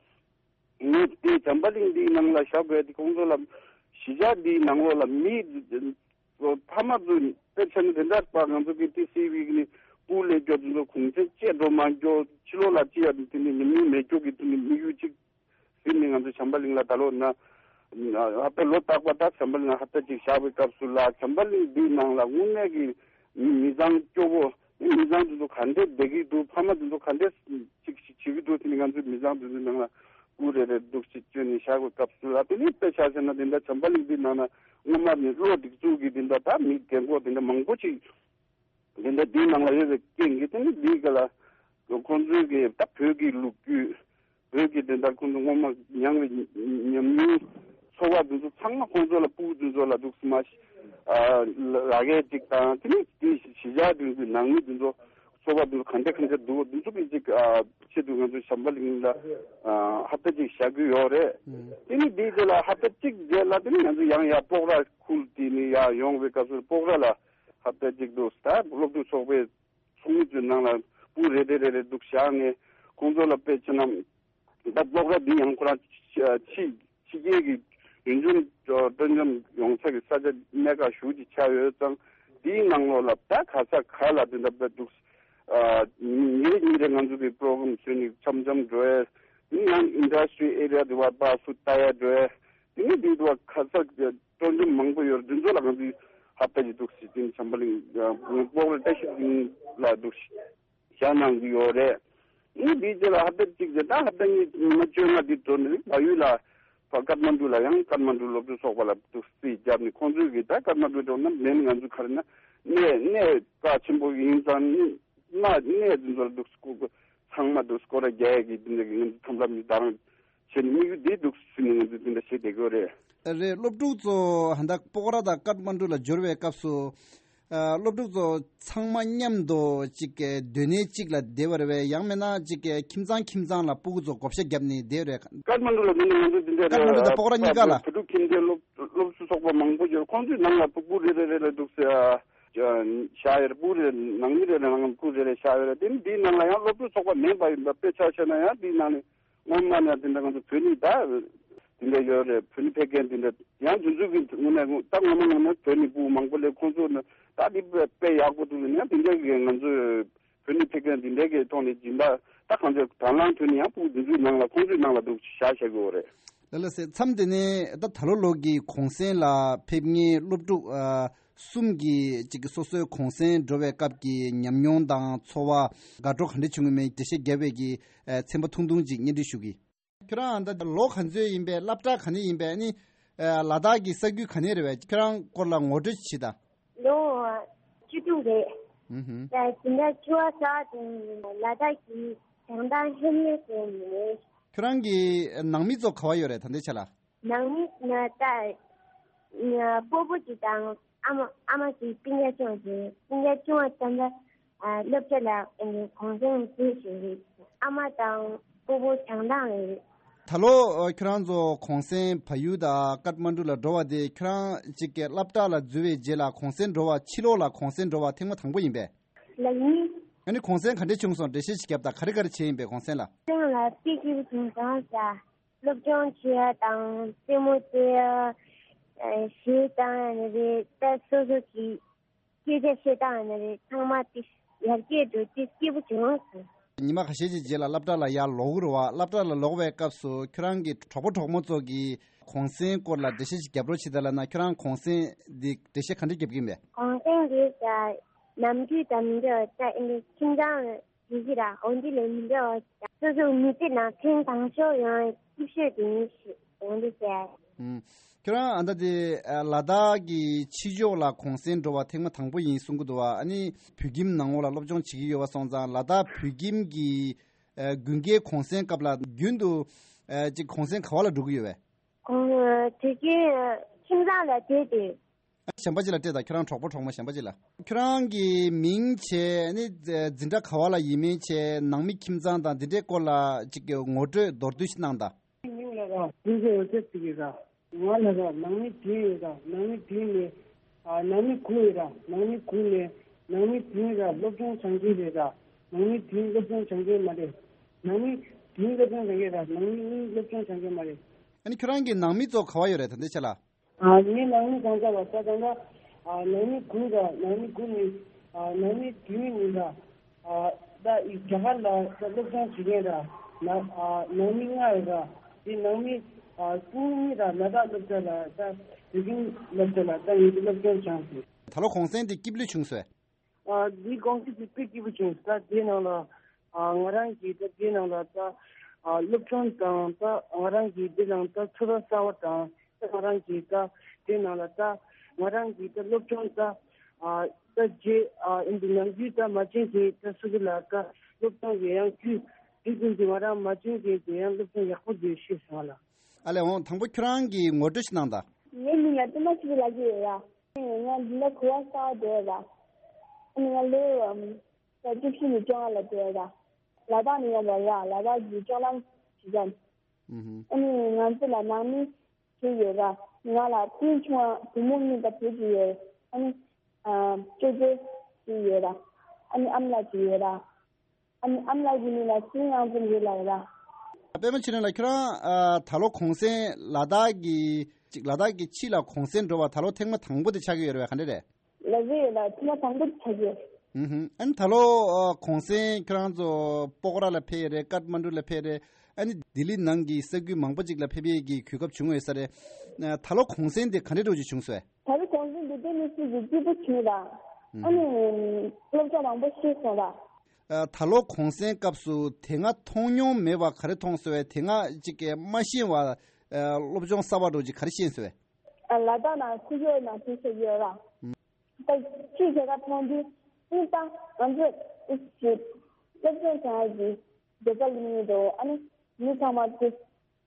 ངས་དེ་བྱམས་པ་གླིང་འདིའི་ནང་ལ་བཞག་དགོས་དེ་ཁོང་ཚོ་ལ་གཞིས་ཆགས་འདིའི་ནང་ལོགས་ལ་མི་ཕ་མ་ཚོ་དཔེ་ཆ་ནས་དེ་འདྲ་པ་ང་ཚོ་གི་ཏི་སི་ཝི་གི་ནི་སྤུ་ལས་སྐྱོ་དེ་ཚོ་གུང་སེང་བཅད་འགྲོ་མ་འགྱོ་ཕྱི་ལོགས་ལ་ཅི་ཡ་དེ་ནི་ཉམས་མྱོང་མེད་སྐྱོ་གི་དེ་ནི་དམིགས་ཡུལ་གཅིག་ཟིན་ནས་ང་ཚོ་བྱམས་པ་གླིང་ལ་ད་ལོ་ན་ཧབ་ཏ་ལོ་རྟག་པ་ད་བྱམས་པ་གླིང་ལ་ཧབ་ཏ་གཅིག་བཞག་པའི་སྐབས་སུ་ལ་བྱམས་པ་གླིང་འདིའི་ནང་ལ་དངོས་གནས་ཀྱི་མི་མི་ཚང་སྐྱོ་བོ་མི་མི་ཚང་དེ་ཚོ་ག་འདྲས་བསྡད་ཀྱི་འདུག་ཕ་མ་དེ་ཚོ་ག་འདྲས་ཅིག་ཅིག་བྱེད་ཀྱི་འདུག་དེ་ནི་ང་ཚོའི་མི་ཚང་དེ་ཚོའི་ནང་ལ་སྤུ་རེ་རེ་འདུག་ཅིག་བཅོས་ནས་བཞག་པའི་སྐབས་སུ་ལ་དེ་ནི་དཔེ་ཆ་བཞག་ན་དེ་འདྲ་བྱམས་པ་གླིང་འདིའི་ནང་ན་སྔོན་མ་ནས་བློ་སྒྲིག་འཛུགས་ཀྱི་དེ་འདྲ་ད་མི་རྒན་གོག་དེ་འདྲ་མང་པོ་ཅིག་དེ་འདྲ་འདིའི་ནང་ལ་ཡོད་པའི་རྐྱེན་གྱིས་དེ་ནི་འདིའི་སྒང་ལ་ཁོང་ཚོའི་གི་ད་བོད་ཀྱི་ལོ་རྒྱུས་བོད་ཀྱི་དེ་འདྲ་ཁོང་ཚོ་སྔོན་མ་མྱངས་པའི་ཉམས་མྱོང་ཚོར་བ་དེ་ཚོ་ཚང་མ་ཁོང་ཚོ་ལ་སྤུ་གུ་དེ་ཚོ་ལ་འདུག་སེ་མ་ལག་ཡས་ཅིག་དང་དེ་ནི་དེ་གཞིས་ཆགས་དེ་ཚོའི་ནང་མི་དེ་ཚོ་ཚོར་བ་དེ་ཚོ་ག་འདྲ་ག་འདྲ་འདུག་དེ་ཚོ་གི་ཅིག་ཆེད་དུ་ང་ཚོ་བྱམས་པ་གླིང་ལ་ཧབ་ཏ་ཅིག་བཞག་གི་ཡོད་རེད། དེ་ནི་དེའི་རྗེས་ལ་ཧབ་ཏ་གཅིག་རྗེས་ལ་དེ་ནི་ང་ཚོ་ཡང་ཡར་སྤོག་ར་ཁུལ་དེ་ནི་ཡར་ཡོང་བའི་སྐབས་སུ་སྤོག་ར་ལ་ཧབ་ཏ་གཅིག་འདུག་ད་སློབ་ཕྲུག་ཚོགས་པའི་ཚོགས་མི་ཚོའི་ནང་ལ་སྤུ་རེ་རེ་རེ་རེ་འདུག་བཞག་ནས་ཁོང་ཚོ་ལ་དཔེ་ཆ་ན་ད་སློབ་གྲྭ་འདི་ཡང་ཁོ་རང་ཕྱི་ཕྱི་རྒྱལ་གྱི་ཡུལ་ལྗོངས་སྤྲོ་འཆམ་ཡོང་ས་གི་ས་ཆ་གནས་སྐབས་ཞུགས་ཀྱི་ཆགས་ཡོད་ཙང་ དེའི་ནང་ལོགས་ལ་ད་ག་ས་ག་ལ་དེ་འདྲ་འདུག་ཉིན་རེ་ཉིན་རེ་ང་ཚོ་གི་པྲོ་གྷ་རམ་བཟོས་ནས་འཆམ་འཆམ་འགྲོ་ཡས། ཡང་ཨིན་ཌ་སི་ཊི་རི་ཨེ་རི་ཡ་དེ་བ་པ་སུ་ལྟ་ཡ་འགྲོ་ཡས། དེ་ནས་དེ་དུ་བ་ག་ས་སྤྲོ་འཆམ་མང་པོ་ཡོད་རེད། དེ་ཚོ་ལ་ང་ཚོས་ཧབ་ཏ་ཅིག་འདུག་སི་ཏིང་བྱམས་པ་གླིང་སྤོག་ར་བཀྲ་ཤིས་གླིང་ལ་འདུག་ཞག་གནང་གི་ཡོད་རེད། ཨ་ནི་དེའི་རྗེས་ལ་ཧབ་ཏ་གཅིག་རྗེས་ད་ཧབ་ཏ་གཉིས་ཉི་མ་བཅོ་ལྔ་འདི་འགྲོ་ནས་བལ་ཡུལ་ལ་ཕ་ཀཏ་མན་ཌུ་ལ་ཡང་ཀཏ་མན་ཌུ་སློབ་ཕྲུག་ཚོགས་པ་ལ་འདུག་རྩིས་བརྒྱབ་ནས་ཁོང་ཚོས་གི་ད་ཀཏ་མན་ཌུ་འགྲོ་ན་མེད་ནི་ང་ཚོ་ག་རེ་ན་གནས་གནས་རྩ་ཆེན་པོ་ཡིན་ཙང་ནི་གནའ་གནས་འདི་ཚོ་ལ་འདུག་སྐོར་ཚང་མ་འདུག་སྐོར་ར་རྒྱག་ཡས་ཀྱི་འདི་འདྲ་གི་ང་ཚོ་ཐོབ་ལམ་ནི་ད་རང་བྱས་ནས་དམིགས་ཡུལ་འདི་འདུག་ཟིན་ནས་ང་ཚོ་འདི་འདྲ་བྱས་བསྡད་ཀྱི་ཡོད་རེད། རེད། སློབ་ཕྲུག་ཚོ་ཧ་ད་སྤོག་ར་དང་ཀཏ་མན་ཌུ་ལ་འབྱོར་བའི་སྐབས་སུ། ཨ། སློབ་ཕྲུག་ཚོ་ཚང་མ་མཉམ་དུ་གཅིག་གི་སྡོད་གནས་གཅིག་ལ་བསྡད་པ་རེད་པས། ཡང་མིན་ན་གཅིག་གི་ཁྱིམ་ཚང་ཁྱིམ་ཚང་ལ་སྤུ་གུ་ཚོ་བགོ་བཤའ་བརྒྱབ་ནས་བསྡད་རེད། ཀཏ་མན་ཌུ་ལ་འདི་ནས་ང་ཚོ་འདི་འདྲ་ཀཏ་མན་ཌུ་དང་སྤོག་ར་གཉིས་ཀ་ལ། བོད་ཕྲུག་ཁྱིམ་སྡེ་སློབ་སློབ་གསོ་ཚོགས་པ་མང་པོ་ཡོད། ཁོང་ཚོས་ནང་ལ་སྤུ་གུ་རེ་རེ་རེ་ལ་འདུག་ཟེར་བཞག་ཡོད་རེད། སྤུ་གུ་རེ་ནང་མི་རེ་རེ་ནང་སྤུ་གུ་རེ་རེ་བཞག་ཡོད་རེད། དེ་ནི་འདིའི་ནང་ལ་ཡང་སློབ་ཕྲུག་ཚོགས་པ་མེད་པ་ཡིན་པ་དཔེ་ཆ་བཤད་ན་ཡང་འདིའི་ནང་ནས། སྔོན་མ་ནས་དེ་འདྲ་ང་ཚོ་བོད་ནི་ད་དེ་འདྲ་ཡོད་རེད། བོད་ནི་ཕེབས་མཁན་དེ་འདྲ་ཡང་དེ་ཚོ་གི་ངོས་ནས་ད་ངོ་མ་ངོ་མ་བོད་ནི་སྤུ་མང་པོ་སླེབས། ཁོང་ཚོ་ནི་ད་དེ་དཔེ་དཔེ་ཡག་པོ་འདུག་ཡིན་ཡང་དེ་འདྲ་གི་ང་ཚོ་བོད་ནི་ཕེབས་མཁན་དེ་འདྲ་གི་ཐོག་ནས་སྦྱིན་པ་ད་གང་ཚོད་དང་བླངས་ཐོན་ནས་ཡང་སྤུ་དེ་ཚོའི་ནང་ལ་ཁོང་ཚོའི་ནང་ལ་འདུག་བཞག་བཞག་གི་ཡོད་རེད། ལགས་ལགས་སེ། མཚམས་དེ་ནས་ད་ད་ལོ་ལོ་གི་གུང་སེང་ལ་ཕེབས་མཁན་སློབ་ཕྲུག་ཨ། གསུམ་གྱིས་གཅིག་གི་སོ་སོའི་གུང་སེང་འགྲོ་བའི་སྐབས་ཀྱི་ཉམས་མྱོང་དང་ཚོར་བ་དགའ་སྤྲོ་ག་འདྲ་བྱུང་ཡོད་མེད་འགྲེལ་བཤད་བརྒྱབ་པའི་གི་ཚན་པ་ཐུང་ཐུང་ཅིག་སྙན་སྒྲོན་ཞུ་གི། ཁྱོད་རང་ད་ལོ་ག་ཚོད་ཡིན་པས། སློབ་གྲྭ་ག་ནས་ཡིན་པས། ཨ་ནི་ལ་དྭགས་ཀྱི་ས་ཁུལ་ག་ནས་རེད་པས། ཁྱོད་རང་སྐོར་ལ་ངོ་སྤྲོད་ཅིག་བྱེད་དང་། ལོ་བཅུ་དྲུག་རེད། ཨུ་ཧུམ། ད་འཛིན་གྲྭ་བཅུ་པ་ས་དེ་ལ་དྭགས་ཀྱི་བྱང་ཐང་ལྷོ་མོན་ཟེར་ནས་རེད། ཁྱོད་རང་གི་ནང་མི་ཚོ་ག་པར་ཡོད་རེད་ད་ལྟའི་ཆ་ལ། ནང་མི་ན་ད་སྤོ་བོ་གཅིག་དང་ཨ་མ་ཨ་མ་གཅིག་སྤུན་ཀྱག་ཆུང་བ་རེད། སྤུན་ཀྱག་ཆུང་བ་ད་ལྟ་ཨ་སློབ་གྲྭ་ལ་ཨ་ནི་གུང་སེང་བྱེད་བཞིན་རེད། ཨ་མ་དང་སྤོ་བོ་བྱང་ཐང་ལ་རེད། ད་ལོ་ཨ་ཁྱོད་རང་ཚོ་གུང་སེང་བལ་ཡུལ་དང་ཀཏ་མན་ཌུ་ལ་འགྲོ་བ་དེ་ཁྱོད་རང་གཅིག་གི་སློབ་གྲྭ་ལ་འཛུལ་བའི་རྗེས་ལ་གུང་སེང་འགྲོ་བ། ཕྱི་ལོགས་ལ་གུང་སེང་འགྲོ་བ་ཐེངས་མ་དང་པོ་ཡིན་པས། ལགས་ཡིན། ཨ་ནི་གུང་སེང་ག་འདྲས་བྱུང་སོང་། འགྲེལ་བཤད་ཅིག་བརྒྱབ་དང་། ག་རེ་ག་རེ་བྱས་ཡིན་པས་གུང་སེང་ལ། གུང་སེང་ལ་དཔེ་སྐྱིད་པོ་བྱུང་སོང་ཟེར། སློབ་སྦྱོང་བྱེད་ཡ་དང་རྩེད་མོ་རྩེ་ཡ། ཨ་གཞས་བཏང་ཡ་ནི་རེད། ད་སོ་སོ་གི་སྐད་ཆ་བཤད་སྟངས་ཡིན་ན་རེད། ཚང་མ་དེ་ཡར་རྒྱས་འགྲོ་དེ་སྐྱིད་པོ་བྱུང་སོང་། ཉི་མ་ཁ་ཤས་ཀྱི་རྗེས་ལ་སློབ་གྲྭ་ལ་ཡར་ལོག་གི་རེད་པ། སློབ་གྲྭ་ལ་ལོག་པའི་སྐབས་སུ་ཁྱོད་རང་གི་གྲོགས་པོ་གྲོགས་མོ་ཚོ་གིས་གུང་སེང་སྐོར་ལ་འགྲེལ་བཤད་ཅིག་རྒྱབ་རོགས་བྱེད་དང་ལབ་ན། ཁྱོད་རང་གུང་སེང་འདི་འགྲེལ་བཤད་ག་འདྲ་རྒྱབ་ཀྱི་ཡིན་པས། གུང་སེང་འདི་ད་ནམ་རྒྱུན་དང་མི་འདྲ་བ། ད་ཨ་ནི་ཁྱིམ་ཚང་ལ་དེ་གི་ར་འོ་འདི་ལས་མི་འདྲ་བ། སོ་སོའི་མི་ཚེ་ནང་ཐེངས་དང་ཤོས་ཡོང་སྐྱིད་ཤོས་དེ་ཉིད་ཞིག་ཡོང་འདི་ཟེར། ཨུམ། ཁྱོད་རང་ཨ་ད་དེ་ཨ་ལ་དྭགས་ཀྱི་ཕྱི་ཕྱོགས་ལ་གུང་སེང་འགྲོ་བ་ཐེངས་མ་དང་པོ་ཡིན་གསུང་གི་འདུག་པ། ཨ་ནི་བོད་ཁྱིམ་ནང་ལོགས་ལ་སློབ་སྦྱོང་བྱེད་ཀྱི་ཡོད་པ་སོང་ཙང་། ལ་དྭགས་བོད་ཁྱིམ་གྱི་ཨ་དགུན་ཁའི་གུང་སེང་སྐབས་ལ་རྒྱུན་དུ་ཨ་ཅིག་གུང་སེང་ག་པ་ལ་འགྲོ་གི་ཡོད་པས། གུང་ཨ་དུས་རྒྱུན་ཨ་ཁྱིམ་ཚང་ལ་བསྡད་དེ། གཞན་པ་ཅིག་ལ་སྤྲད་དང་། ཁྱོད་རང་གྲོགས་པོ་གྲོགས་མོ་གཞན་པ་ཅིག་ལ། ཁྱོད་རང་གི་མིང་བྱས། ཨ་ནི་འཛིན་གྲྭ་ག་པ་ལ་ཡིན་མིན་བྱས། ནང་མི་ཁྱིམ་ཚང་དང་འདི་འདྲའི་སྐོར་ལ་ཅིག་གི་ངོ་སྤྲོད་མདོར་བསྡུས་ཤིག་གནང་དང་། མིང་ལ་ར་ཀུན་བཟང་འོད་ཟེར་ཟེར་གི་ར། ང་ལ་ར་ནང་མི་བདུན་ཡོད་ར། ནང་མི་བདུན་ནས་ཨ་ནང་མི་དགུ་ཡོད་ར། ནང་མི་དགུ་ནས་ནང་མི་བདུན་ར་སློབ་སྦྱོང་སྦྱང་མཁན་རེད་ར། ནང་མི་བདུན་སློབ་སྦྱོང་སྦྱང་མཁན་མ་རེད། ནང་མི་བདུན་སློབ་སྦྱོང་སྦྱང་མཁན་ར། ནང་མི་གཉིས་སློབ་སྦྱོང་སྦྱང་མཁན་མ་རེད། ཨ་ནི་ཁྱོད་རང་གི་ནང་མི་ཚོ་ག་པ་ཡོད་རེད་ད་ལྟའི་ཆ་ལ། ཨ་ངའི་ནང་མི་གང་ཟག་ལ་ས་གང་ག་ཨ་ནང་མི་དགུ་ར། ནང་མི་དགུ་ནི་ཨ་ནང་མི་བདུན་ཡིན་ར། ཨ་ད་ཨི་རྒྱ་གར་ལ་ད་སློབ་སྦྱོང་བྱེད་མཁན་ར། ན་ཨ་ནང་མི་ལྔ་ཡོད་ར། དེ་ནང་མི་ཨ་སྤུན་གཉིས་ར་ལ་དྭགས་སློབ་གྲྭ་ལ་ད་བོད་ཁྱིམ་སློབ་གྲྭ་ལ་ད་ངེད་ཀྱི་སློབ་སྦྱོང་སྦྱངས་ཟིན། ད་ལོ་གུང་སེང་དེ་སྐྱིད་པོ་བྱུང་སོང་། ཨ་འདི་གུང་སེང་དེ་དཔེ་སྐྱིད་པོ་བྱུང་། ད་དེ་ནང་ལ་ཨ་ང་རང་གིས་ད་དེ་ནང་ལ་ད་ཨ་སློབ་སྦྱོང་དང་། ད་ང་རང་གིས་དེ་ནང་ད་ཚོར་བ་གསར་བ་དང་། ད་ང་རང་གིས་ད་དེ་ནང་ལ་ད་ང་རང་གིས་ད་སློབ་སྦྱོང་ད་ཨ་ད་རྗེས་ཨ་ཨིན་དེ་ནམ་རྒྱུན་ད་མ་བྱན་གྱི་ད་སུ་གི་ལ་ད་སློབ་སྦྱོང་གི་ཡང་རྒྱུ་དེ་ཙམ་གྱི་ང་རང་མ་བྱན་གྱི་དེ་ཡང་སློབ་སྦྱོང་ཡག་པོ་དེ་ཤེས་སོང་ལ། ཨ་ལས་འོང་། དང་པོ་ཁྱོད་རང་གིས་ངོ་སྤྲོད་ཞིག་གནང་དང་། ངའི་མིང་ལ་ཏུ་མ་ཆི་ལ་གི་ཡོད་ཡ། ང་འཛིན་གྲྭ་དགུ་པ་གསར་པ་བསྡད་ཡོད་ར། ཨ་ནི་ང་ལོ་ཨམ་ད་བཅུ་བཞི་ནས་བཅོ་ལྔ་ལ་བསྡད་ཡོད་ར། ལ་དྭགས་ནས་ཡོང་བ་ར། ལ་དྭགས་ཀྱི་ལྕོག་ལམ་བྱེད་ཙམ། ཨུ་ཧུམ། ཨ་ནི་ང་ཚོ་ལ་ནང་མི་བཞི་ཡོད་ར། ང་ལ་སྤུན་ཆུང་བ་བུ་མོ་གཉིས་དང་བུ་གཅིག་ཡོད། ཨ་ནི་ཨ་ཅོ་ཅོ་གཅིག་ཡོད་ར། ཨ་ནི་ཨ་མ་ལགས་གཅིག་ཡོད་ར། ཨ་ནི་ཨ་མ་ལགས་ཀྱི་མིང་ལ་ཚེ་རིང་དབང་འཛིན་རེད་ལབ་ཡོད་ར། པད་མ་ཆོས་སྒྲོན་ལགས། ཁྱོད་རང་ཨ་ད་ལོ་གུང་སེང་ལ་དྭགས་ཀྱི་ཅིག་ལ་དྭགས་ཀྱི་ཕྱི་ལ་གུང་སེང་འགྲོ་བ་ད་ལོ་ཐེངས་མ་དང་པོ་དེ་ཆགས་ཀྱི་ཡོད་རེད་པས། ག་འདྲ་རེད། ལབ་ཀྱི་ཡོད་ལ་ཐེངས་མ་དང་པོ་ཆགས་ཀྱི་ཡོད། ཨུ་ཧུམ། ཨ་ནི་ད་ལོ་ཨ་གུང་སེང་ཁྱོད་རང་ཚོ་སྤོག་ར་ལ་ཕེབས་ཡས་རེད། ཀཏ་མན་ཌུ་ལ་ཕེབས་རེད། ཨ་ནི་ལྡི་ལི་ནང་གི་ས་ཁུལ་མང་པོ་ཅིག་ལ་ཕེབས་ཡས་ཀྱི་གོ་སྐབས་བྱུང་ཡོད་ས་རེད། ཨ་ད་ལོ་གུང་སེང་དེ་ག་འདྲ་འདྲ་བོ་ཅིག་བྱུང་སོང་། ད་ལོ་གུང་སེང་འདི་དེ་ནི་སུ་ཡི་སྐྱིད་པོ་བྱུང་ལ། ཨ་ནི་སློབ་སྦྱོང་མང་པོ་ཤེས་སོང་ལ། ཨ་ད་ལོ་གུང་སེང་སྐབས་སུ་དེ་སྔ་མཐོང་མྱོང་མེད་པ་ག་རེ་མཐོང་སོང་བས། དེ་སྔ་ཅིག་གི་མ་ཤེས་པ་ཨ་སློབ་སྦྱོང་གསར་པ་འདྲ་བོ་ཅིག་ག་རེ་ཤེས་སོང་བས། ཨ་ལ་དྭགས་ནང་ཁུ་ཡོད་ནང་དུ་ཤེས་ཡོད་ལ། ད་ཅི་བྱེད་ཀ་མཐོང་དུས་ཨིན་ད་ང་ཚོ་ཨིས་ཅིག་སློབ་སྦྱོང་བྱ་ཡ་གི་རྒྱལ་ས་ལ་མི་འདུག་ཨ་ནི་མི་ཚང་མ་དེ་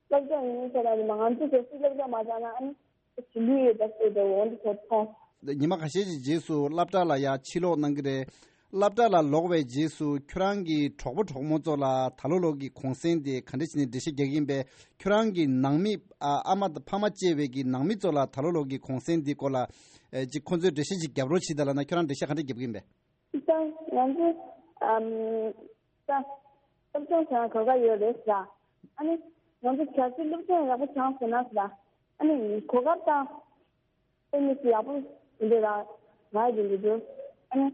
སློབ་སྦྱོང་ཡིན་ཟེར་ན་ནི་མ་ང་ཚོ་གལ་སྲིད་སློབ་སྦྱོང་མ་བྱས་ན་ཨ་ནི་ཅི་ལུས་ཡོད་ད་ཟེར་དེ་འོང་དུ་ཚོ་མཐོང་། ཉི་མ་ཁ་ཤས་ཀྱི་རྗེས་སུ་སློབ་གྲྭ་ལ་ཡ་ཕྱིར་ལོག་གནང་གི་རེད། སློབ་གྲྭ་ལ་ལོག་པའི་རྗེས་སུ་ཁྱོད་རང་གི་གྲོགས་པོ་གྲོགས་མོ་ཚོ་ལ་ད་ལོ་ལོ་གི་གུང་སེང་དེ་ག་འདྲ་བྱས་ནས་འགྲེལ་བཤད་རྒྱག་གི་ཡིན་པས། ཁྱོད་རང་གི་ནང་མི་ཨ་ཨ་མ་དང་ཕ་མ་བཅས་པའི་གི་ནང་མི་ཚོ་ལ་ད་ལོ་ལོ་གི་གུང་སེང་དེ་སྐོར་ལ་ཨེ་ཅིག་ཁོང་ཚོས་འགྲེལ་བཤད་ཅིག་རྒྱབ་རོགས་བྱེད་དང་ལབ་ན་ཁྱོད་རང་འགྲེལ་བཤད་ག་འདྲ་རྒྱབ་ཀྱི་ཡིན་པས། ད་ང་ཚོ་ཨམ་ད་སློབ་སྦྱོང་བྱེད་ན་གོ་སྐབས་ཡོད་རེད་ཟེར། ཨ་ནི་ང་ཚོ་གལ་སྲིད་སློབ་སྦྱོང་ཡག་པོ་བྱུང་ཟེར་ན་ཟེར། ཨ་ནི་གོ་སྐབས་དང་ཨེ་ནི་ཡག་པོ་ཡིན་འདུག་ལ་ང་ཡི་འདུག་ཨ་ནི་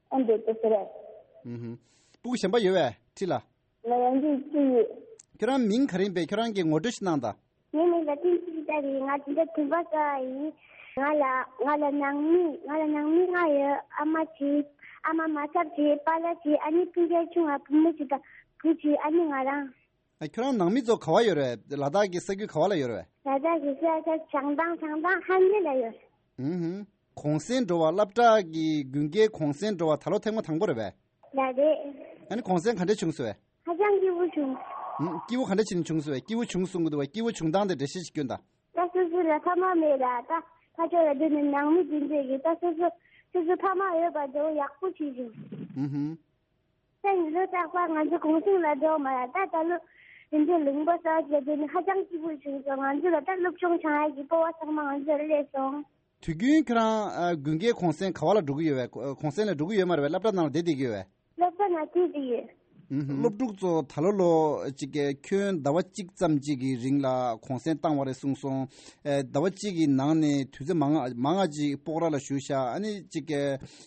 ཨ་འདྲ་དེ་ཟེར་རེད། ཨུ་ཧུམ། སྤུ་གུ་གཞན་པ་ཡོད་པས་ཁྲིད་ལ། ང་ཡང་འདི་ཅི་ཡོད། ཁྱོད་རང་མིང་ག་རེ་ཡིན་པས། ཁྱོད་རང་གི་ངོ་སྤྲོད་ཞིག་གནང་དང་། ངའི་མིང་ལ་ཏིན་ཅི་ཏ་རེད། ང་འདི་འདྲ་དུམ་པ་ས་ཡིན། ང་ལ་ང་ལ་ནང་མི་ང་ལ་ནང་མི་ལྔ་ཡོད། ཨ་མ་གཅིག་ཨ་མ་མ་ཚབ་གཅིག་པཱ་ལགས་གཅིག་ཨ་ནི་སྤུན་ཀྱག་ཆུང་ང་བུ་མོ་གཅིག་དང་བུ་གཅིག་ཨ་ནི་ང་རང་། ཨ་ཁྱོད་རང་ནང་མི་ཚོ་ག་བ་ཡོད་རེད། ལ་དྭགས་ཀྱི་ས་ཁུལ་ག་བ་ལ་ཡོད་རེད། ལ་དྭགས་ཀྱི་ས་ཆ་བྱང་ཐང་བྱང་ཐང་ཧན་ལེ་ལ་ཡོད། ཨུ་ཧུམ། གུང་སེང་འགྲོ་བ་སློབ་གྲྭ་གི་དགུན་ཁའི་གུང་སེང་འགྲོ་བ་ད་ལོ་ཐེངས་མ་དང་པོ་རེད་པས། ལ་རེད། ཨ་ནི་གུང་སེང་ག་འདྲ་བྱུང་སོང་བས། ཧ་ཅང་སྐྱིད་པོ་བྱུང་། ཨུམ། སྐྱིད་པོ་ག་འདྲ་བྱས་ནས་བྱུང་སོང་བས། སྐྱིད་པོ་བྱུང་གསུང་གི་འདུག་བས། སྐྱིད་པོ་བྱུང་སྟངས་དེ་འགྲེལ་བཤད་ཅིག་སྐྱོན་དང་། ད་སོ་སོ་ལ་ཕ་མ་མེད་ལ་ད་ཕ་ཕྱོགས་ལ་འདི་ནི་ནང་མི་འདི་འདྲས་ཀྱི་ད་སོ་སོ་སོ་སོ་ཕ་མ་ཡོད་པ་འདྲ་བོ་ཡག་པོ་བྱས་བྱུང་། ཨུ་ཧུམ། ད་ཡིན་ལོ་རྟག་པར་ང་ཚོ་གུང་སེང་ལ་འགྲོ་མ་ལ་ད་ད་ལོ་དེ་འདྲའི་ལུང་པ་གསར་བ་ཞིག་ལ་འགྲོ་ནི་ཧ་ཅང་སྐྱིད་པོ་བྱུང་སོང་། ང་ཚོ་ལ་ད་སློབ་སྦྱོང་བྱང་ཡག་གི་སྤོབས་པ་ཚང་མ་ང་ཚོ་ལ་སླེབས་སོང་། དུས་རྒྱུན་ཁྱོད་རང་ཨ་དགུན་ཁའི་གུང་སེང་ག་བ་ལ་འགྲོ་གི་ཡོད་པས། གུང་སེང་ལ་འགྲོ་གི་ཡོད་མ་རེད་པས། སློབ་གྲྭ་ནང་ལ་བསྡད་བསྡད་ཀྱི་ཡོད་པས། སློབ་གྲྭ་ནང་བསྡད་བསྡད་ཀྱི་ཡོད། ཨུ་ཧུམ། སློབ་ཕྲུག་ཚོ་ད་ལོ་ལོ་ཅིག་གི་ཁྱོན་ཟླ་བ་གཅིག་ཙམ་ཅིག་གི་རིང་ལ་གུང་སེང་བཏང་བ་རེད་གསུངས་སོང་། ཨེ་ཟླ་བ་གཅིག་གི་ནང་ནས་དུས་ཚོད་མང་ང་མང་ང་ཅིག་སྤོག་ར་ལ་བཞུགས་ཤག་ཨ་ནི་ཅིག་གི་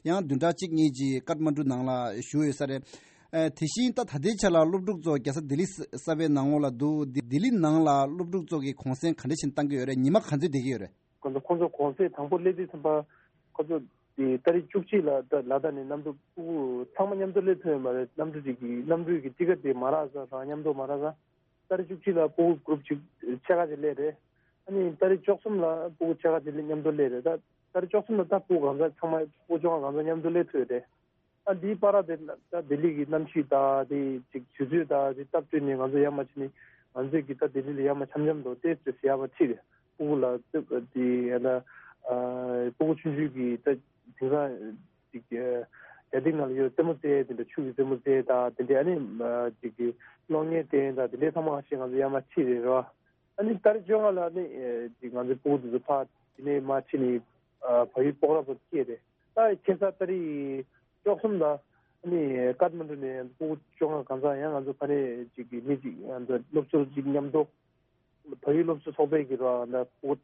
ཡང་བདུན་ཕྲག་གཅིག་གཉིས་ཅིག་ཀཏ་མན་ཌུ་ནང་ལ་བཞུགས་ཡོད་ས་རེད། ཨེ་དེ་བཞིན་ད་ད་ལྟའི་ཆ་ལ་སློབ་ཕྲུག་ཚོ་རྒྱལ་ས་ལྡི་ལི་གསར་པའི་ནང་ལོགས་ལ་འདུག་ལྡི་ལྡི་ལི་ནང་ལ་སློབ་ཕྲུག་ཚོ་གི་གུང་སེང་ག་འདྲ་བྱས་ནས་བཏང་གི་ཡོད་རེད། ཉི་མ་ག་ཚོད་བསྡད་ཀྱི་ཡོད་རེད། ཁོ་ཚོ་ཁོ་ཚོ་གུང་སེང་དང་པོ་སླེབས་དུས་ཙམ་པ་ཁོ་ཚོ་དེ་ཏ་རིག་བཅུ་གཅིག་ལ་ད་ལ་དྭགས་ནས་གནམ་གྲུ་ཕྲུ་གུ་ཚང་མ་མཉམ་དུ་སླེབས་ཐུབ་ཡོད་མ་རེད། གནམ་གྲུ་གཅིག་གི་གནམ་གྲུ་གི་ཊི་ཀེ་ཊི་དེ་མ་རག་ས་རང་མཉམ་དུ་མ་རག་ས་ཏ་རིག་བཅུ་གཅིག་ལ་ཕྲུ་གུ་གུ་རུབ་གཅིག་ཕྱེད་ཀ་ཅིག་སླེབས་རེད། ཨ་ནི་ཏ་རིག་བཅུ་གསུམ་ལ་ཕྲུ་གུ་ཕྱེད་ཀ་ཅིག་མཉམ་དུ་སླེབས་རེད། ད་ཏ་རིག་བཅུ་གསུམ་ལ་ད་ཕྲུ་གུ་གང་ས་ཚང་མ་ཕྲུ་གུ་བཅོ་ལྔ་གང་ས་མཉམ་དུ་སླེབས་ཐུབ་ཡོད་རེད། ཨ་འདིའི་བར་དེ་ད་ལྡི་ལི་གི་གནམ་གཤིས་དང་དེ་ཅིག་དུས་ཚོད་དང་དེ་སྟབས་བསྟུན་ནས་ང་ཚོ་ཡར་མར་ཕྱིན་ནས་ང་ཚོས་ཀྱི་ད་ལྡི་ལི་ལ་ཡར་མར་འཆམ་འཆམ་དུ་ཏོག་ཙམ་ཡར་མར་ཁྲིད་དེ་ཕྲུ་གུ་ལ་དེ་ཡང་ན་ཕྲུ་གུ་ཆུང་ཆུང་གི་ད་དེང་སང་ཅིག་རྒྱ་སྟེང་ནང་ལ་ཡོད་རྩེད་མོ་རྩེ་དེ་འདྲ་ཆུ་གི་རྩེད་མོ་རྩེ་དང་དེ་འདྲ་ཨ་ནི་ཅིག་གི་གློག་བརྙན་སྟོན་དང་དེ་འདྲའི་ཚང་མ་ཞིག་ང་ཚོ་ཡར་མར་ཁྲིད་རེད་རོ། ཨ་ནི་ཏ་རིག་བཅོ་ལྔ་ལ་ནི་ཅིག་ང་ཚོའི་ཕྲུ་གུ་དེ་ཚོ་ཕར་དེ་ནས་མར་ཕྱིན་ནས་བལ་ཡུལ་སྤོག་ར་བར་སྐྱེས་རེད། ད་ཁ་སང་ཏ་རིག་བཅུ་གསུམ་ལ་ནི་ཀཏ་མན་ཌུ་ནས་ཕྲུ་གུ་བཅོ་ལྔ་གང་ཚང་ཡང་ང་ཚོ་ཕ་ནས་ཅིག་གི་མི་ཅིག་ང་ཚོ་སློབ་ཟུར་ཅིག་མཉམ་དུ་བལ་ཡུལ་སློབ་ཟུར་ཚོགས་པའི་གི་ར་ད་ཕྲུ་གུ་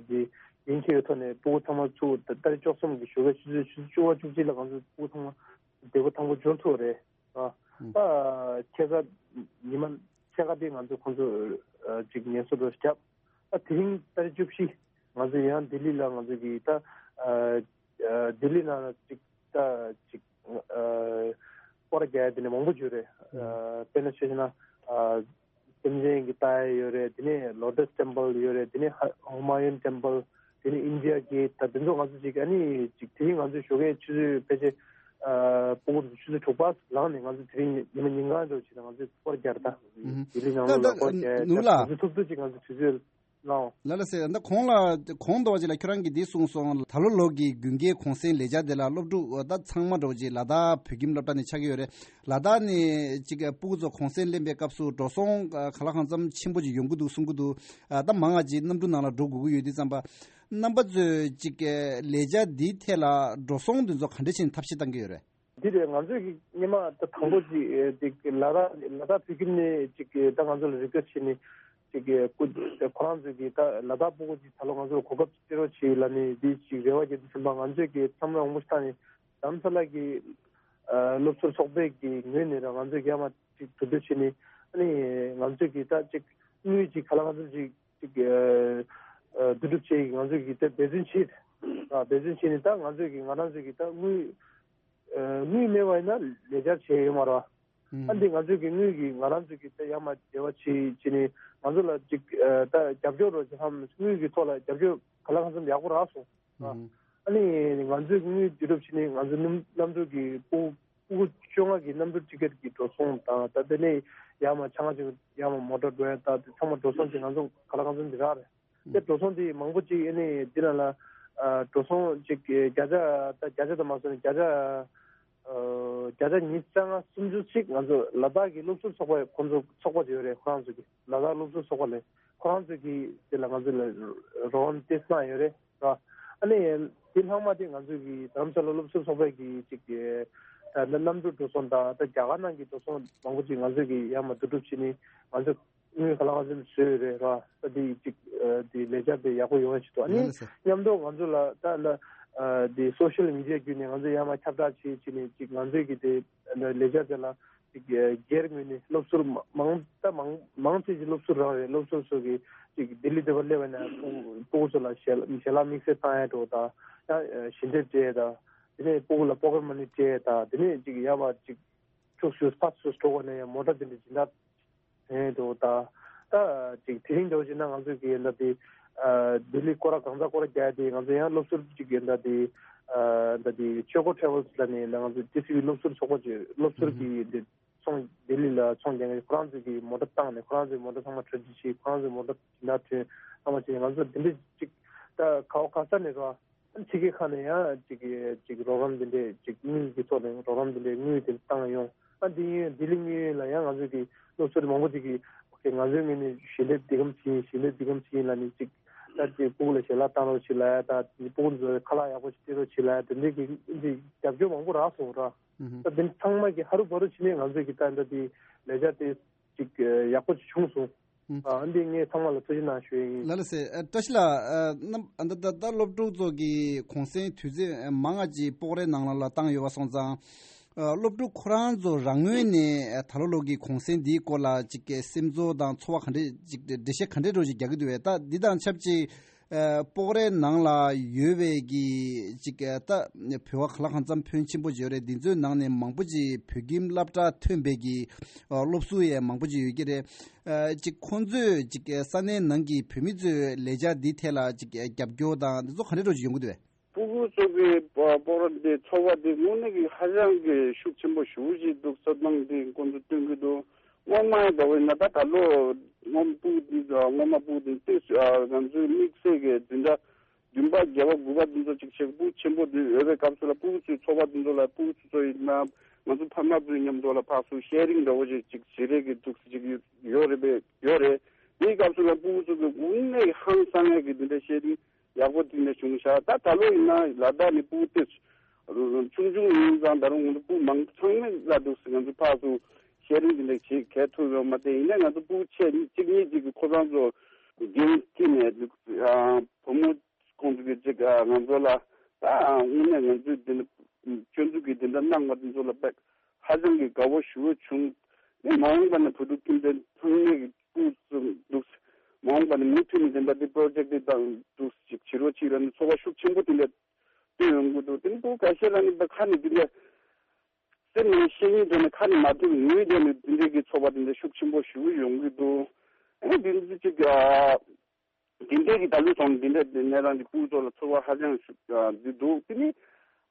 འདི་ཡིན་ཁྱེར་ཐོག་ནས་ཕྲུ་གུ་ཚང་མ་ཚུར་ཏ་རིག་བཅུ་གསུམ་གི་ཞོགས་ཀའི་ཆུ་ཚོད་ཆུ་ཚོད་བཅུ་པ་བཅུ་གཅིག་ལ་ང་ཚོ་ཕྲུ་གུ་ཚང་མ་བདེ་པོ་ཐང་པོ་འབྱོར་ཐུབ་རེད། ཨ། ད་ཁ་སང་ཉི་མ་ཕྱེད་ཀ་དེ་ང་ཚོ་ཁོང་ཚོ་ཅིག་ངལ་གསོ་འགྲོ་བརྒྱབ། ཨ་དེ་རིང་ཏ་རིག་བཅུ་བཞི་ང་ཚོ་ཡང་ལྡི་ལི་ལ་ང་ཚོ་གི་ད་ལྡི་ལི་ནང་ཅིག་ད་ཅིག་སྐོར་རྒྱག་དེ་ནས་མང་པོ་ཡོད་རེད། དཔེར་ན་ཆ་བཞག་ན་སེམས་ཅན་གྱི་ལྟ་ཡ་ཡོད་རེད། དེ་ནས་ལོ་ཊས་ཊེམ་པལ་ཡོད་རེད། དེ་ནས་ཧ་ཧུ་མ་ཡུན་ཊེམ་པལ། དེ་ནས་ཨིན་ཌི་ཡ་གེ་ཊི། ད་དེ་ཚོ་ང་ཚོ་ཅིག་ཨ་ནི་ཅིག་དེ་རིང་ང་ཚོའི་ཞོགས་ཀའི་ཆུ་ཚོད་ཕལ་ཆེར་ཨ་ཕྲུ་གུ་ཆུ་ཚོད་དྲུག་པ་ལངས་ནས་ང་ཚོ་དེ་རིང་ཉི་མ་ཉིན་གང་འགྲོ་བྱས་ན་ང་ཚོས་སྐོར་རྒྱག་རེད་ད། ལྡི་ལི་ནང་ལ་སྐོར་རྒྱག་ནུ་ལ་ང་ཚོ་ཐུབ་ཐུབ་ཅིག་ང་ཚོ་དུས་ཚོད་ལའོ། ལ་ལ་སེ་ད་གོང་ལ་གོང་དུ་བ་ཅིག་ལ་ཁྱོད་རང་གིས་འདི་གསུངས་སོང་། ད་ལོ་ལོ་གི་དགུན་ཁའི་གུང་སེང་ལས་འཆར་དེ་ལ་སློབ་ཕྲུག་ད་ཚང་མ་འགྲོ་ཅིག་ལ་དྭགས་བོད་ཁྱིམ་སློབ་གྲྭ་ནས་ཆགས་ཀྱི་ཡོད་རེད། ལ་དྭགས་ནས་ཅིག་ཕྲུ་གུ་ཚོ་གུང་སེང་ལེན་པའི་སྐབས་སུ་འགྲོ་སོང་ག་ལ་གང་འཚམ་ཆེན་པོ་ཅིག་ཡོང་གི་འདུག་གསུང་གི་འདུག་ད་མང་ང་ཅིག་གནམ་གྲུ་ནང་ལ་འགྲོ་དགོས་ཀྱི་ཡོད་དུས་ཙམ་པ། རྣམ་པ་ཚོས་ཅིག་ལས་འཆར་འདིའི་ཐད་ལ་འགྲོ་སོང་འདི་ཚོ་ག་འདྲ་བྱས་ནས་ཐབས་ཤེས་བཏང་གི་ཡོད་རེད། འདི་རེད། ང་ཚོས་ཀྱི་སྔོན་མ་ད་དང་པོ་ཅིག་ཨེ་ཅིག་ལ་དྭགས་ལ་དྭགས་བོད་ཁྱིམ་ནས་ཅིག་ད་ང་ཚོ་ལ་རི་ཀོ་སི་ཊི་བྱས་ནས་ ཅིག་གི་སྐུ་ཁོ་རང་ཚོས་ཀྱི་ད་ལ་དྭགས་སྤུ་གུ་ཅིག་ད་ལོ་ང་ཚོར་གོ་སྐབས་ཅིག་སྤྲད་རོགས་བྱེད་ལབ་ནས་འདི་ཅིག་རེ་བ་བརྒྱབ་དུས་ཙམ་པ་ང་ཚོས་ཀྱི་ཚང་མ་འོང་པོ་ཞིག་བཏང་ནས་རྡ་རམ་ས་ལ་གི་ཨ་སློབ་ཟུར་ཚོགས་པའི་གི་ངོས་ནས་ར་ང་ཚོས་ཀྱི་ཡར་མར་ཅིག་གྲོས་བསྡུར་བྱས་ནས་ཨ་ནི་ང་ཚོས་ཀྱི་ད་ཅིག་དངུལ་ཅིག་ག་ལ་ང་ཚོ་ཅིག་ཅིག་ཨ་ཨ་བསྡུ་སྒྲུབ་བྱེད་ཀྱི་ང་ཚོས་ཀྱི་ད་འབད་བརྩོན་བྱེད་ཨ་འབད་བརྩོན་བྱས་ནས་ད་ང་ཚོས་ཀྱི་ང་རང་ཚོས་ཀྱི་ད་དངུལ་ཨ་དངུལ་མེད་པ་ཡིན་ན་ལས་འཆར་བྱས་ཡོད་མ་རེད་བ། ཨ་འདི་ང་ཚོས་ཀྱི་དངུལ་གྱི་ང་རང་ཚོས་ཀྱི་ད་ཡར་མར་འབྲེལ་བ་བྱེད་བྱེད་ནས་ང་ཚོ་ལ་ཅིག་ཨ་ད་རྒྱབ་སྐྱོར་རོགས་བྱེད་ཧམ་དངུལ་གྱི་ཐོག་ལ་རྒྱབ་སྐྱོར་ག་ལ་གང་འཚམ་ཡག་པོ་རག་སོང་། ཨ་ནི་ང་ཚོས་དངུལ་བསྡུ་རུབ་བྱས་ནས་ང་ཚོ་གནམ་གནམ་གྲུ་གི་སྤུ་སྤུ་གུ་བཅོ་ལྔ་གི་གནམ་གྲུ་ཊི་ཀེ་ཊི་གི་འགྲོ་སོང་དང་ད་དེ་ནས་ཡར་མར་ཆ་ང་ཅིག་ཡར་མར་མོ་ཊ་འགྲོ་ཡ་ད་དེ་ཚང་མ་འགྲོ་སོང་ཅིག་ང་ཚོ་ག་ལ་གང་འཚམ་ཅིག་རག་རེད། དེ་འགྲོ་སོང་དེ་མང་པོ་ཅིག་ཨ་ནི་འདི་ལ་ལ་ཨ་འགྲོ་སོང་ཅིག་བརྒྱ་ཆ་ད་བརྒྱ་ཆ་དང་མ་སོང་ནས་བརྒྱ་ཆ་ཨ་བརྒྱ་ཆ་ཉི་ཤུ་རྩ་ལྔ་སུམ་ཅུ་ཅིག་ང་ཚོ་ལ་དྭགས་ཀྱི་སློབ་ཟུར་ཚོགས་པ་ཁོང་ཚོ་ཚོགས་པ་ཅིག་ཡོད་རེད། ཁོ་རང་ཚོ་གི་ལ་དྭགས་སློབ་ཟུར་ཚོགས་པ་ལས་ཁོ་རང་ཚོ་གི་དེ་ལ་ང་ཚོ་ལ་རོགས་རམ་ཏོག་ཙམ་ཡོད་རེད་ར། ཨ་ནི་དེ་ལྷག་མ་དེ་ང་ཚོ་གི་རྡ་རམ་ས་ལ་སློབ་ཟུར་ཚོགས་པ་གི་ཅིག་ད་གནམ་གྲུ་འགྲོ་སོང་དང་ད་རྒྱ་གར་ནང་གི་འགྲོ་སོང་མང་པོ་ཅིག་ང་ཚོ་གི་ཡར་མར་བསྡུ་རུབ་བྱས་ནས་ང་ཚོ་དངུལ་ག་ལ་གང་འཚམ་བཟོས་ཡོད་རེད་ར། ད་དེ་ཅིག་ཨ་དེ་ལས་འཆར་དེ་ཡག་པོ་ཡོང་བ་ཞིག་འདུག་ཨ་ནི་ཡིན་ལ་ཟེར། མཉམ་དུ་ང་ཚོ་ལ་ད་ཨ་དེ་སོ་ཤལ་མི་ཌི་ཡ་བརྒྱུད་ནས་ང་ཚོ་ཡར་མར་ཁྱབ་བསྒྲགས་བྱེད་བྱས་ནས་ཅིག་ང་ཚོའི་གི་དེ་ལས་འཆར་དེ་ལ་ཅིག་ཨ་སྒེར་ངོས་ནས་སློབ་ཟུར་མ་མང་ད་མང་མང་ཆེ་ཅིག་སློབ་ཟུར་རང་རེད། སློབ་ཟུར་ཚོ་གི་ཅིག་ལྡི་ལི་དེ་བར་སླེབས་པ་ན་སྤུ་སྤུ་གུ་ཚོ་ལ་ཞལ་ཞལ་ལག་དམིགས་བསལ་བཏང་ཡ་འགྲོ་ད་ཡང་ཞལ་འདེབས་སྤྲད་ད་དེ་ནས་སྤུ་གུ་ལ་པོ་ཀེཊ་མ་ནི་སྤྲད་ད་དེ་ནས་ཅིག་ཡར་མར་ཅིག་ཕྱོགས་བཞི་ཕར་ཚུར་འགྲོ་དགོས་ན་ཡང་མོ་ཊ་དེ་འདྲ་སྦྱིན་བདག་དེ་འགྲོ་ད། ད་ཅིག་དེ་རིང་འགྲོ་བྱས་ན་ང་ཚོས་ཀྱི་ཡིན་ད་དེ་ལྡི་ལི་སྐོར་ར་གང་ཚ་སྐོར་ར་རྒྱག་དེ་ང་ཚོ་ཡང་སློབ་ཟུར་ཅིག་ཡིན་ད་དེ་ད་དེ་ཆོས་སྐོར་ཊེ་ཝལ་ལ་ནས་ང་ཚོ་ཏི་སི་ཝི་སློབ་ཟུར་ཚོགས་པ་ཅིག་སློབ་ཟུར་གྱི་དེ་ཚོང་ལྡི་ལི་ལ་ཚོང་རྒྱག་མཁན་ཁོ་རང་ཚོས་ཀྱི་མོ་ཊ་བཏང་ནས་ཁོ་རང་ཚོའི་མོ་ཊ་ཚང་མ་ཊེ་རེ་ཇི་བྱས་ཁོ་རང་ཚོའི་མོ་ཊ་ད་ཐོན་ཚང་མ་བྱས་ང་ཚོ་དེ་འདྲ་ཅིག་ད་ག་བ་ག་ས་ནས་རོ། ཕྱི་རྒྱལ་ཁག་ནས་ཡང་ཅིག་ཅིག་རོགས་རམ་འདི་འདྲས་ཅིག་དངུལ་གྱི་ཐོག་ནས་རོགས་རམ་འདི་འདྲས་དངུལ་དེ་བཏང་ཡོང་། ཨ་འདི་ཡིན་ལྡི་ལི་དངུལ་ཡིན་ལ་ཡང་ང་ཚོས་ཀྱི་སློབ་ཟུར་མང་པོ་ཅིག་གིས་ཨོ་ཁེ་ང་ཚོའི་ངོས་ནས་ཞལ་འདེབས་འདི་གམ་ཅིག་ཡིན་ཞལ་འདེབས་འདི་གམ་ཅིག་ཡིན་ལ་ནི་ཅིག་ད་ཅིག་སྤུ་གུ་ལ་ཞལ་ལག་བཏང་རོགས་བྱེད་ལ་ཡ་ད་སྤུ་གུ་ཚོའི་ཁ་ལག་ཡག་པོ་ཞིག་སྤྲད་རོགས་བྱེད་ལ་ཡ་དེ་འདྲས་ཀྱི་ཅིག་རྒྱབ་སྐྱོར་མང་པོ་རག་སོང་ར། ད་དེ་ཚང་མ་གི་ཧ་རུ་བ་རུ་བྱས་ནས་ང་ཚོས་ཀྱི་ད་འདི་ལས་འཆར་དེ་ཅིག་ཡག་པོ་ཅིག་བྱུང་སོང་། ཨ་འདི་ངས་ཚང་མ་ལ་ཐུགས་རྗེ་གནང་ཞུ་ཡ་ཡིན། ལགས་ལགས་སེ། ཨ་བཀྲ་ཤིས་ལགས། ཨ་རྣམ་ཨ་ད་ད་ད་སློབ་ཕྲུག་ཚོ་གི་གུང་སེང་དུས་ཚོད་མང་ང་ཅིག་སྤོག་རའི་ནང་ལ་ལ་བཏང་ཡོད་པ་སོང་ཙང་། ཨ་སློབ་ཕྲུག་ཁོ་རང་ཚོ་རང་ངོས་ནས་ཨ་ད་ལོ་ལོ་གི་གུང་སེང་འདིའི་སྐོར་ལ་ཅིག་གི་སེམས་ཚོར་དང་ཚོར་བ་ག་འདྲས་ཅིག་འགྲེལ་བཤད་ག་འདྲས་འདྲ་ཅིག་རྒྱག་གི་འདུག་བས། ད་འདི་དང་ཆབས་ཅིག་ཨ་སྤོག་རའི་ནང་ལ་ཡོད་པའི་གི་ཅིག་ཨ་ད་བོད་པ་ག་ལ་གང་འཚམ་ཕོན་ཆེན་པོ་ཅིག་ཡོད་རེད། འདི་ཚོའི་ནང་ནས་མང་པོ་ཅིག་བོད་ཁྱིམ་སློབ་གྲྭ་ཐོན་པའི་གི་ཨ་སློབ་ཟུར་ཡང་མང་པོ་ཅིག་ཡོད་ཀྱི་རེད། ཨ་ཅིག་ཁོང་ཚོས་ཅིག་ས་གནས་ནང་གི་བོད་མི་ཚོའི་ལས་འཆར་འདི་ཐད་ལ་ཅིག་རྒྱབ་སྐྱོར་དང་འདི་ཚོ་ག་འདྲ་འདྲ་ཅིག་ཡོང་གི་འདུག་བས། སྤུ་གུ་ཚོ་གི་སྤོག་ར་འདི་ཚོགས་པ་འདི་དངོས་གནས་ཀྱི་ཧ་ཅང་གི་ཤུགས་ཆེན་པོ་ཞེ་པོ་ཅིག་འདུག་ས་སྟངས་འདི་ཁོང་ཚོ་སྟོན་གྱི་འདུག་སྔོན་མ་འདྲ་བོ་ཡིན་ན་ད་ད་ལོ་སྔོན་སྤུ་གུ་འདི་སྔོན་མ་སྤུ་གུ་འདི་ཏོག་ཙམ་ང་ཚོའི་དམིགས་བསལ་གྱི་འཛིན་གྲྭ་བདུན་པ་བརྒྱད་པ་དགུ་པ་འདི་ཚོ་ཅིག་བྱེད་སྤུ་གུ་ཆེན་པོ་འདི་ཡོད་པའི་སྐབས་སུ་ལ་སྤུ་གུ་ཚོའི་ཚོགས་པ་འདི་ཚོ་ལ་སྤུ་གུ་ཚོ་ཚོ་ཡིན་ན་ང་ཚོ་ཕ་མ་ཚོའི་མཉམ་དུ་ལ་ཕར་ཚུར་ཤེར་རིང་འདྲ་བོ་ཅིག་ཅིག་བྱེད་རེས་ཀྱི་འདུག་ཅིག་ཡོད་རེད་པས་ཡོད་རེད། དེའི་སྐབས་སུ་ལ་སྤུ་གུ་ཚོ་གི་དངོས་གནས་ཧང་སང་ཡས་ཀྱི་འདི་འདྲ་ཤེར་རིང་ཡག་པོ་འདི་འདྲ་བྱུང་ཤག་ད་ད་ལོ་ཡིན་ན་ལ་དྭགས་ནས་སྤུ་གུ་དེ་ཆུང་ཆུང་ཡིན་ཙང་ད་རུང་ང་ཚོ་སྤུ་གུ་མང་ཚང་མས་ལ་འདུག་ཟེར་ང་ཚོ་ཕར་ཚུར་ཤེར་རིང་འདི་འདྲ་བྱེད་གལ་ཐུག་ཡོད་མ་རེད། ཡིན་ནའི་ང་ཚོ་སྤུ་གུ་ཆེ་གཅིག་གཉིས་ཅིག་གིས་ཁོ་རང་ཚོ་འགན་འཁྱེར་ནས་བུ་མོ་ཁོང་ཚོ་གི་ཅིག་ང་ཚོ་ལ་ད་དངོས་གནས་ང་ཚོས་འདི་འདྲ་ཁྱོད་ཚོ་གིས་འདི་འདྲ་གནང་བ་འདི་ཚོ་ལ་དཔེ་ཧ་ཅང་གི་དགའ་བོ་ཞེ་པོ་བྱུང་། ནས་མ་འོངས་པ་ན་བོད་ཕྲུག་ཁྱིམ་སྡེ་ཚང་མས་ཀྱི་སྤུ་གུ་ཚོ་འདུག་མ་འོངས་པ་ནས་མུ་མཐུད་ནས་དེ་འདྲ་དེ་པྲོ་ཇེཀ་དེ་དང་འདུག་ཅིག་བྱེད་རོགས་གྱིས་ལབ་ནས་ཚོར་བ་ཤུགས་ཆེན་པོ་དེ་འདྲ་སྟོན་ཡོང་གི་འདུག་དེ་ནི་སྤུ་གུ་ཁ་ཤས་ལ་ནི་ད་ཁ་ནས་དེ་འདྲ་སེམས་ནས་བཤད་སྙིང་འདོད་ནས་ཁ་ནས་མ་ཐོས་ངུས་བསྡད་ནས་དེ་འདྲའི་གི་ཚོར་བ་དེ་འདྲ་ཤུགས་ཆེན་པོ་ཞེ་པོ་ཡོང་གི་འདུག་ཨ་ནི་དེ་ཚོ་ཅིག་ཨ། དེ་འདྲའི་གི་ད་ལོའི་ཐོག་ནས་དེ་འདྲའི་དེ་ནས་རང་གི་སྤུ་གུ་ཚོ་ལ་ཚོར་བ་ཧ་ཅང་ཤུགས་ཨ་འདི་འདུག་དེ་ནི་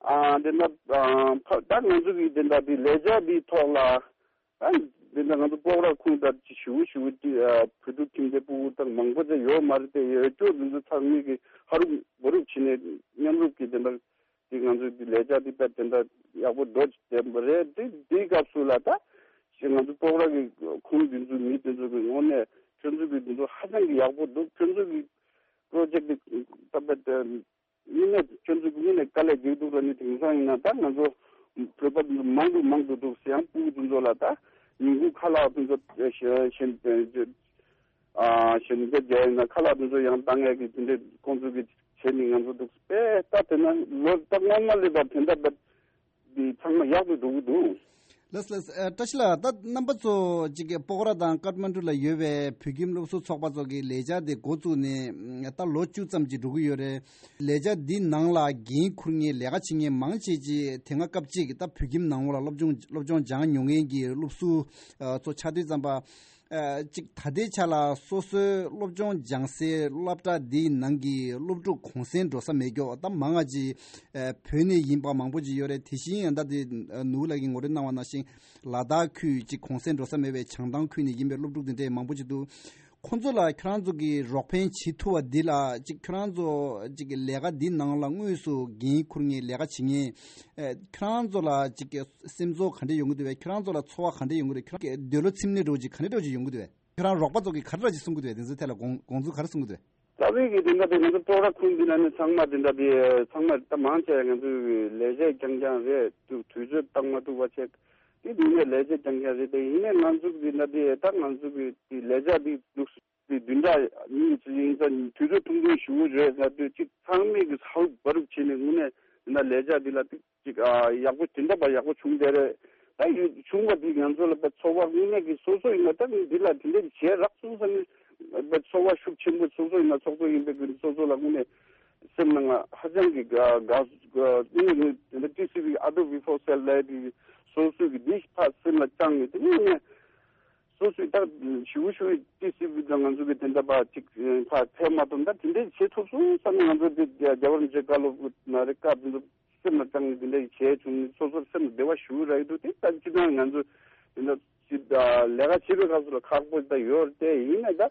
ཨ་དེ་འདྲ་ཨ་ད་ང་ཚོ་གི་དེ་འདྲ་དེ་ལས་འཆར་འདིའི་ཐོག་ལ་ཨ་དེ་འདྲ་ང་ཚོ་སྤོག་ར་ཁུངས་དང་ཅིག་ཞུ་ཞུ་དེ་ཨ་བོད་ཕྲུག་ཁྱིམ་སྡེ་སྤུ་གུ་དང་མང་པོ་ཅིག་ཡོད་མ་རེད་དེ་ཡོད་སྐྱོ་འདི་ཚོ་ཚང་མས་གི་ཧ་རུབ་བ་རུབ་བྱས་ནས་མཉམ་རུབ་ཀྱི་དེ་འདྲ། དེ་ང་ཚོའི་འདི་ལས་འཆར་འདི་དཔེ་དེ་འདྲ་ཡག་པོ་འགྲོ་བསྡད་པ་རེད། དེ་དེའི་སྐབས་སུ་ལ་ད་ང་ཚོ་སྤོག་ར་གི་ཁུངས་འདི་ཚོའི་མི་དེ་ཚོ་གི་ངོས་ནས་ཁྱོད་ཚོ་གི་འདི་ཚོ་ཧ་ཅང་གི་ཡག་པོ་འདུག་ཁྱོད་ཚོ་གི་པྲོ་ཇེཀ་འདི་ད་དཔེ་དེ་ཡིན་ནས་ཁྱོད་ཚོ་གི་ངོས་ནས་དཀའ་ལས་རྒྱག་འདུག་ལ་ནི་དེང་སང་ཡིན་ན་ད་ང་ཚོ་བོད་པ་འདི་ཚོ་མང་དུ་མང་དུ་འདུག་ཟེར་ཡང་སྤུ་གུ་འདི་ཚོ་ལ་ད་ཉིན་གུང་ཁ་ལག་འདི་ཚོ་གཞན། ཨ་གཞོན་སྐྱེས་རྒྱ་ཡིན་ན་ཁ་ལག་དེ་ཚོ་ཡང་བཏང་ཡས་ཀྱི་དེ་འདྲའི་ཁོང་ཚོ་གི་བྱས་ནས་ང་ཚོ་འདུག་པས། ད་དེ་ན་ལོ་ད་སྔོན་མ་ལས་ད་དེ་འདྲ་ད་འདི་ཚང་མ་ཡག་ཏུ་འགྲོ་གི་འདུག་ལགས་ལགས། ཨ་བཀྲ་ཤིས་ལགས། ད་རྣམ་པ་ཚོ་གཅིག་གི་སྤོག་ར་དང་ཀཏ་མན་ཌུ་ལ་ཡོད་པའི་བོད་ཁྱིམ་སློབ་ཟུར་ཚོགས་པ་ཚོ་གི་ལས་འཆར་དེ་འགོ་བཙུགས་ནས་ད་ལོ་བཅུ་ཙམ་ཅིག་འགྲོ་གི་ཡོད་རེད། ལས་འཆར་འདི་ནང་ལ་འགན་འཁུར་མཁན་ལས་ཀ་བྱེད་མཁན་མང་ཆེ་ཅིག་དེ་སྔ་སྐབས་གཅིག་ད་བོད་ཁྱིམ་ནང་ལོགས་ལ་སློབ་སྦྱོང་སློབ་སྦྱོང་སྦྱང་མྱོང་མཁན་གྱི་སློབ་ཟུར་ཚོ་ཆགས་དུས་ཙམ་པ། ཨ་གཅིག་ད་ལྟའི་ཆ་ལ་སོ་སོའི་སློབ་སྦྱོང་སྦྱང་སའི་སློབ་གྲྭ་འདིའི་ནང་གི་སློབ་ཕྲུག་གུང་སེང་འགྲོ་ས་མེད་ཀྱོག་ད་མང་ང་ཅིག་ཨ་བོད་ནས་ཡིན་པ་མང་པོ་ཅིག་ཡོད་རེད། དེ་བཞིན་ཡང་ད་དེ་ཨ་ནུ་ལགས་ཀྱིས་ངོ་སྤྲོད་གནང་བ་ནང་བཞིན་ལ་དྭགས་ཁུལ་ཅིག་གུང་སེང་འགྲོ་ས་མེད་པའི་བྱང་ཐང་ཁུལ་ནས་ཡིན་པའི་སློབ་ཕྲུག་དེ་འདྲས་མང་པོ་ཅིག་འདུག་ཁོང་ཚོ་ལ་ཁྱོད་རང་ཚོ་གིས་རོགས་ཕན་བྱེད་ཐུབ་པ་འདི་ལ་ཅིག་ཁྱོད་རང་ཚོ་ཅིག་ལས་ཀ་འདི་ནང་ལ་དངོས་སུ་འགན་འཁུར་མཁན་ལས་ཀ་བྱེད་མཁན་ཨ་ཁྱོད་རང་ཚོ་ལ་ཅིག་སེམས་ཚོར་ག་འདྲས་ཡོང་གི་འདུག་བས། ཁྱོད་རང་ཚོ་ལ་ཚོར་བ་ག་འདྲས་ཡོང་གི་རེད། ཁྱོད་རང་འདོད་བློ་ཚིམ་ནས་འགྲོ་ཅིག་ག་འདྲས་འགྲོ་ཅིག་ཡོང་གི་འདུག་བས། ཁྱོད་རང་རོགས་པ་ཚོ་གིས་ག་རེ་འདྲ་ཅིག་གསུང་གི་འདུག་བས། དེ་ཚོའི་ཐད་ལ་དགོངས་དགོངས་ཚུལ་ག་རེ་གསུང་གི་འདུག་བས། རྩ་བའི་གི་དེ་འདྲ་དེ་ང་ཚོ་སྤོག་ར་ཁུལ་འདི་ན་ནི་ཚང་མ་དེ་འདྲ་དེ་ཚང་མ་ད་མང་ཆེ་ང་ཚོའི་ལས་བྱེད་རྐྱང་རྐྱང་རེད་འདུག་དུས་ཚོད་བཏང་མ་ཐུབ་པ་བྱས། དེ་དུས་ནས་ལས་བྱེད་རྐྱང་རྐྱང་རེད་དེ། ཡིན་ནའི་ང་ཚོ་དེ་འདྲ་དེ་ད་ང་ཚོ་གི་དེ་ལས་བྱ་དེ་འདུག་དེ་བདུན་ཕྲག་གཉིས་ཙམ་ཡིན་ཙང་དུས་ཚོད་ཐུང་ཐུང་ཞུ་གི་རེད་ཟེར་དུས་གཅིག་ཚང་མས་གི་ཧ་རུབ་བྱས་ནས་དངོས་གནས་དེ་འདྲ་ལས་བྱ་དེ་ལ་ཏིག་ཅིག་ཨ་ཡག་པོ་དེ་འདྲ་བ་ཡག་པོ་བྱུང་བསྡད་རེད། ད་ཡོད་བྱུང་བ་འདི་ང་ཚོ་ལ་ད་ཚོར་བ་དངོས་གནས་ཀྱི་སོ་སོ་ཡིན་ན་ད་འདི་ལ་དེ་འདྲ་བྱས་རག་སོང་བསམ་ནས་ཚོར་བ་ཤུགས་ཆེན་པོ། སོ་སོ་ཡིན་ན་ཚོགས་གཙོ་ཡིན་པའི་སོ་སོ་ལ་དངོས་གནས་སེམས་ནང་ལ་ཧ་ཅང་གི་དགའ་དགའ་དངོས་གནས་དེ་འདྲ་ཊི་སི་ཝི་ཨ་ཏོ་བི་ཕོར་སེལ་ལབ་དེ་སོ་སོ་གི་འདི་ཕར་སེམས་ལ་བཅངས་ནས་དེ་དངོས་གནས་སོ་སོའི་ད་ཞུ་ཞུ་ཊི་སི་ཝི་དང་ང་ཚོ་གི་དེ་འདྲ་བ་ཅིག་ཕར་ཕེབས་མ་ཐུབ་ན་ད་དེ་འདྲ་བྱེད་ཐུབ་སོང་བསམ་ནས་ང་ཚོ་དེ་རྒྱལ་བ་རིན་པོ་ཆེ་བཀའ་སློབ་ན་རེ་བཀའ་དེ་ཚོ་སེམས་ལ་བཅངས་ནས་དེ་འདྲ་ཞིག་བྱས་བྱུང་ནས་སོ་སོར་སེམས་ལ་བདེ་བ་ཞུ་གི་རག་གི་འདུག་དེ་ལྟར་སྤྱིར་བཏང་ང་ཚོ་དེ་འདྲ་ཅིག་ལས་ཀ་བྱེད་པའི་སྐབས་སུ་ལ་ཁག་པོ་ད་ཡོད་རེད་དེ། ཡིན་ནའི་ད་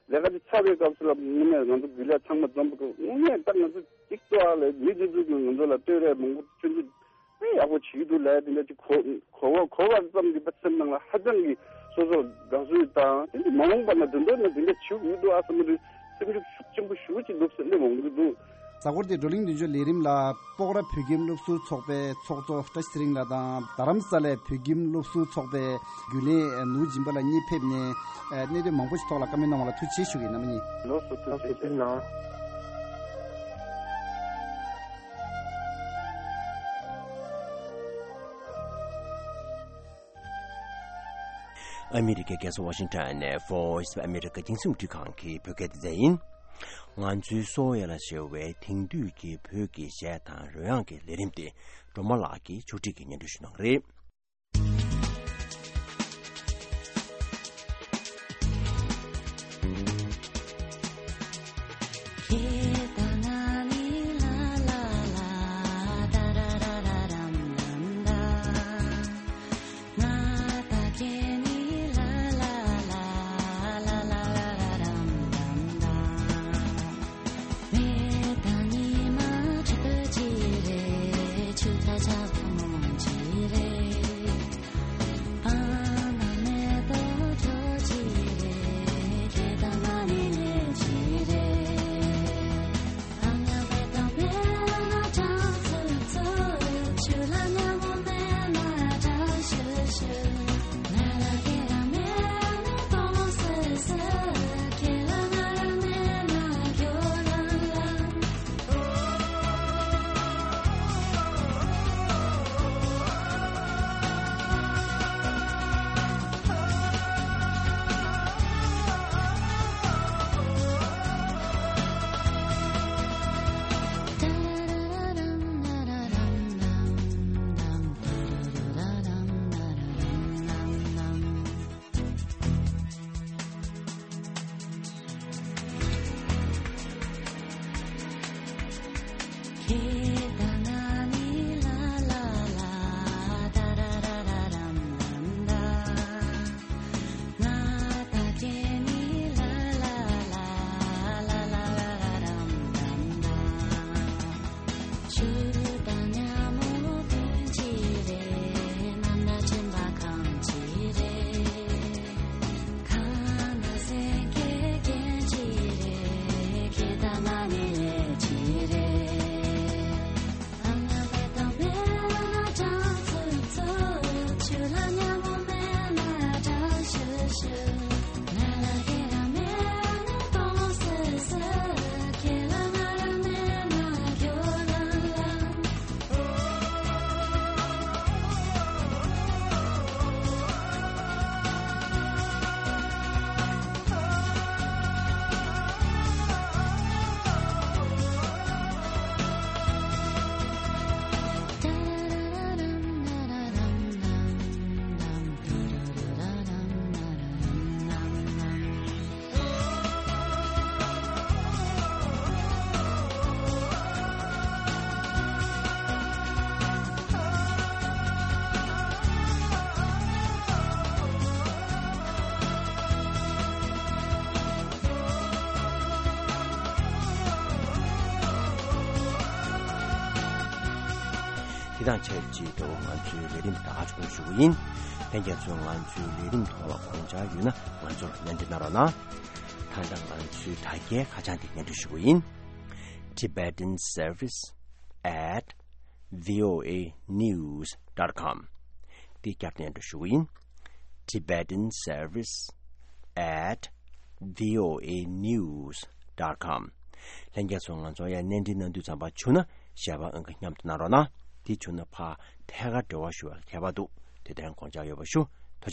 ལས་ཀ་དེ་ཚར་བའི་སྐབས་སུ་ལ་དངོས་གནས་ང་ཚོ་རྒྱུན་ལས་ཚང་མ་འཛོམས་པའི་སྐབས་དངོས་གནས་ད་ང་ཚོ་གཅིག་ཏུ་ཨ་ལས་མི་དེ་ཚོ་གིས་ང་ཚོ་ལ་བསྟོད་ར་མང་པོ་ཁྱོད་ཚོ་དཔེ་ཡག་པོ་བྱེད་ཀྱི་འདུག་ལབ་དེ་འདྲ་ཅིག་གོ་གོ་བ་གོ་བ་ཙམ་གྱིས་པ་སེམས་ནང་ལ་ཧ་ཅང་གི་སོ་སོར་དགའ་བསུ་དང་དེ་འདྲ་མ་འོངས་པ་ན་དོན་དག་ན་དེ་འདྲ་བྱེད་ཀྱི་འདུག་ཨ་བསམ་པ་རེད། སེམས་ཤུགས་ཤུགས་ཆེན་པོ་ཞེ་པོ་ཅིག་འདུག་སེམས་ནས་འོང་གི་འདུག་གཟའ་འཁོར་དེ་བགྲོ་གླེང་མདུན་སྐྱོད་ལས་རིམ་ལ་སྤོག་ར་བོད་ཁྱིམ་སློབ་ཟུར་ཚོགས་པའི་ཚོགས་གཙོ་བཀྲ་ཤིས་ཚེ་རིང་ལགས་དང་རྡ་རམ་ས་ལའི་བོད་ཁྱིམ་སློབ་ཟུར་ཚོགས་པའི་རྒྱུན་ལས་ནུ་སྦྱིན་པ་ལགས་གཉིས་ཕེབས་ནས་གནད་དོན་མང་པོ་ཞིག་ཐོག་ལ་བཀའ་མོལ་གནང་བ་ལ་ཐུགས་རྗེ་ཆེ་ཞུ་གི་ཡིན། རྣམ་པ་གཉིས། ལགས་སོ། ཐུགས་རྗེ་ཆེ། ཐུགས་རྗེ་གནང་། ཨ་མི་རི་ཀའི་རྒྱལ་ས་ཝ་ཤིང་ཊོན་ནས་Voice of America རྒྱང་སྲིང་རླུང་འཕྲིན་ཁང་གི་བོད་སྐད་སྡེ་ཚན་ཡིན། ང་ཚོའི་གསོ་བ་ཡ་ལ་ཞེས་པའི་དེང་དུས་ཀྱི་བོད་ཀྱི་གཞས་དང་རོལ་དབྱངས་ཀྱི་ལས་རིམ་དེ་སྒྲོལ་མ་ལགས་ཀྱིས་ཕྱོགས་སྒྲིག་གིས་སྙན་སྒྲོན་ཞུ་གནང་གི་རེད། དང་ཆབས་ཅིག་འབྲེལ་བ་ང་ཚོའི་ལས་རིམ་ད་ག་ཆུང་ཞུ་གི་ཡིན། ལྷན་རྒྱས་ཚོས་ང་ཚོའི་ལས་རིམ་ཐོག་ལ་དགོངས་འཆར་ཡོད་ན་ང་ཚོར་སྙན་འབུལ་གནང་རོགས་གནང་། ད་ལྟ་ང་ཚོའི་དྲ་རྒྱའི་ཁ་བྱང་དེ་སྙན་སྒྲོན་ཞུ་གི་ཡིན། Tibetan Service at voanews.com། དེ་བསྐྱར་དུ་སྙན་སྒྲོན་ཞུ་གི་ཡིན། Tibetan Service at voanews.com། ལྷན་རྒྱས་ཚོ་ང་ཚོ་ཡང་གནས་འདྲི་གནང་འདོད་ཙམ་པ་བྱུང་ན་ཞལ་པར་ཨང་ཀི་མཉམ་དུ་གནང་རོགས་གནང་། དེ་བྱུང་ན་ཕར་ཐད་ཀར་འབྲེལ་བ་ཞུ་བ་ལ་ཁྱད་པར་འདུག་དེ་དོན་དགོངས་འཇགས་ཡོད་པ་ཞུ།